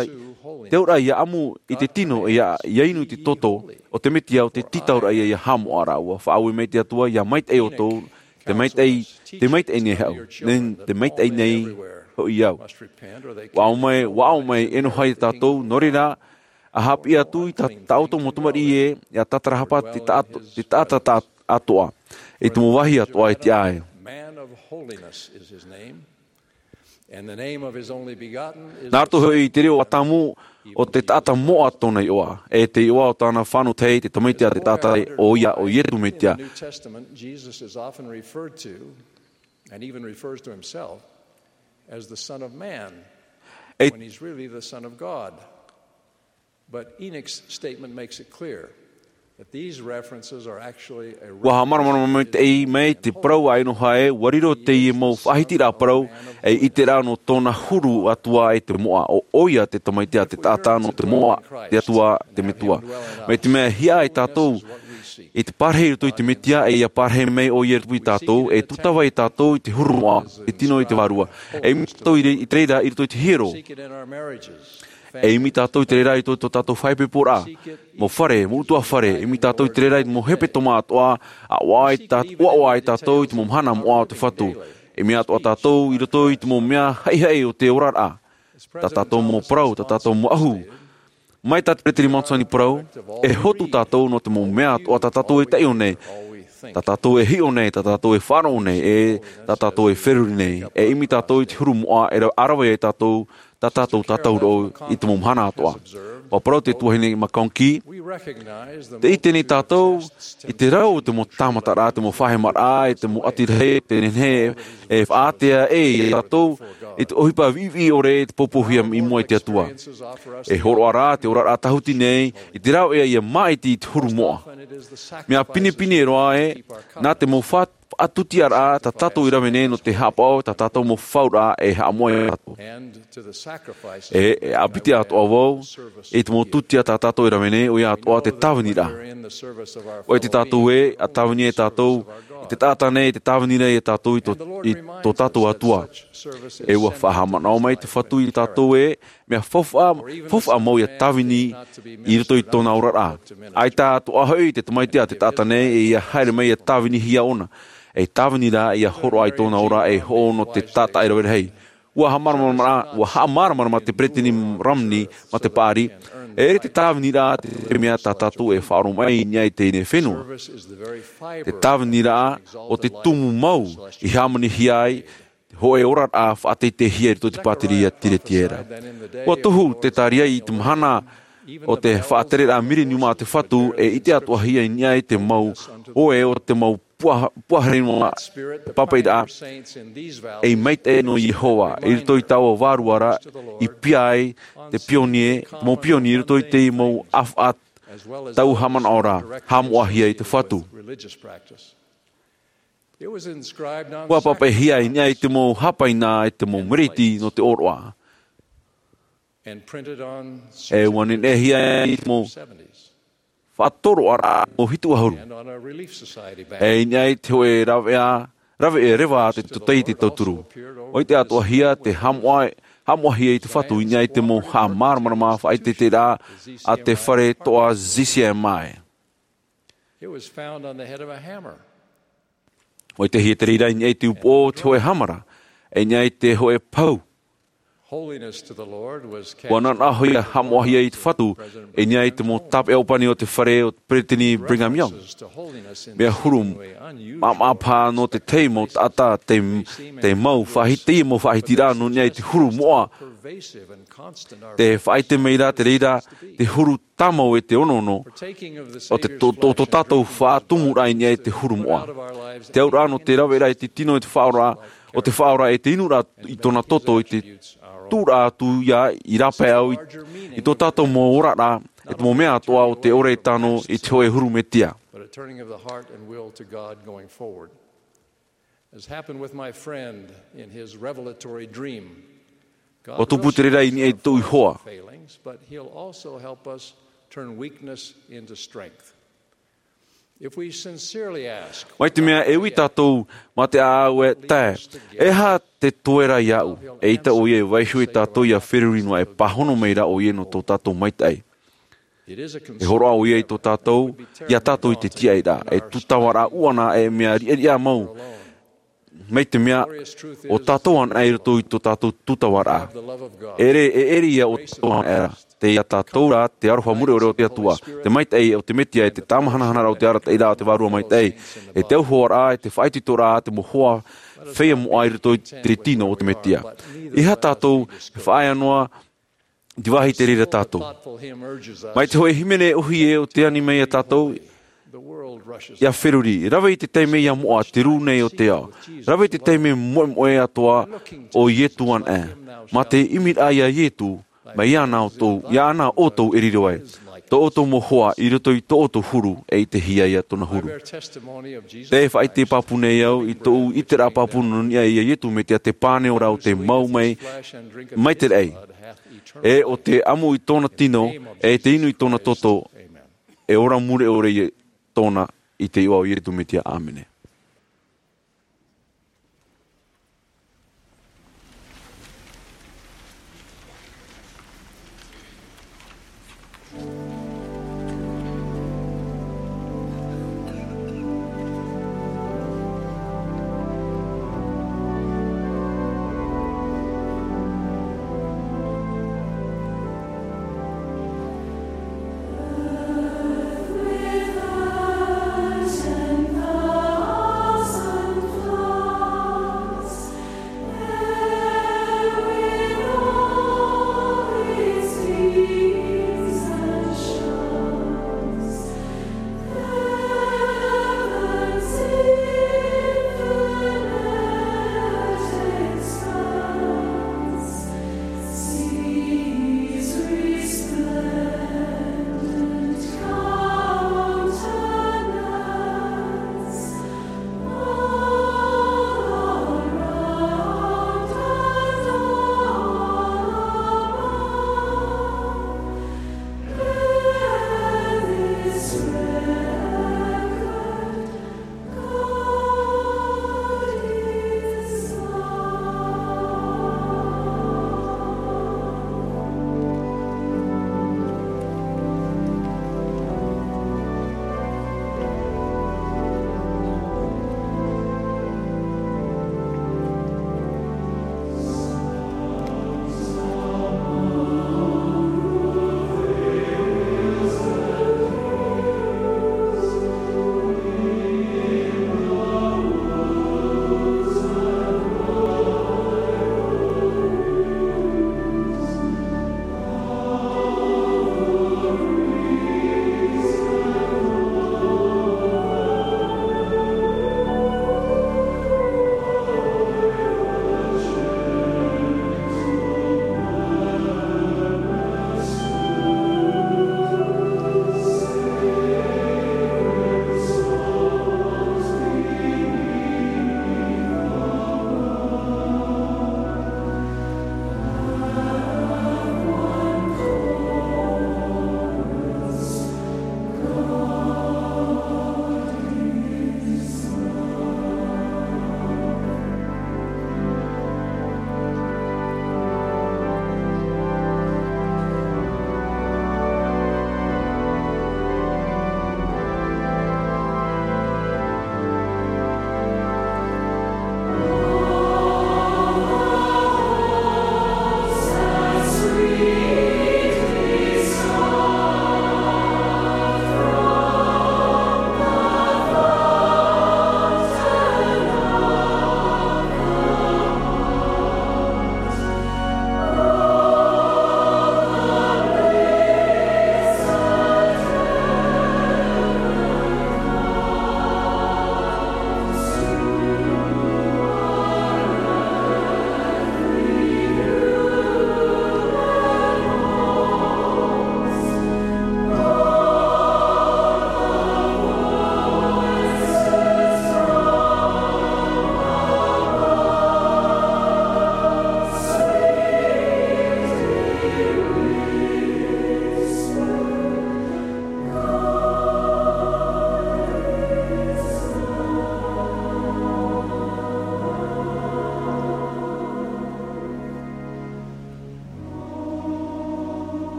te auraʻa ia ʻamu i te tino ia, ia inu i te toto o te Metia o te tītauraʻa ia, ia haʻamoʻaraʻa. ʻUa faʻaue mai te Atua, ia maitaʻi ʻoutou, te maitaʻi, te maitaʻi nei au, nei, te maitaʻi nei hoʻi au. ʻUa ʻaʻau mai, ʻua ʻaʻau mai, e noho ai tātou, nō reira, ʻa haʻapiʻi atu i tā, tā ʻoutou mau tamariʻi ē, ia tātarahapa te taʻat-, te taʻata tā-, atoʻa. I te mau vāhi atoʻa e tiʻa ai. Man of holiness is his name. And the name of his only begotten is Nā roto hoʻi i te reo ʻatamu, ʻo te taʻata moʻa tōna iʻoa, e te iʻoa o tāna fānau tahi, te Tamaiti a te Tātaʻi, ʻoia ʻo Iesu Mesia. In the New Testament, Jesus is often referred to, and even refers to himself, as the Son of Man, E when he's really the Son of God. But Enoch's statement makes it clear. Ua haʻamāramarama mai te ʻai mai te parau a ʻenoha ē, ua riro teie mau faʻahitiraʻa parau ei ʻiteraʻa nō tōna huru atu ā e te moʻa. ʻO ʻoia te tamaiti a te taʻata nō te moʻa, te atua, te metua. Mai te mea e hiaʻai tātou i te parahi i roto i te mesia, e ia parahi mai ʻoia i roto i tātou, e tūtava i tātou i te huru moʻa, te tino i te vārua. E ʻimi tātou i te reira i roto i te hiero. E ʻimi tātou i te reira i roto i tō tātou faʻaipoiporaʻa, mau fare, mau ʻutuāfare. E ʻimi tātou i te reira i te mau hepetoma atoʻa, ʻoaʻoa ai tātou i te mau mahana moʻa o te fatu. E ʻimi atoʻa tātou i roto i te mau mea haʻihaʻi o te oraraʻa, tā tātou mau parau, tā tātou mau ʻahu. Mai tā te peresideni Monson i parau, e hotu tātou nō te mau mea atoʻa tā tātou e taiʻo nei, tā tātou e hiʻo nei, tā tātou e faʻaroʻo nei, e tā tātou e feruri nei. E ʻimi tātou i te huru moʻa e ravea ai tātou, tā tātou tātauro i te mau mahana atoʻa. Ua parau te tuahine McConkie, te ʻite nei tātou i te rau o te mau tāmataraʻa, te mau faʻahemaraʻa, e te mau ʻati rahi, te nehenehe e faʻaātea ʻē ia tātou i te ʻohipa viʻiviʻi ʻore i te popohia i mua i te atua. E hōroʻa rā te oraraʻa tāhuti nei i te rāveʻa ia māʻiti i te huru moʻa. Mea pinepine roa ē, nā te mau faʻatutiaraʻa tā tātou i rave nei nō te haʻapaʻo tā tātou mau fauraʻa e haʻamoʻe ia tātou. E ʻāpiti atoʻa vau i te mau tutia tā tātou i rave nei, ʻoia atoʻa te tāviniraʻa. ʻOia tā tātou e tāvini e tātou i te taʻata nei, e tāviniraʻa ia tātou i tō tātou atua. E ua faʻahaʻamanaʻo mai te fatu ia tātou e mea faufaʻa mau ia tāvini i roto i tōna oraraʻa. ʻAita atoʻa hoʻi te tamaiti a te taʻata nei e ia haere mai ia tāvinihia ʻōna, e tāviniraʻa ia hōroʻa i tōna ora e hoʻo nō te taʻata e rave rahi. Ua haʻamāramarama te peresideni Romney mā te paʻari, e ʻere te tāviniraʻa te mea tā tātou e faʻaroʻo mai i niʻa i teie fenua. Te tāviniraʻa o te tumu mau i hāmanihia ai te hoʻe oraraʻa faʻateiteihia i roto i te pātireia tiretiera. Ua tohu te tāria i te mahana o te faʻatereraʻa mireniuma a te fatu, e ʻite atoʻahia i niʻa i te mau ʻoe o te mau puahere noa papaʻiraʻa ei maitaʻi nō iehova i roto i taua vārua ra, i pia ai te pionie mau pionie i roto i te mau ʻāfaʻa tau haʻamanaʻo ra, haʻamoʻahia i te fatu. Ua papaʻihia i niʻa i te mau hāpaina e te mau mereti nō te ʻōroʻa. E ua neneʻihia i te mau faʻatoroʻaraʻa mau hitu ʻahuru. E i niʻa i te hoʻe rave e reva te tōtaiete tauturu. ʻOia atoʻahia te haʻamoʻahia i te fatu i niʻa i te mau haʻamāramarama faʻateiteiraʻa a te fare toʻa zisiema. ʻOia te hia te reira i niʻa i te upoʻo o te hoʻe hāmara, e i niʻa i te hoʻe pau. Ua nanaʻo ia haʻamoʻahia i te fatu i niʻa i te mau tāpeʻa ʻōpani o te fare o te peresideni Brigham Young. Mea huru maʻamaʻa paha nō te tahi mau taʻata te mau faʻahitiraʻa nō niʻa i te huru moʻa. Te faʻaite mai ra te reira te huru tāmau e te onoono o tō tātou faʻatumuraʻa i niʻa i te huru moʻa. Te auraʻa nō te raveraʻa i te tino i te faʻaora o te faʻaora e te inuraʻa i tōna toto i te tūraʻa atu ia i rāpae au i tō tātou mau oraraʻa e te mau mea atoʻa o te ʻore e tano i te hoʻe huru mesia. Ua tupu te reira i niʻa i tōʻu hoa. Mai te mea e ui tātou mā te ʻāʻau e tae, e aha te toe ra iāʻu? E ʻita ʻoia e vaiho ia tātou ia feruri noa e pāhono mai ra ʻoia nō tō tātou maitaʻi. E hōroʻa ʻoia i tō tātou ia tātou i te tiaʻiraʻa e tūtava ra ʻuʻana e mea riʻariʻa mau. Mai te mea o tātou ana i roto i tō tātou tūtava ra, e ʻere ia o tātou ana ra te ia tātou ra te aroha mure ʻore o te atua, te maitaʻi o te mesia e te tāmahanahana ra o te arataʻiraʻa o te vārua maitaʻi, e te auhoaraʻa e te faʻaitoitoraʻa te mau hoa feiā moʻa i roto i te tino o te mesia. Ia tātou e faʻaea noa te vāhi te reira tātou. Mai te hoʻe hīmene ʻohie o te ani mai ia tātou ia feruri, rave i te taime ia moʻa te rū nei o te ao, rave i te taime moemoe atoʻa o iesu ana ʻā, mā te ʻimiraʻa ia iesu mai iāna ʻoutou ia ana ʻoutou e riro ai. tō ʻoutou mau hoa i roto i tō ʻoutou huru, e ʻitehia ia tōna huru. Te faʻaʻite pāpū nei au i tōʻu ʻiteraʻa pāpū nō niʻa iā Iesu Mesia, te Pane ora, ʻo tē mau mai, mai te raʻi, e ʻo tē ʻamu i tōna tino, e tē inu i tōna toto, e ora mure ʻore ia tōna, i te iʻoa o Iesu Mesia. ʻĀmene.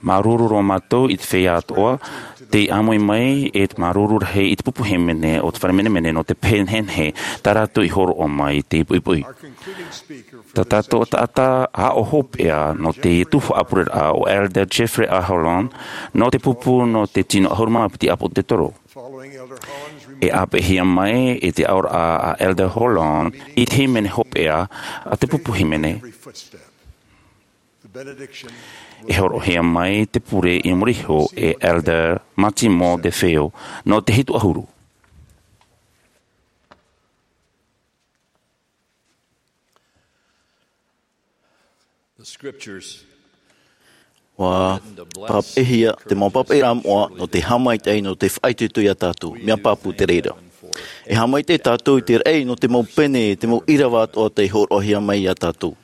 Māuruuru roa mātou i te feiā atoʻa, tei ʻāmui mai e te māuruuru rahi i te pupu hīmene o te fare menemene nō te pehenehenehe tā rātou i hōroʻa mai i te ipuipui. Tā tātou taʻata aʻo hopeʻa nō te tuhaʻa pureraʻa o Elder Jeffrey A. Holland, nō te pupu nō te tino ʻahuru mā piti ʻāpōsetolo. E ʻāpeʻehia mai e te aʻoraʻa a Elder Holland i te hīmene hopeʻa a te pupu hīmene. E hōroʻahia mai te pure i muri iho e Elder Matimo de Feo nō te hitu ʻahuru. Ua pāpaʻihia te mau pāpaʻi rā moʻa nō te haʻamaitaʻi nō te faʻaitoito iā tātou, mea pāpū te reira. E haʻamaitaʻi tātou i te raʻi nō te mau pene, te mau ʻīrava atoʻa tei hōroʻahia mai iā tātou.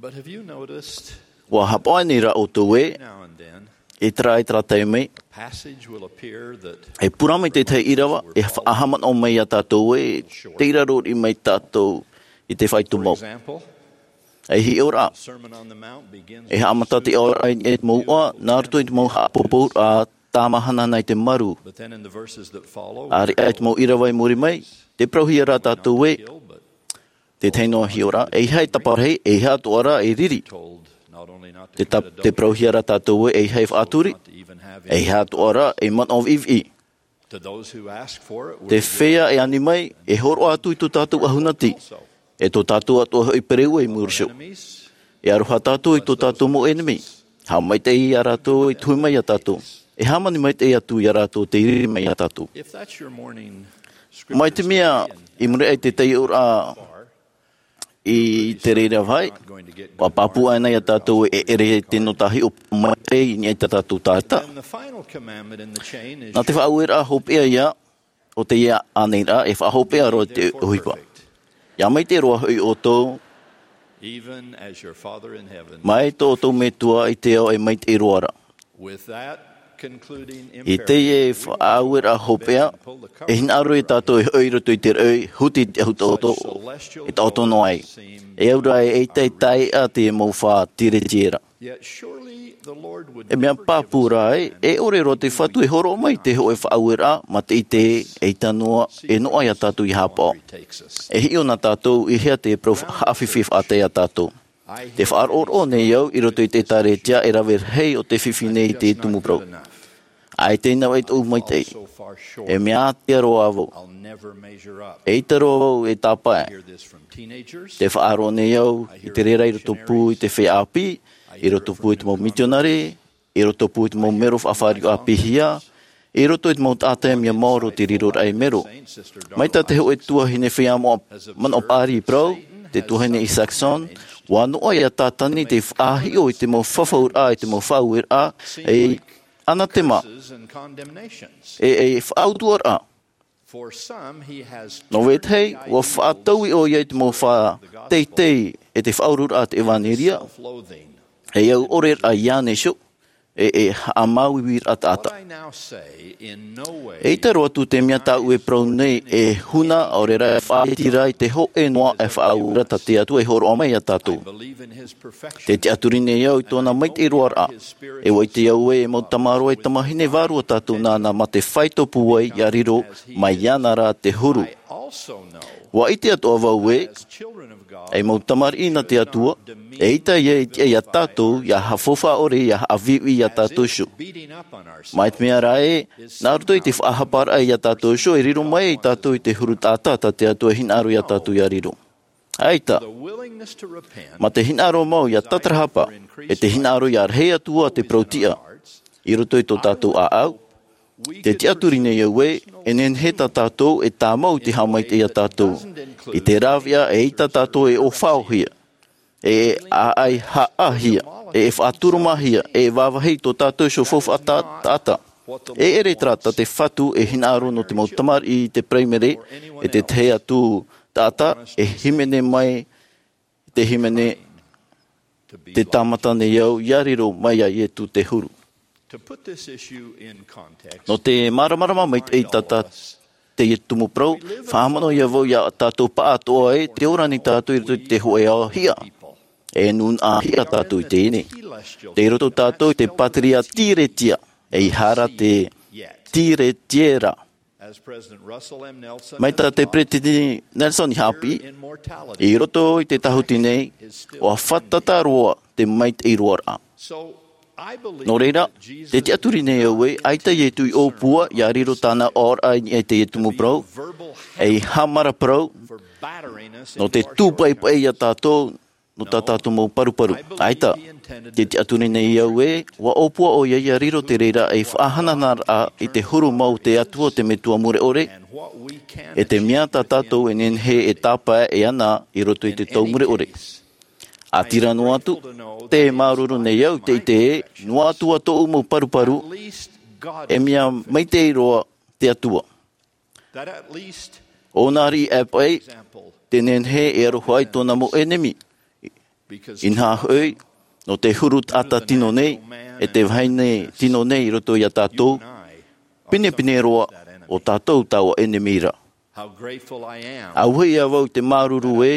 Ua haʻapaʻo nei rā ʻoutou ē, e terā e terā taime, e pure mai te tahi ʻīrava e faʻahaʻamanaʻo mai iā tātou ē, tei raro riʻi mai tātou i te faito mau. E hiʻoraʻa, e haʻamata te aʻoraʻa i te mau uʻa nā roto i te mau haʻapōpōraʻa tāmahana nā i te maru. Āreʻa i te mau ʻīrava i muri mai, te parauhia rā tātou ē, te tahi noa hiʻoraʻa, ʻeiaha e taparahi, ʻeiaha atoʻa rā e riri. Te parauhia rā tātou ē, ʻeiaha e faʻaturi, ʻeiaha atoʻa rā e manaʻo viʻiviʻi. Te feiā e ani mai, e hōroʻa atu i tō tātou ʻahunati, e tō tātou atoʻa hoʻi pereue i muri iho. E aroha tātou i tō tātou mau ʻenemi. Haʻamaitaʻi iā rātou i tuhi mai iā tātou. E hāmani maitaʻi atu iā rātou tei riri mai iā tātou. Mai te mea i muri aʻe i te taiʻoraʻa i te reira vai, ua pāpū ana iā tātou e ʻere te nō tahi o maitaʻi i niʻa i tā tātou taʻata. Nā te faʻaueraʻa hopeʻa ia, o teie āneiraʻa e faʻahopeʻa roa te ʻohipa. ʻIa maitaʻi roa hoʻi ʻoutou, mai tō ʻoutou metua i te ao e maitaʻi roa ra. I teie faʻaueraʻa hopeʻa, e hinaʻaro iā tātou e hoʻi i roto i te raʻi, huti i te ʻahu taʻoto, e taʻoto noa ai. E au rā e ʻeita e taeʻa te mau fā tiretiera. E mea pāpū rā ē, e ʻore roa te Fatu e hōroʻa mai te hōʻē faʻaueraʻa, mā te ʻite ē, ʻeita noa, e noaʻa iā tātou ʻia haʻapaʻo. E hiʻo na tātou i hea te parau haʻafifi e faʻatae iā tātou. Te faʻaroʻoroʻo nei au i roto i te ʻĒtārētia e rave rahi o te fifi nei i te tumu parau. ʻAita e naua tōʻu maitaʻi. E mea ātea roa vau. ʻEita roa vau e tāpae. Te faʻaroʻo nei au i te reira i roto pū i te feiā ʻāpī, i roto pū i te mau mitionare, i roto pū i te mau mero faʻafāriu ʻāpīhia, i roto i te mau taʻata e mea maoro te riroraʻa e mero. Mai tā te hōʻē tuahine feiā moʻa manaʻo paʻari i parau, te tuahine Isaacson, ua noaʻa iā Tātani te faʻahiʻo i te mau fafauraʻa, i te mau faʻaueraʻa, e anatema, e, e faʻautuaraʻa. Nō vetahi, ua faʻataui ʻoia i te mau fā teitei e te faʻaururaʻa a te ʻevanelia, e au ʻore rā iāna iho, e, e haʻamāuiuiraʻa taʻata. ʻEita roa atu te mea tāʻu e parau nei e huna, ʻaore rā e faʻaiti rā i te hōʻē noa e faʻaueraʻa tā te Atua e hōroʻa mai iā tātou. Te tiʻaturi nei au i tōna maitaʻi roaraʻa. E ʻua ʻite au ē, e mau tamaroa, e tamāhine vārua tātou nāna mā te faito pūai ʻia riro mai iāna rā te huru. ʻUa ʻite atoʻa vau ē, ei mau tamariʻi nā te Atua, ʻeita ïa e tiʻa iā tātou ʻia haʻafaufaʻa ʻore, ʻia haʻaviʻiviʻi iā tātou iho. Mai te mea rā ē, nā roto i te faʻahaparaʻa iā tātou iho, e riro mai ai tātou i te huru taʻata tā te Atua e hinaʻaro iā tātou ʻia riro. ʻAita, mā te hinaʻaro mau ʻia tatarahapa, e te hinaʻaro ʻia rahi atu ā te parau tiʻa, i roto i tō tātou ʻāʻau, te tiʻaturi nei au ē, e nehenehe tā tātou e tāmau i te haʻamaitaʻi iā tātou, i te rāveʻa ʻeita tātou e ʻōfaʻohia, e ʻaʻai haʻahia, e faʻaturumahia, e vāvāhi tō tātou iho faufaʻa taʻata. E ʻere terā tā te Fatu e hinaʻaro nō te mau tamariʻi i te Paraimere, e te tahi atu taʻata, e hīmene mai, te hīmene, te tāmata nei au, ʻia riro mai iā Ietu te huru. Nō te māramarama maitaʻi i tā te tumu parau, faʻahaʻamanaʻo ïa vau ʻia tātou paʻatoʻa ē, tē ora nei tātou i roto i te hōʻē ao hiʻa. E nūnaʻahia tātou i teie nei. Tei roto tātou i te pātireia Tiretia, ʻeiaha te Tiretiera. Mai tā te Peresideni Nelson i haʻapiʻi, i roto i te tāhuti nei, ʻua fātata roa te maitaʻi roaraʻa. Nō reira, tē tiʻaturi nei au ē, ʻaita Ietu i ʻōpua, ʻia riro tāna ʻoaʻoraʻa i niʻa i teie tumu parau, ei haʻamara parau, nō te tūpaʻipaʻi ia tātou, nō tā tātou mau paruparu. ʻAita, tē tiʻaturi nei au ē, ʻua ʻōpua ʻoia ʻia riro te reira ei faʻahanahanaraʻa i te huru mau o te Atua o te metua mure ʻore, e te mea tā tātou e nehenehe e tāpae e ana i roto i te tau mure ʻore. ʻĀtīrā noa atu, tē māuruuru nei au i te ʻite ē, noa atu ā tōʻu mau paruparu, e mea maitaʻi roa te Atua. ʻO nā riʻi ʻāpaʻi, tē nehenehe e aroha i tōna mau ʻenemi. Inaha hoʻi, nō te huru taʻata tino nei, e te vahine tino nei i roto ia tātou, pinepine roa ʻo tātou taua ʻenemi ra. ʻAuhea vau i te māuruuru ē,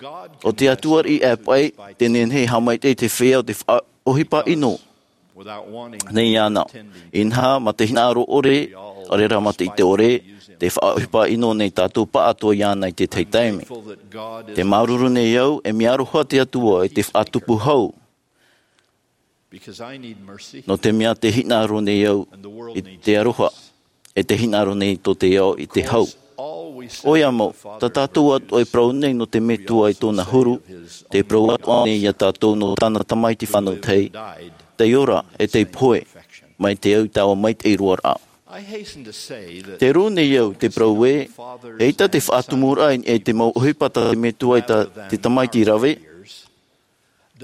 ʻo te Atua riʻi ʻāpaʻi, tē nehenehe e haʻamaitaʻi i te feiā o te faʻaʻohipa ʻino nei iāna. Inaha, mā te hinaʻaro ʻore, ʻaore rā mā te ʻite ʻore, tē faʻaʻohipa ʻino nei tātou pāʻatoʻa iāna i te tahi taime. Tē māuruuru nei au, e mea aroha te Atua i te faʻatupu hau. Nō te mea tē hinaʻaro nei au i te aroha, e tē hinaʻaro nei tō te ao i te hau. ʻOia mau, tā tātou atoʻa e parau nei nō te Metua i tōna huru, tē parau atoʻa nei ia tātou nō tāna Tamaiti fānau tahi, tei ora, e tei pohe, mai te au i taua maitaʻi roaraʻa. Tē rō nei au i te parau ē, eʻita te faʻatumuraʻa i niʻa i te mau ʻohipa tā te Metua i tā te Tamaiti i rave,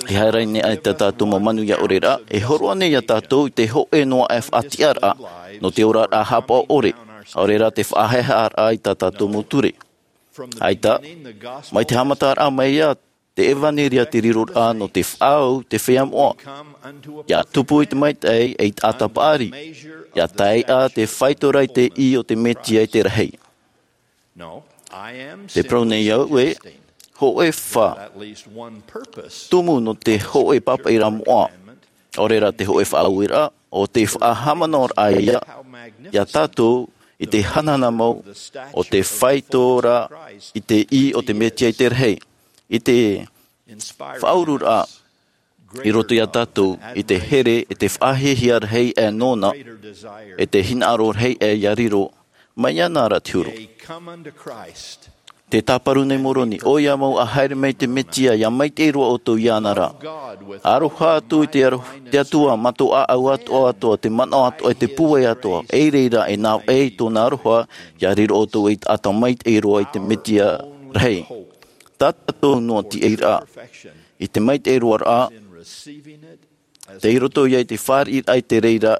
e haere nei ai tā tātou mau manuia ʻore ra, e hōroʻa nei ia tātou i te hōʻē noa aʻe faʻatiʻaraʻa, nō te oraraʻa haʻapaʻo ʻore, ʻaore rā te faʻahaehaʻaraʻa i tā tātou mau ture. ʻAita, mai te haʻamataraʻa mai ia te ʻevanelia te riroraʻa nō te faʻaau te feiā moʻa. ʻIa tupu i te maitaʻi ei taʻata paʻari, ʻia tae i te faito ra i te ʻī o te Mesia i te rahi. Tē parau nei au ē, hōʻē fā tumu nō te hōʻē pāpaʻiraʻa moʻa, ʻaore rā te hōʻē faʻaueraʻa, ʻo te faʻahaʻamanaʻoraʻa ia, ia tātou i te hanahana mau o te faito ra i te ʻī o te Mesia i te rahi, i te faʻaururaʻa i roto ia tātou i te here e te faʻahiahia rahi aʻe nōna, e te hinaʻaro rahi aʻe ʻia riro mai iāna ra te huru. Tē tāparu nei Moroni, ʻoia mau ʻa haere mai te Mesia, ʻia maitaʻi roa ʻoutou iāna ra. Aroha atu i te aro-, te Atua, mā tō ʻāʻau atoʻa, atoʻa, te manaʻo atoʻa, e te pūai atoʻa, ei reira e nāvaʻe i tōna aroha, ʻia riro ʻoutou ei taʻata maitaʻi roa i te Mesia rahi. Tā tātou noa tiʻairaʻa i te maitaʻi roaraʻa, tei roto ia i te fāriʻiraʻa i te reira,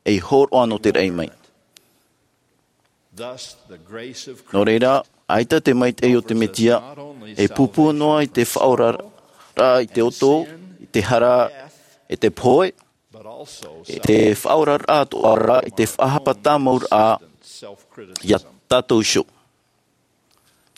ei hōroʻa nō te raʻi mai. Nō reira, ʻaita te maitaʻi o te Mesia, e pūpū noa i te faʻaoraraʻa i te ʻoto, i te hara, e te pohe, e te faʻaoraraʻa atoʻa ra i te faʻahapa tāmauraʻa ia tātou iho.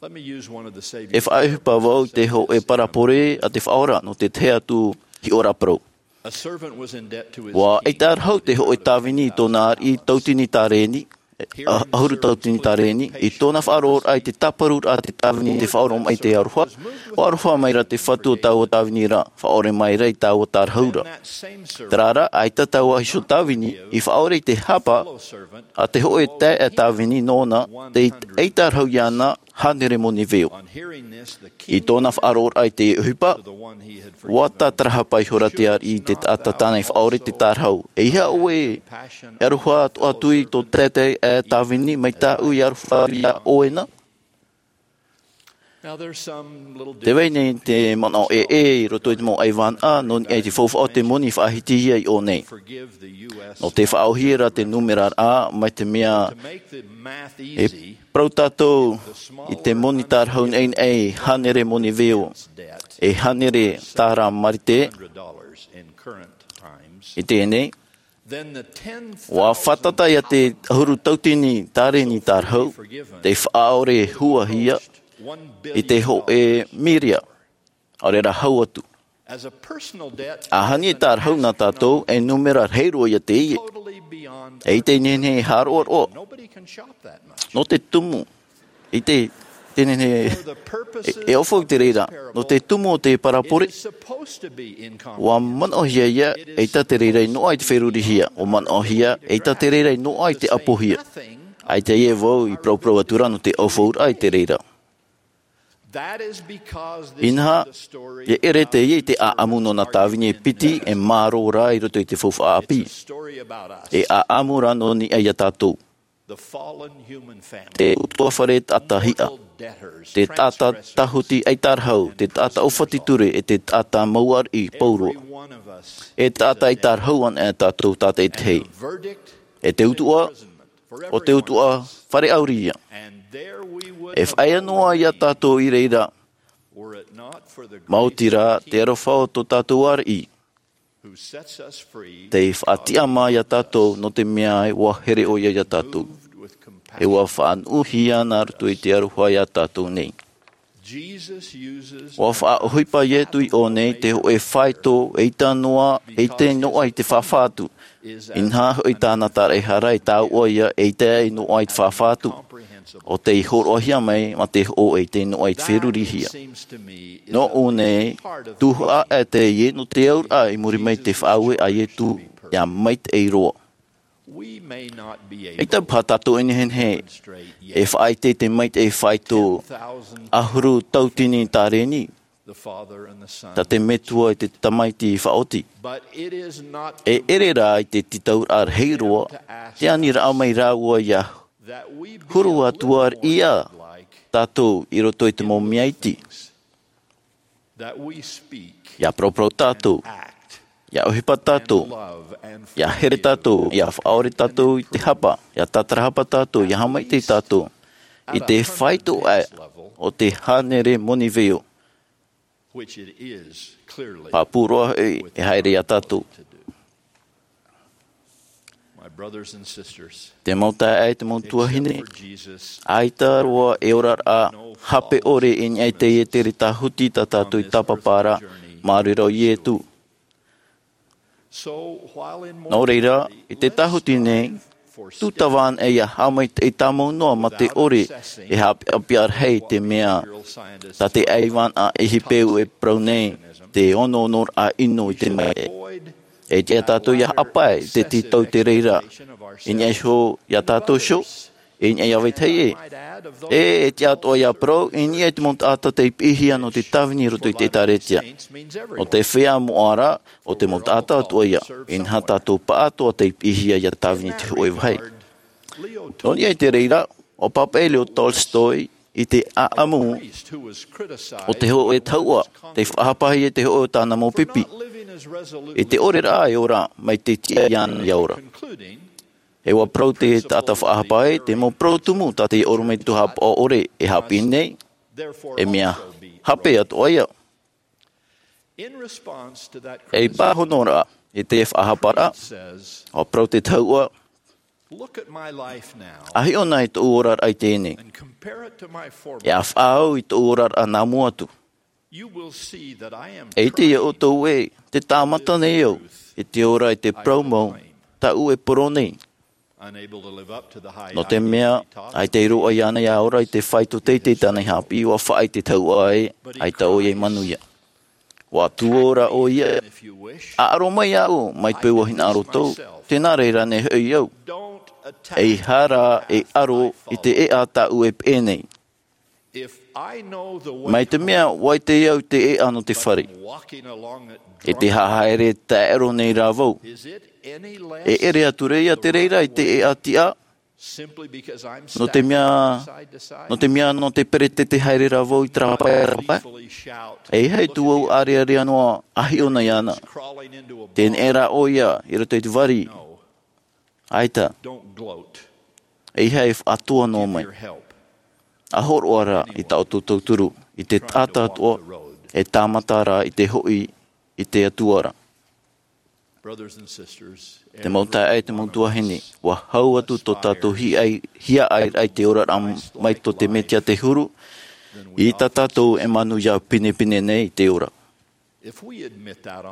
E faʻaʻohipa vau i te hōʻē parabole a te Faʻaora nō te tahi atu hiʻoraʻa parau. ʻUa ʻaita rahu te hōʻē tāvini i tōna ariʻi tautini tārēni, ʻa-, ʻahuru tautini tārēni, i tōna faʻaroʻoraʻa i te tāparuraʻa te tāvini i te faʻaoromaʻi i te aroha, ʻua aroha mai ra te fatu o taua tāvini ra, faʻaʻore mai ra i taua tārahu ra. Terā rā, ʻaita taua iho tāvini, i faʻaʻore i te hapa a te hōʻē taeaʻe tāvini nōna, tei ʻaita rahu iāna, hānere moni veo. I tōna faʻaroʻoraʻa i te ʻohipa, ʻua tātarahapa ihora te ariʻi i te taʻata tāna i faʻaʻore i te tārahu. E ʻeiaha ʻoe e aroha atu, atu i tō taeaʻe tāvini mai tāʻu i aroha iā ʻoe na? Tē vai nei te manaʻo ʻē i roto i te mau ʻaivānaʻa, nō niʻa i te faufaʻa o te moni faʻahitihia i ʻō nei. Nō te faʻaʻōhie ra te nūmeraraʻa, mai te mea e parau tātou i te moni tārahu naʻinaʻi hānere moni veo, e hānere tāra marite i teie nei, ʻua fātata ia te ʻahuru tautini tārēni tārahu, tei faʻaʻore huahia i te hōʻē miria, ʻaore rā hau atu. ʻAhani e tārahu nā tātou e nūmera rahi roa ia teie. E ʻite e nehenehe e haʻaroʻaroʻa. Nō te tumu. ʻIte, te nehenehe e, e ʻaufau te reira. Nō te tumu o te parabole, ʻua manaʻohia ia, eʻita te reira i noaʻa i te ferurihia. ʻUa manaʻohia, eʻita te reira i noaʻa i te ʻapohia. ʻAita e vau i paraparau atu ra nō te ʻaufauraʻa i te reira. Inaha, e ʻere teie i te ʻaʻamu nō nā tāvini e piti e mārō ra i roto i te faufaʻa ʻāpī. E ʻaʻamu ra nō niʻa ia tātou. Te ʻutuāfare taʻata hiʻa. Te taʻata tāhuti ʻaita rahu, te taʻata ʻōfati ture, e te taʻata mau ariʻi pauroa. E taʻata ʻaita rahu ana e tātou tātaʻitahi. E te utuʻa, ʻo te utuʻa fare ʻauri ia. E faʻaea noa ia tātou i reira. Maoti rā, te aroha o tō tātou ariʻi. Tei faʻatiʻa mai ia tātou nō te mea ē ʻua here ʻoia ia tātou. E ʻua faʻanuʻuhia nā roto i te aroha ia tātou nei. ʻUa faʻaʻohipa Ietu i ʻō nei te hōʻē faito, eʻita noa, eʻita noa i te fāfā atu. Inaha hoʻi tāna tāraʻehara e tāuʻa ia, eʻita noa i te fāfā atu. ʻO tei hōroʻahia mai, mā te hoʻo eʻita noa i te ferurihia. Nōʻu nei, tuhaʻa teie nō te auraʻa i muri mai te faʻaue a Ietu, ʻia maitaʻi roa. ʻAita paha tātou e nehenehe e faʻaʻite te maitaʻi faito ʻahuru tauatini tāreni, tā te Metua e te Tamaiti Faʻaoti. E ʻere rā i te tītauraʻa rahi roa, te aniraʻa mai rāua ʻia huru atu ia tātou i roto i te mau mea iti. ʻIa paraparau tātou, ʻia ʻohipa tātou, ʻia here tātou, ʻia faʻaʻore tātou i te hapa, ʻia tātarahapa tātou, ʻia haʻamaitaʻi tātou i te faito aʻe o te hānere moni veo. Pāpū roa hoʻi e haere ia tātou. Te mau taeaʻe, te mau tuahine, ʻaita roa e oraraʻa hape ʻore i niʻa i teie tere tāhuti tā tātou i tāpapa ra, mā reira o Ietu. Nō reira, i te tāhuti nei, tūtava ana ʻia haʻamaitaʻi tāmau noa mā te ʻore e haʻapeʻapeʻa rahi te mea, tā te ʻaivana ʻihi peu e parau nei, te onoonoraʻa ʻino i te mea. E tiʻa tātou ʻia haʻapae i te tītau te reira. I niʻa iho ia tātou iho, i niʻa ia vetahi ē. E, e tiʻa atoʻa ʻia parau, i niʻa i te mau taʻata tei piʻihia nō te tāvini i roto i te ʻĒtārētia. Nō te feiā moʻa ra, ʻo te mau taʻata atoʻa ia. Inaha tātou pāʻatoʻa tei piʻihia ʻia tāvini i te hōʻē vāhi. Nō niʻa i te reira, ʻua pāpaʻi Leo Tolstoy i te ʻaʻamu o te hōʻē tahuʻa, tei faʻahapahia e te hōʻē o tāna mau pipi. I te ʻoreraʻa e ora, mai te tiʻa iāna ʻia ora. E ʻua parau te taʻata faʻahapa ē, te mau parau tumu tā te ʻorometua haʻapaʻo ʻore e haʻapiʻi nei, e mea hape atoʻa ia. Ei pāhonoraʻa i te faʻahaparaʻa, ʻua parau te tahuʻa, ʻa hiʻo na i tōʻu oraraʻa i teie nei. ʻIa faʻaau i tōʻu oraraʻa nā mua atu. E ʻite ia ʻoutou ē, te tāmata nei au i te ora i te parau mau, tāʻu e poro nei. Nō te mea, ʻaita i roaʻa iāna ʻia ora i te faito teitei tāna i haʻapiʻi, ʻua faʻaʻite te tahuʻa ē, ʻaita ʻoia i manuia. ʻUa tuō ra ʻoia, ʻaʻaro mai iāʻu, mai te peu ʻua hinaʻaro tōʻu, tē nā reira nei hoʻi au. ʻEiaha e ʻaro i te ʻēʻa tāʻu e peʻe nei. Mai te mea, ʻua ʻite au te ʻēʻa nō te fare. E te hahaere taʻero nei rā vau. E ʻere atu ra ia te reira i te ʻēʻa tiʻa. Nō te mea, nō te mea, nō te peretete haere rā vau i terā pae, terā pae. ʻEiaha tōʻu ʻārearea noa, ʻa hiʻo na iāna. Tē neʻe ra ʻoia, i roto i te vari. ʻAita. ʻEiaha e faʻatoa noa mai. ʻA hōroʻa ra i tā ʻoutou tauturu, i te taʻata atoʻa, e tāmata ra i te hoʻi i te Atua ra. Te mau taeaʻe, te mau tuahine, ʻua hau atu tō tātou hiaʻai, hiaʻai i te oraraʻa mai tō te Mesia te Huru, i tā tātou e manuia pinepine nei i te ora.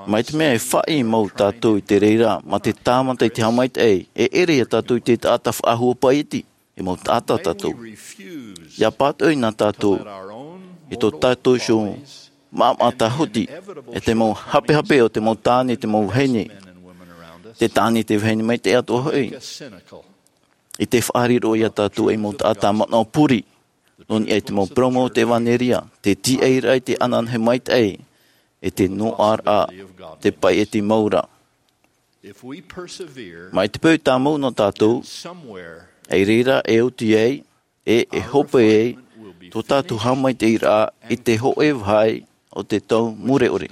Mai te mea e faʻaʻī mau tātou i te reira mā te tāmata i te haʻamaitaʻi, e ʻere ia tātou i te taʻata faʻahuapaʻi iti, e mau taʻata tātou. ʻIa pātoʻi nā tātou, e tō tātou iho māʻamaʻa tāhuti, e te mau hapehape o te mau tāne, te mau vahine, te tāne, te vahine maitaʻi atoʻa hoʻi. I te faʻariro ia tātou ei mau taʻata manaʻo puri, nō niʻa i te mau parau mau o te ʻevanelia, te tīaʻiraʻa i te ananahi maitaʻi, e te noaʻaraʻa, te paieti mau ra. Mai te peu tāmau nō tātou, e reira e oti ai, e, e hope ai, tō tātou haʻamaitaʻiraʻa i te hōʻē vāhi o te tau mure ʻore.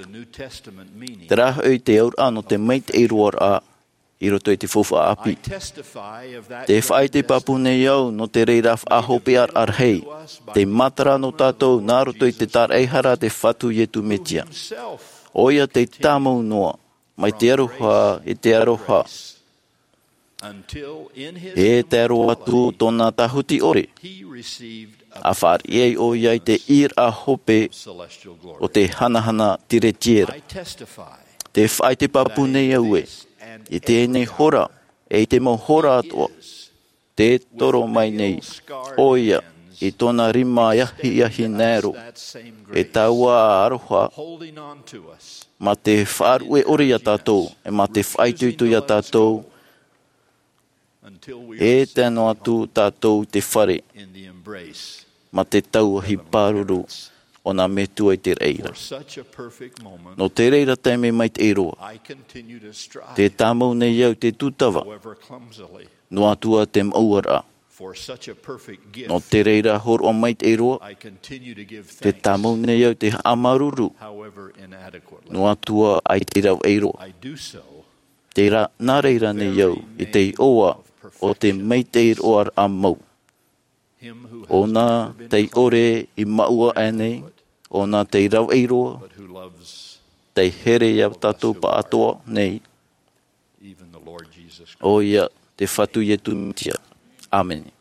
Terā hoʻi te auraʻa nō te maitaʻi roa ra, i roto i te faufaʻa ʻāpī. Te faʻaʻite pāpū nei au nō te reira faʻahopeʻaraʻa rahi, te matara nō tātou nā roto i te tāraʻehara a te Fatu Iesu Mesia. ʻOia te tāmau noa, mai te aroha i te aroha. E tae roa atu tōna tāhuti ʻore, ʻa fāriʻi ai ʻoia i te ʻīraʻa hope o te hanahana tiretiera. Te faʻaʻite pāpū nei au ē, i teie nei hora, e i te mau hora atoʻa, te toro mai nei, ʻoia, i tōna rima ahiahi nero, e taua aroha, mā te faʻaruʻe ʻore ia tātou, e mā te faʻaitoito ia tātou, e tae noa atu tātou i te fare, mā te tauahi pāruru o nā metua i te reira. Nō te reira taime maitaʻi roa, te tāmau nei au te tūtava, noa atu ā te mau ʻaraʻa. Nō te reira hōroʻa maitaʻi roa, te tāmau nei au te haʻamāuruuru, noa atu ā ʻaita i rave roa. Te ra-, nā reira nei au i te iʻoa o te maitaʻi roa mau. ʻOna tei ʻore i māʻua aʻe nei, ʻona tei rave roa, tei here ia tātou pāʻatoʻa nei, ʻoia te Fatu Iesu Mesia. ʻĀmene.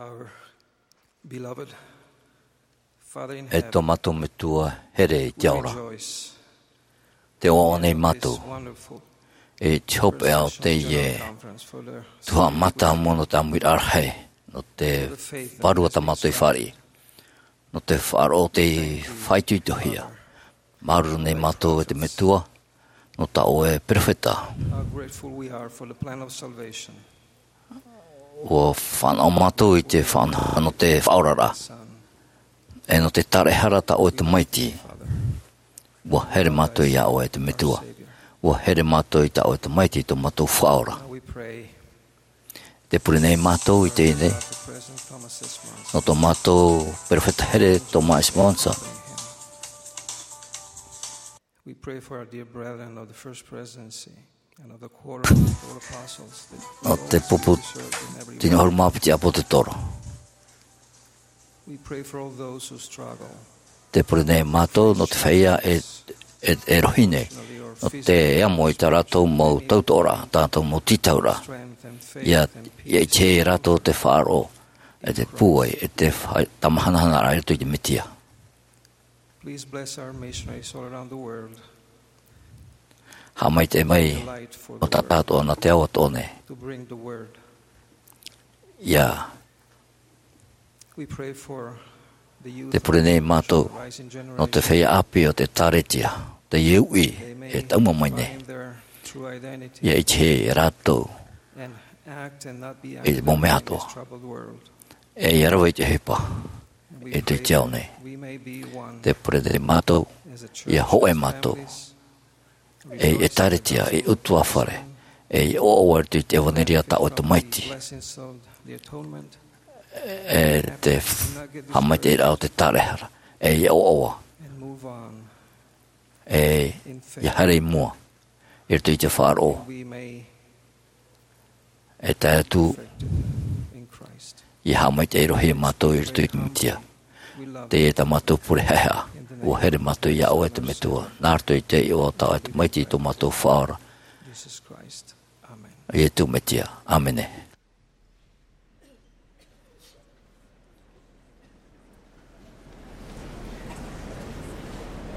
Our beloved Father in E tō heaven, mātou Metua here i te ao ra. Rejoice Te ʻoaʻoa nei mātou. Wonderful E te hopeʻa o teie conference for the tuhaʻa mātāmua nō te ʻāmuiraʻa rahi, nō te vārua tā mātou i fāriʻi, nō te faʻaroʻo tei faʻaitoitohia. Māuruuru nei mātou e te Metua, nō tā ʻoe perofeta. How grateful we are for the plan of salvation. ʻUa fānaʻo mātou i te fānaʻo nō te faʻaoraraʻa. E nō te taraehara tā ʻoe tamaiti. ʻUa here mātou iā ʻoe te Metua. ʻUa here mātou i tā ʻoe tamaiti tō mātou faʻaora. Now we pray Te pure nei mātou i teie nei. President Thomas S. Monson. Nō tō mātou perofeta here Thomas S. Monson. We pray for our dear brethren of the First Presidency and of the Quorum of the Four Apostles, that we Nō te always pupu serve in every tino way. ʻahuru mā piti ʻāpōsetolo. We pray for all those who struggle. Te pure nei mātou nō te feiā e, e, e rohi nei. Nō te amo i tā rātou mau tautoʻoraʻa, tā rātou mau tītauraʻa. Strength and faith ʻIa, and ʻia peace. ʻIte ai rātou te faʻaroʻo, e te pūai, e te fa-, tāmāhanahanaraʻa i roto i te Mesia. Please bless our missionaries all around the world. Haʻamaitaʻi mai, Delight for o the tā word. Tātou nā te ao atoʻa nei. To bring the word. ʻIa. We pray for the youth Te pure nei mātou, of the rising generation. Nō te feiā ʻāpī o te ʻĒtārētia, te uʻi, They may e tauma mai nei. Find their true identity ʻIa ʻite ai rātou, and act and not be i te mau mea acting in atoʻa. This troubled world. E ʻia rave i te ʻohipa, And we i te pray te ao nei. We may be one Te pure nei mātou, as a church, ʻia hōʻē mātou. Families, e, e ʻĒtārētia, e ʻutuāfare, e ʻoaʻoa i roto i te ʻevanelia tā ʻoe tamaiti. E te f-, haʻamaitaʻiraʻa o te taraehara, e ʻoaʻoa, e ʻia haere i mua, i roto i te faʻaroʻo. E tae atu, ʻia haʻamaitaʻi rohi mātou i roto i te Mesia. Teie tā mātou pure haʻehaʻa, ʻua here mātou iā ʻoe te Metua, nā roto i te iʻoa o tā ʻoe tamaiti tō mātou faʻaora. Iesu Mesia. ʻĀmene.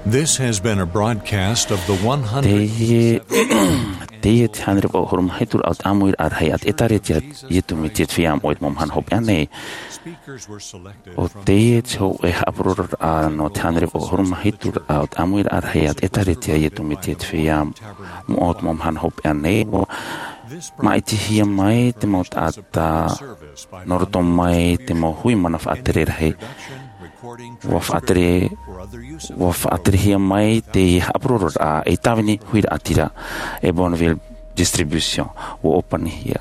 This has been a broadcast of the one hundred. Teie, teie te hānere vaʻu ʻahuru mā hitu ra o te ʻāmuiraʻa rahi a te ʻĒtārētia Iesu Mesia te Feiā Moʻa i te Mau Mahana Hopeʻa nei. ʻO teie te hōʻē haʻapurororaʻa nō te hānere vaʻu ʻahuru mā hitu ra o te ʻāmuiraʻa rahi a te ʻĒtārētia Iesu Mesia te Feiā Moʻa i te Mau Mahana Hopeʻa nei. ʻUa māʻitihia mai te mau taʻata nō roto mai te mau hui mana faʻatere rahi. ʻUa faʻatere, ʻua faʻaterehia mai te haʻapurororaʻa e tāvini huiraʻatira e Bonneville Distribution. ʻUa ʻōpanihia.